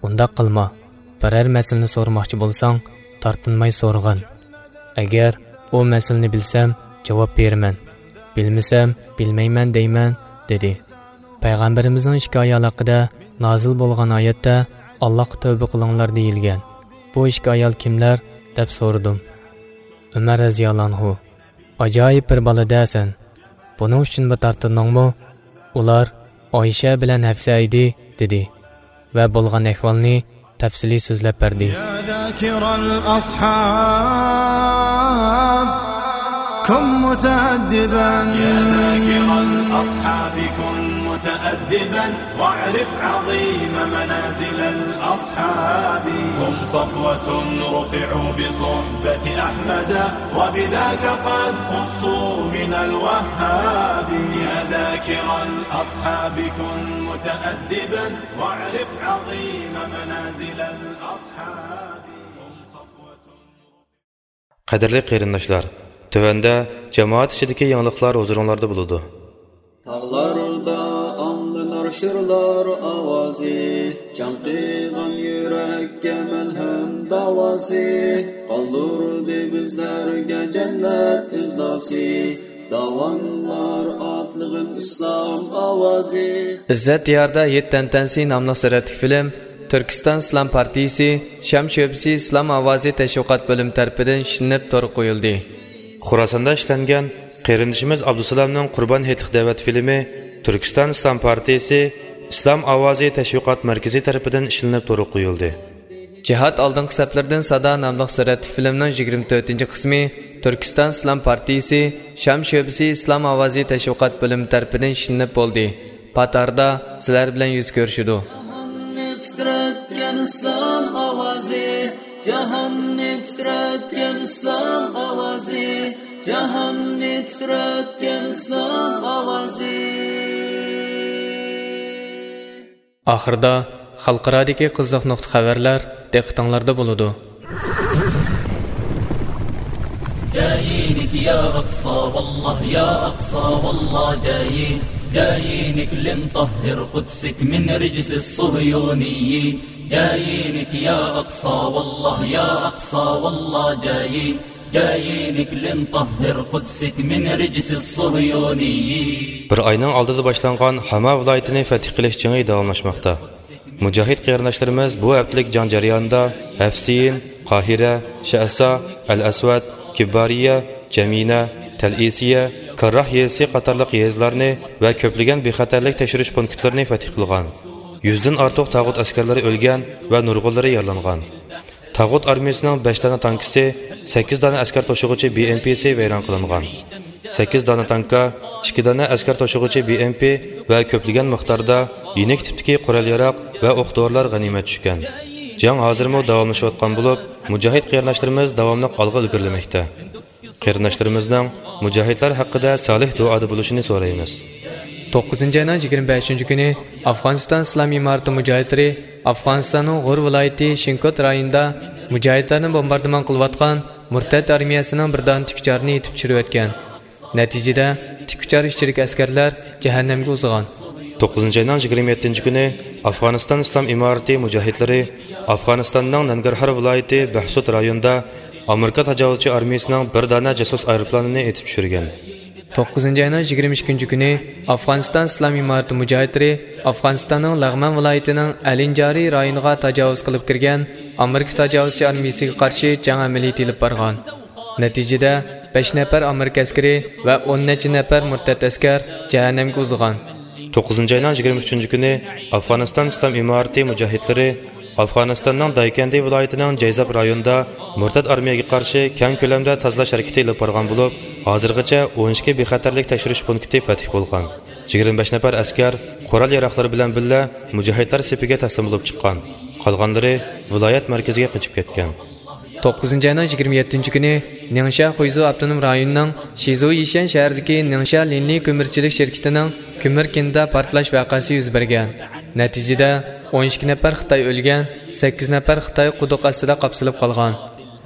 ئۇنداق قىلما، بىرەر مەسىلىنى سورىماقچى بولساڭ، تارتىنماي سورىغىن. ئەگەر ئۇ مەسىلىنى بىلسەم، جاۋاب بېرىمەن. بىلمىسەم، بىلمەيمەن دەيمەن، دېدى. پەيغەمبىرىمىزنىڭ ئىككى ئايال ھەققىدە نازىل بولغان ئايەتتە ئاللاھقا تەۋبە قىلىڭلار دېيىلگەن. بۇ ئىككى ئايال كىملەر؟ دەپ سورىدىم. ئۆمەر رەزىياللاھۇنھۇ، ئاجايىپ بىر بالا-دە سەن. بۇنىڭ ئۈچۈنمۇ تارتىندىڭمۇ؟ ئۇلار ئايشە بىلەن ھەفسە ئىدى، دېدى ۋە بولغان ئەھۋالنى تەپسىلىي سۆزلەپ بەردى. يا ذاكر الأصحاب، كن متأدبا. يا ذاكر الأصحاب، كن متأدبا، واعرف عظيم منازل الأصحاب. هم صفوة رفعوا بصحبة أحمد، وبذاك قد خصوا من الوهاب. يا ذاكر الأصحاب، كن متأدبا، واعرف عظيم منازل الأصحاب. هم صفوة. قەدىرلىك قېرىنداشلار، تۆۋەندە جامائەت ئىچىدىكى يېڭىلىقلار ھۇزۇرۇڭلاردا بولىدۇ. تاغلاردا ئاڭلىنار شىرلار ئاۋازى، چاڭقىغان يۈرەككە مەلھەم داۋاسى، قالدۇردى بىزلەرگە جەننەت ئىزناسى. داۋانلار ئاتلىغىن ئىسلام ئاۋازى. ئىززەت دىيارىدا ھېيت تەنتەنىسى ناملىق سۈرەتلىك فىلىم تۈركىستان ئىسلام پارتىيىسى شام شۆبىسى ئىسلام ئاۋازى تەشۋىقات بۆلۈمى تەرىپىدىن ئىشلىنىپ تورغا قويۇلدى. خوراساندا ئىشلەنگەن قېرىندىشىمىز ئابدۇسالامنىڭ قۇربان ھېيتلىق دەۋەت فىلىمى تۈركىستان ئىسلام پارتىيىسى ئىسلام ئاۋازى تەشۋىقات مەركىزى تەرىپىدىن ئىشلىنىپ تورغا قويۇلدى. جىھاد ئالدىنقى سەپلىرىدىن سادا ناملىق سۈرەتلىك فىلىمنىڭ يىگىرمە تۆتىنچى قىسمى تۈركىستان ئىسلام پارتىيىسى شام شۆبىسى ئىسلام ئاۋازى تەشۋىقات بۆلۈمى تەرىپىدىن ئىشلىنىپ بولدى. پات ئارىدا سىلەر بىلەن يۈز كۆرۈشىدۇ. جاھاننى تىترەتكەن ئىسلام ئاۋازى، جاھاننى تىترەتكەن ئىسلام ئاۋازى، جاھاننى تىترەتكەن ئىسلام ئاۋازى. ئاخىرىدا خەلقئارادىكى قىزىق نۇقتا خەۋەرلەر دىققىتىڭلاردا بولىدۇ. جايينك يا أقصى والله، يا أقصى والله جايين، جايينك لنطهر قدسك من رجس الصهيونيين. جايينك يا أقصى والله، يا أقصى والله جايين، جايينك لنطهر قدسك من رجس الصهيونيين. بىر ئاينىڭ ئالدىدا باشلانغان ھاما ۋىلايىتىنى فەتھ قىلىش جېڭى داۋاملاشماقتا. مۇجاھىد قېرىنداشلىرىمىز بۇ ھەپتىلىك جەڭ جەريانىدا ھەفسىيىن، قاھىرە، شەئسا، ئەل ئەسۋەد، كىببارىيە، جەمىنە، تەلئىسىيە، كارراھ يېزىسى قاتارلىق يېزىلارنى ۋە كۆپلىگەن بىخەتەرلىك تەكشۈرۈش پونكىتلىرىنى فەتھ قىلغان. يۈزدىن ئارتۇق تاغۇت ئەسكەرلىرى ئۆلگەن ۋە نۇرغۇنلىرى يارىلانغان. تاغۇت ئارمىيىسىنىڭ بەش دانە تانكىسى، سەككىز دانە ئەسكەر توشۇغۇچى بى ئېم پىسى ۋەيران قىلىنغان. سەككىز دانە تانكا، ئىككى دانە ئەسكەر توشۇغۇچى بى ئېم پى ۋە كۆپلىگەن مىقداردا يېنىك تىپتىكى قورال-ياراغ ۋە ئوق-دورىلار غەنىيمەت چۈشكەن. جەڭ ھازىرمۇ داۋاملىشىۋاتقان بولۇپ، مۇجاھىد قېرىنداشلىرىمىز داۋاملىق ئالغا ئىلگىرىلىمەكتە. قېرىنداشلىرىمىزنىڭ مۇجاھىدلار ھەققىدە سالىھ دۇئادا بولۇشىنى سورايمىز. توققۇزىنچى ئاينىڭ يىگىرمە بەشىنچى كۈنى ئافغانىستان ئىسلام ئىمارىتى مۇجاھىدلىرى ئافغانىستاننىڭ غۇر ۋىلايىتى شىنكوت رايونىدا مۇجاھىدلارنى بومباردىمان قىلىۋاتقان مۇرتەت ئارمىيەسىنىڭ بىر دانە تىككۈچارىنى ئېتىپ چۈشۈرۈۋەتكەن. نەتىجىدە، تىككۈچار ئىچىدىكى ئەسكەرلەر جەھەننەمگە ئۇزىغان. توققۇزىنچى ئاينىڭ يىگىرمە يەتتىنچى كۈنى ئافغانىستان ئىسلام ئىمارىتى مۇجاھىدلىرى ئافغانىستاننىڭ نەنگەرھار ۋىلايىتى بەھسۇت رايونىدا ئامېرىكا تاجاۋۇزچى ئارمىيىسىنىڭ بىر دانە جاسۇس ئايروپىلانىنى ئېتىپ چۈشۈرگەن. توققۇزىنچى ئاينىڭ يىگىرمە ئىككىنچى كۈنى ئافغانىستان ئىسلام ئىمارىتى مۇجاھىدلىرى ئافغانىستاننىڭ لەغمان ۋىلايىتىنىڭ ئەلىنجارى رايونىغا تاجاۋۇز قىلىپ كىرگەن ئامېرىكا تاجاۋۇزچى ئارمىيىسىگە قارشى جەڭ ئەمەلىيىتى ئېلىپ بارغان. نەتىجىدە، بەش نەپەر ئامېرىكا ئەسكىرى ۋە ئون نەچچە نەپەر مۇرتەت ئەسكەر جەھەننەمگە ئۇزىغان. توققۇزىنچى ئاينىڭ يىگىرمە ئۈچىنچى كۈنى ئافغانىستان ئىسلام ئىمارىتى مۇجاھىدلىرى ئافغانىستاننىڭ دايكەندى ۋىلايىتىنىڭ جەيزاب رايونىدا مۇرتەت ئارمىيەگە قارشى كەڭ كۆلەمدە تازىلاش ھەرىكىتى ئېلىپ بارغان بولۇپ، ھازىرغىچە ئون ئىككى بىخەتەرلىك تەكشۈرۈش پونكىتى فەتھ بولغان. يىگىرمە بەش نەپەر ئەسكەر قورال-ياراغلىرى بىلەن بىللە مۇجاھىدلار سېپىگە تەسلىم بولۇپ چىققان. قالغانلىرى ۋىلايەت مەركىزىگە قېچىپ كەتكەن. توققۇزىنچى ئاينىڭ يىگىرمە يەتتىنچى كۈنى نىڭشيا خۇيزۇ ئاپتونوم رايونىنىڭ شىزۇ يىشەن شەھىرىدىكى نىڭشيا لىننېي كۆمۈرچىلىك شىركىتىنىڭ كۆمۈر كېنىدا پارتلاش ۋەقەسى يۈز بەرگەن. نەتىجىدە، ئون ئىككى نەپەر خىتاي ئۆلگەن، سەككىز نەپەر خىتاي قۇدۇق ئاستىدا قاپسىلىپ قالغان.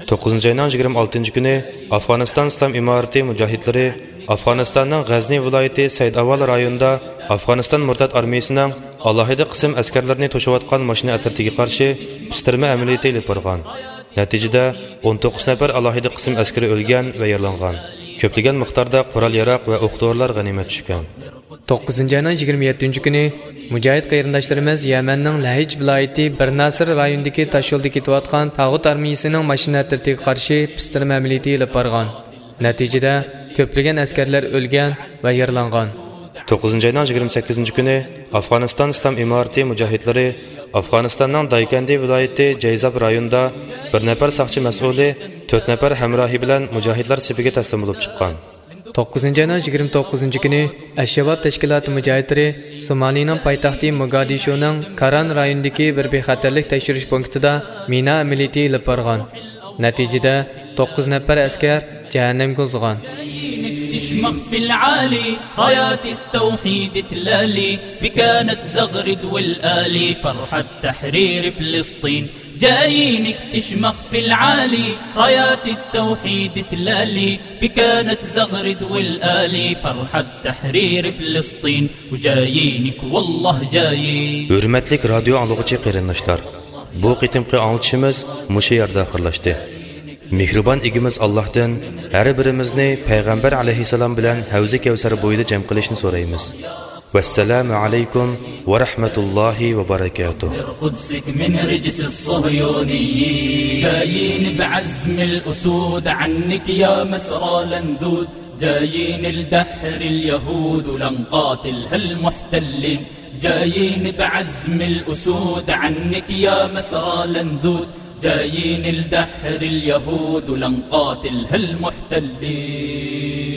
توققۇزىنچى ئاينىڭ يىگىرمە ئالتىنچى كۈنى ئافغانىستان ئىسلام ئىمارىتى مۇجاھىدلىرى ئافغانىستاننىڭ غەزنى ۋىلايىتى سەيدئاۋال رايونىدا ئافغانىستان مۇرتەت ئارمىيىسىنىڭ ئالاھىدە قىسىم ئەسكەرلىرىنى توشۇۋاتقان ماشىنا ئەترىتىگە قارشى پىستىرما ئەمەلىيىتى ئېلىپ بارغان. نەتىجىدە، ئون توققۇز نەپەر ئالاھىدە قىسىم ئەسكىرى ئۆلگەن ۋە يارىلانغان. كۆپلىگەن مىقداردا قورال-ياراغ ۋە ئوق-دورىلار غەنىيمەت چۈشكەن. توققۇزىنچى ئاينىڭ يىگىرمە يەتتىنچى كۈنى مۇجاھىد قېرىنداشلىرىمىز يەمەننىڭ لەھىج ۋىلايىتى بىر ناسىر رايونىدىكى تاشيولدا كېتىۋاتقان تاغۇت ئارمىيىسىنىڭ ماشىنا ئەترىتىگە قارشى پىستىرما ئەمەلىيىتى ئېلىپ بارغان. نەتىجىدە، كۆپلىگەن ئەسكەرلەر ئۆلگەن ۋە يارىلانغان. توققۇزىنچى ئاينىڭ يىگىرمە سەككىزىنچى كۈنى ئافغانىستان ئىسلام ئىمارىتى مۇجاھىدلىرى ئافغانىستاننىڭ دايكەندى ۋىلايىتى جەيزاب رايونىدا بىر نەپەر ساقچى مەسئۇلى تۆت نەپەر ھەمراھى بىلەن مۇجاھىدلار سېپىگە تەسلىم بولۇپ چىققان. توققۇزىنچى ئاينىڭ يىگىرمە توققۇزىنچى كۈنى ئەلشەباب تەشكىلاتى مۇجاھىدلىرى سومالىنىڭ پايتەختى موگادىشۇنىڭ كاران رايونىدىكى بىر بىخەتەرلىك تەكشۈرۈش پونكىتىدا مىنا ئەمەلىيىتى ئېلىپ بارغان. نەتىجىدە، توققۇز نەپەر ئەسكەر جەھەننەمگە ئۇزىغان. تشمخ في العالي، رايات التوحيد تلالي، بكانت زغرد والآلي، فرحة تحرير فلسطين. جايين تشمخ في العالي، رايات التوحيد تلالي، بكانت زغرد والآلي، فرحة تحرير فلسطين. وجايينك والله جايين. ھۆرمەتلىك رادىيو ئاڭلىغۇچى قېرىنداشلار، بۇ قېتىمقى ئاڭلىتىشىمىز مۇشۇ يەردە ئاخىرلاشتى. مېھرىبان ئىگىمىز ئاللاھتىن ھەر بىرىمىزنى پەيغەمبەر ئەلەيھىسسالام بىلەن ھەۋزى كەۋسەر بويىدا جەم قىلىشنى سورايمىز. ۋەسسالامۇ ئەلەيكۇم ۋە رەھمەتۇللاھى ۋە بەرەكاتۇھ. قدسك من رجس الصهيونيين. جايين بعزم الأسود عنك يا مسرى لندود. جايين لدحر اليهود ولنقاتلها المحتلين. جايين بعزم الأسود عنك يا مسرى لندود. جايين لدحر اليهود ولنقاتلها المحتلين.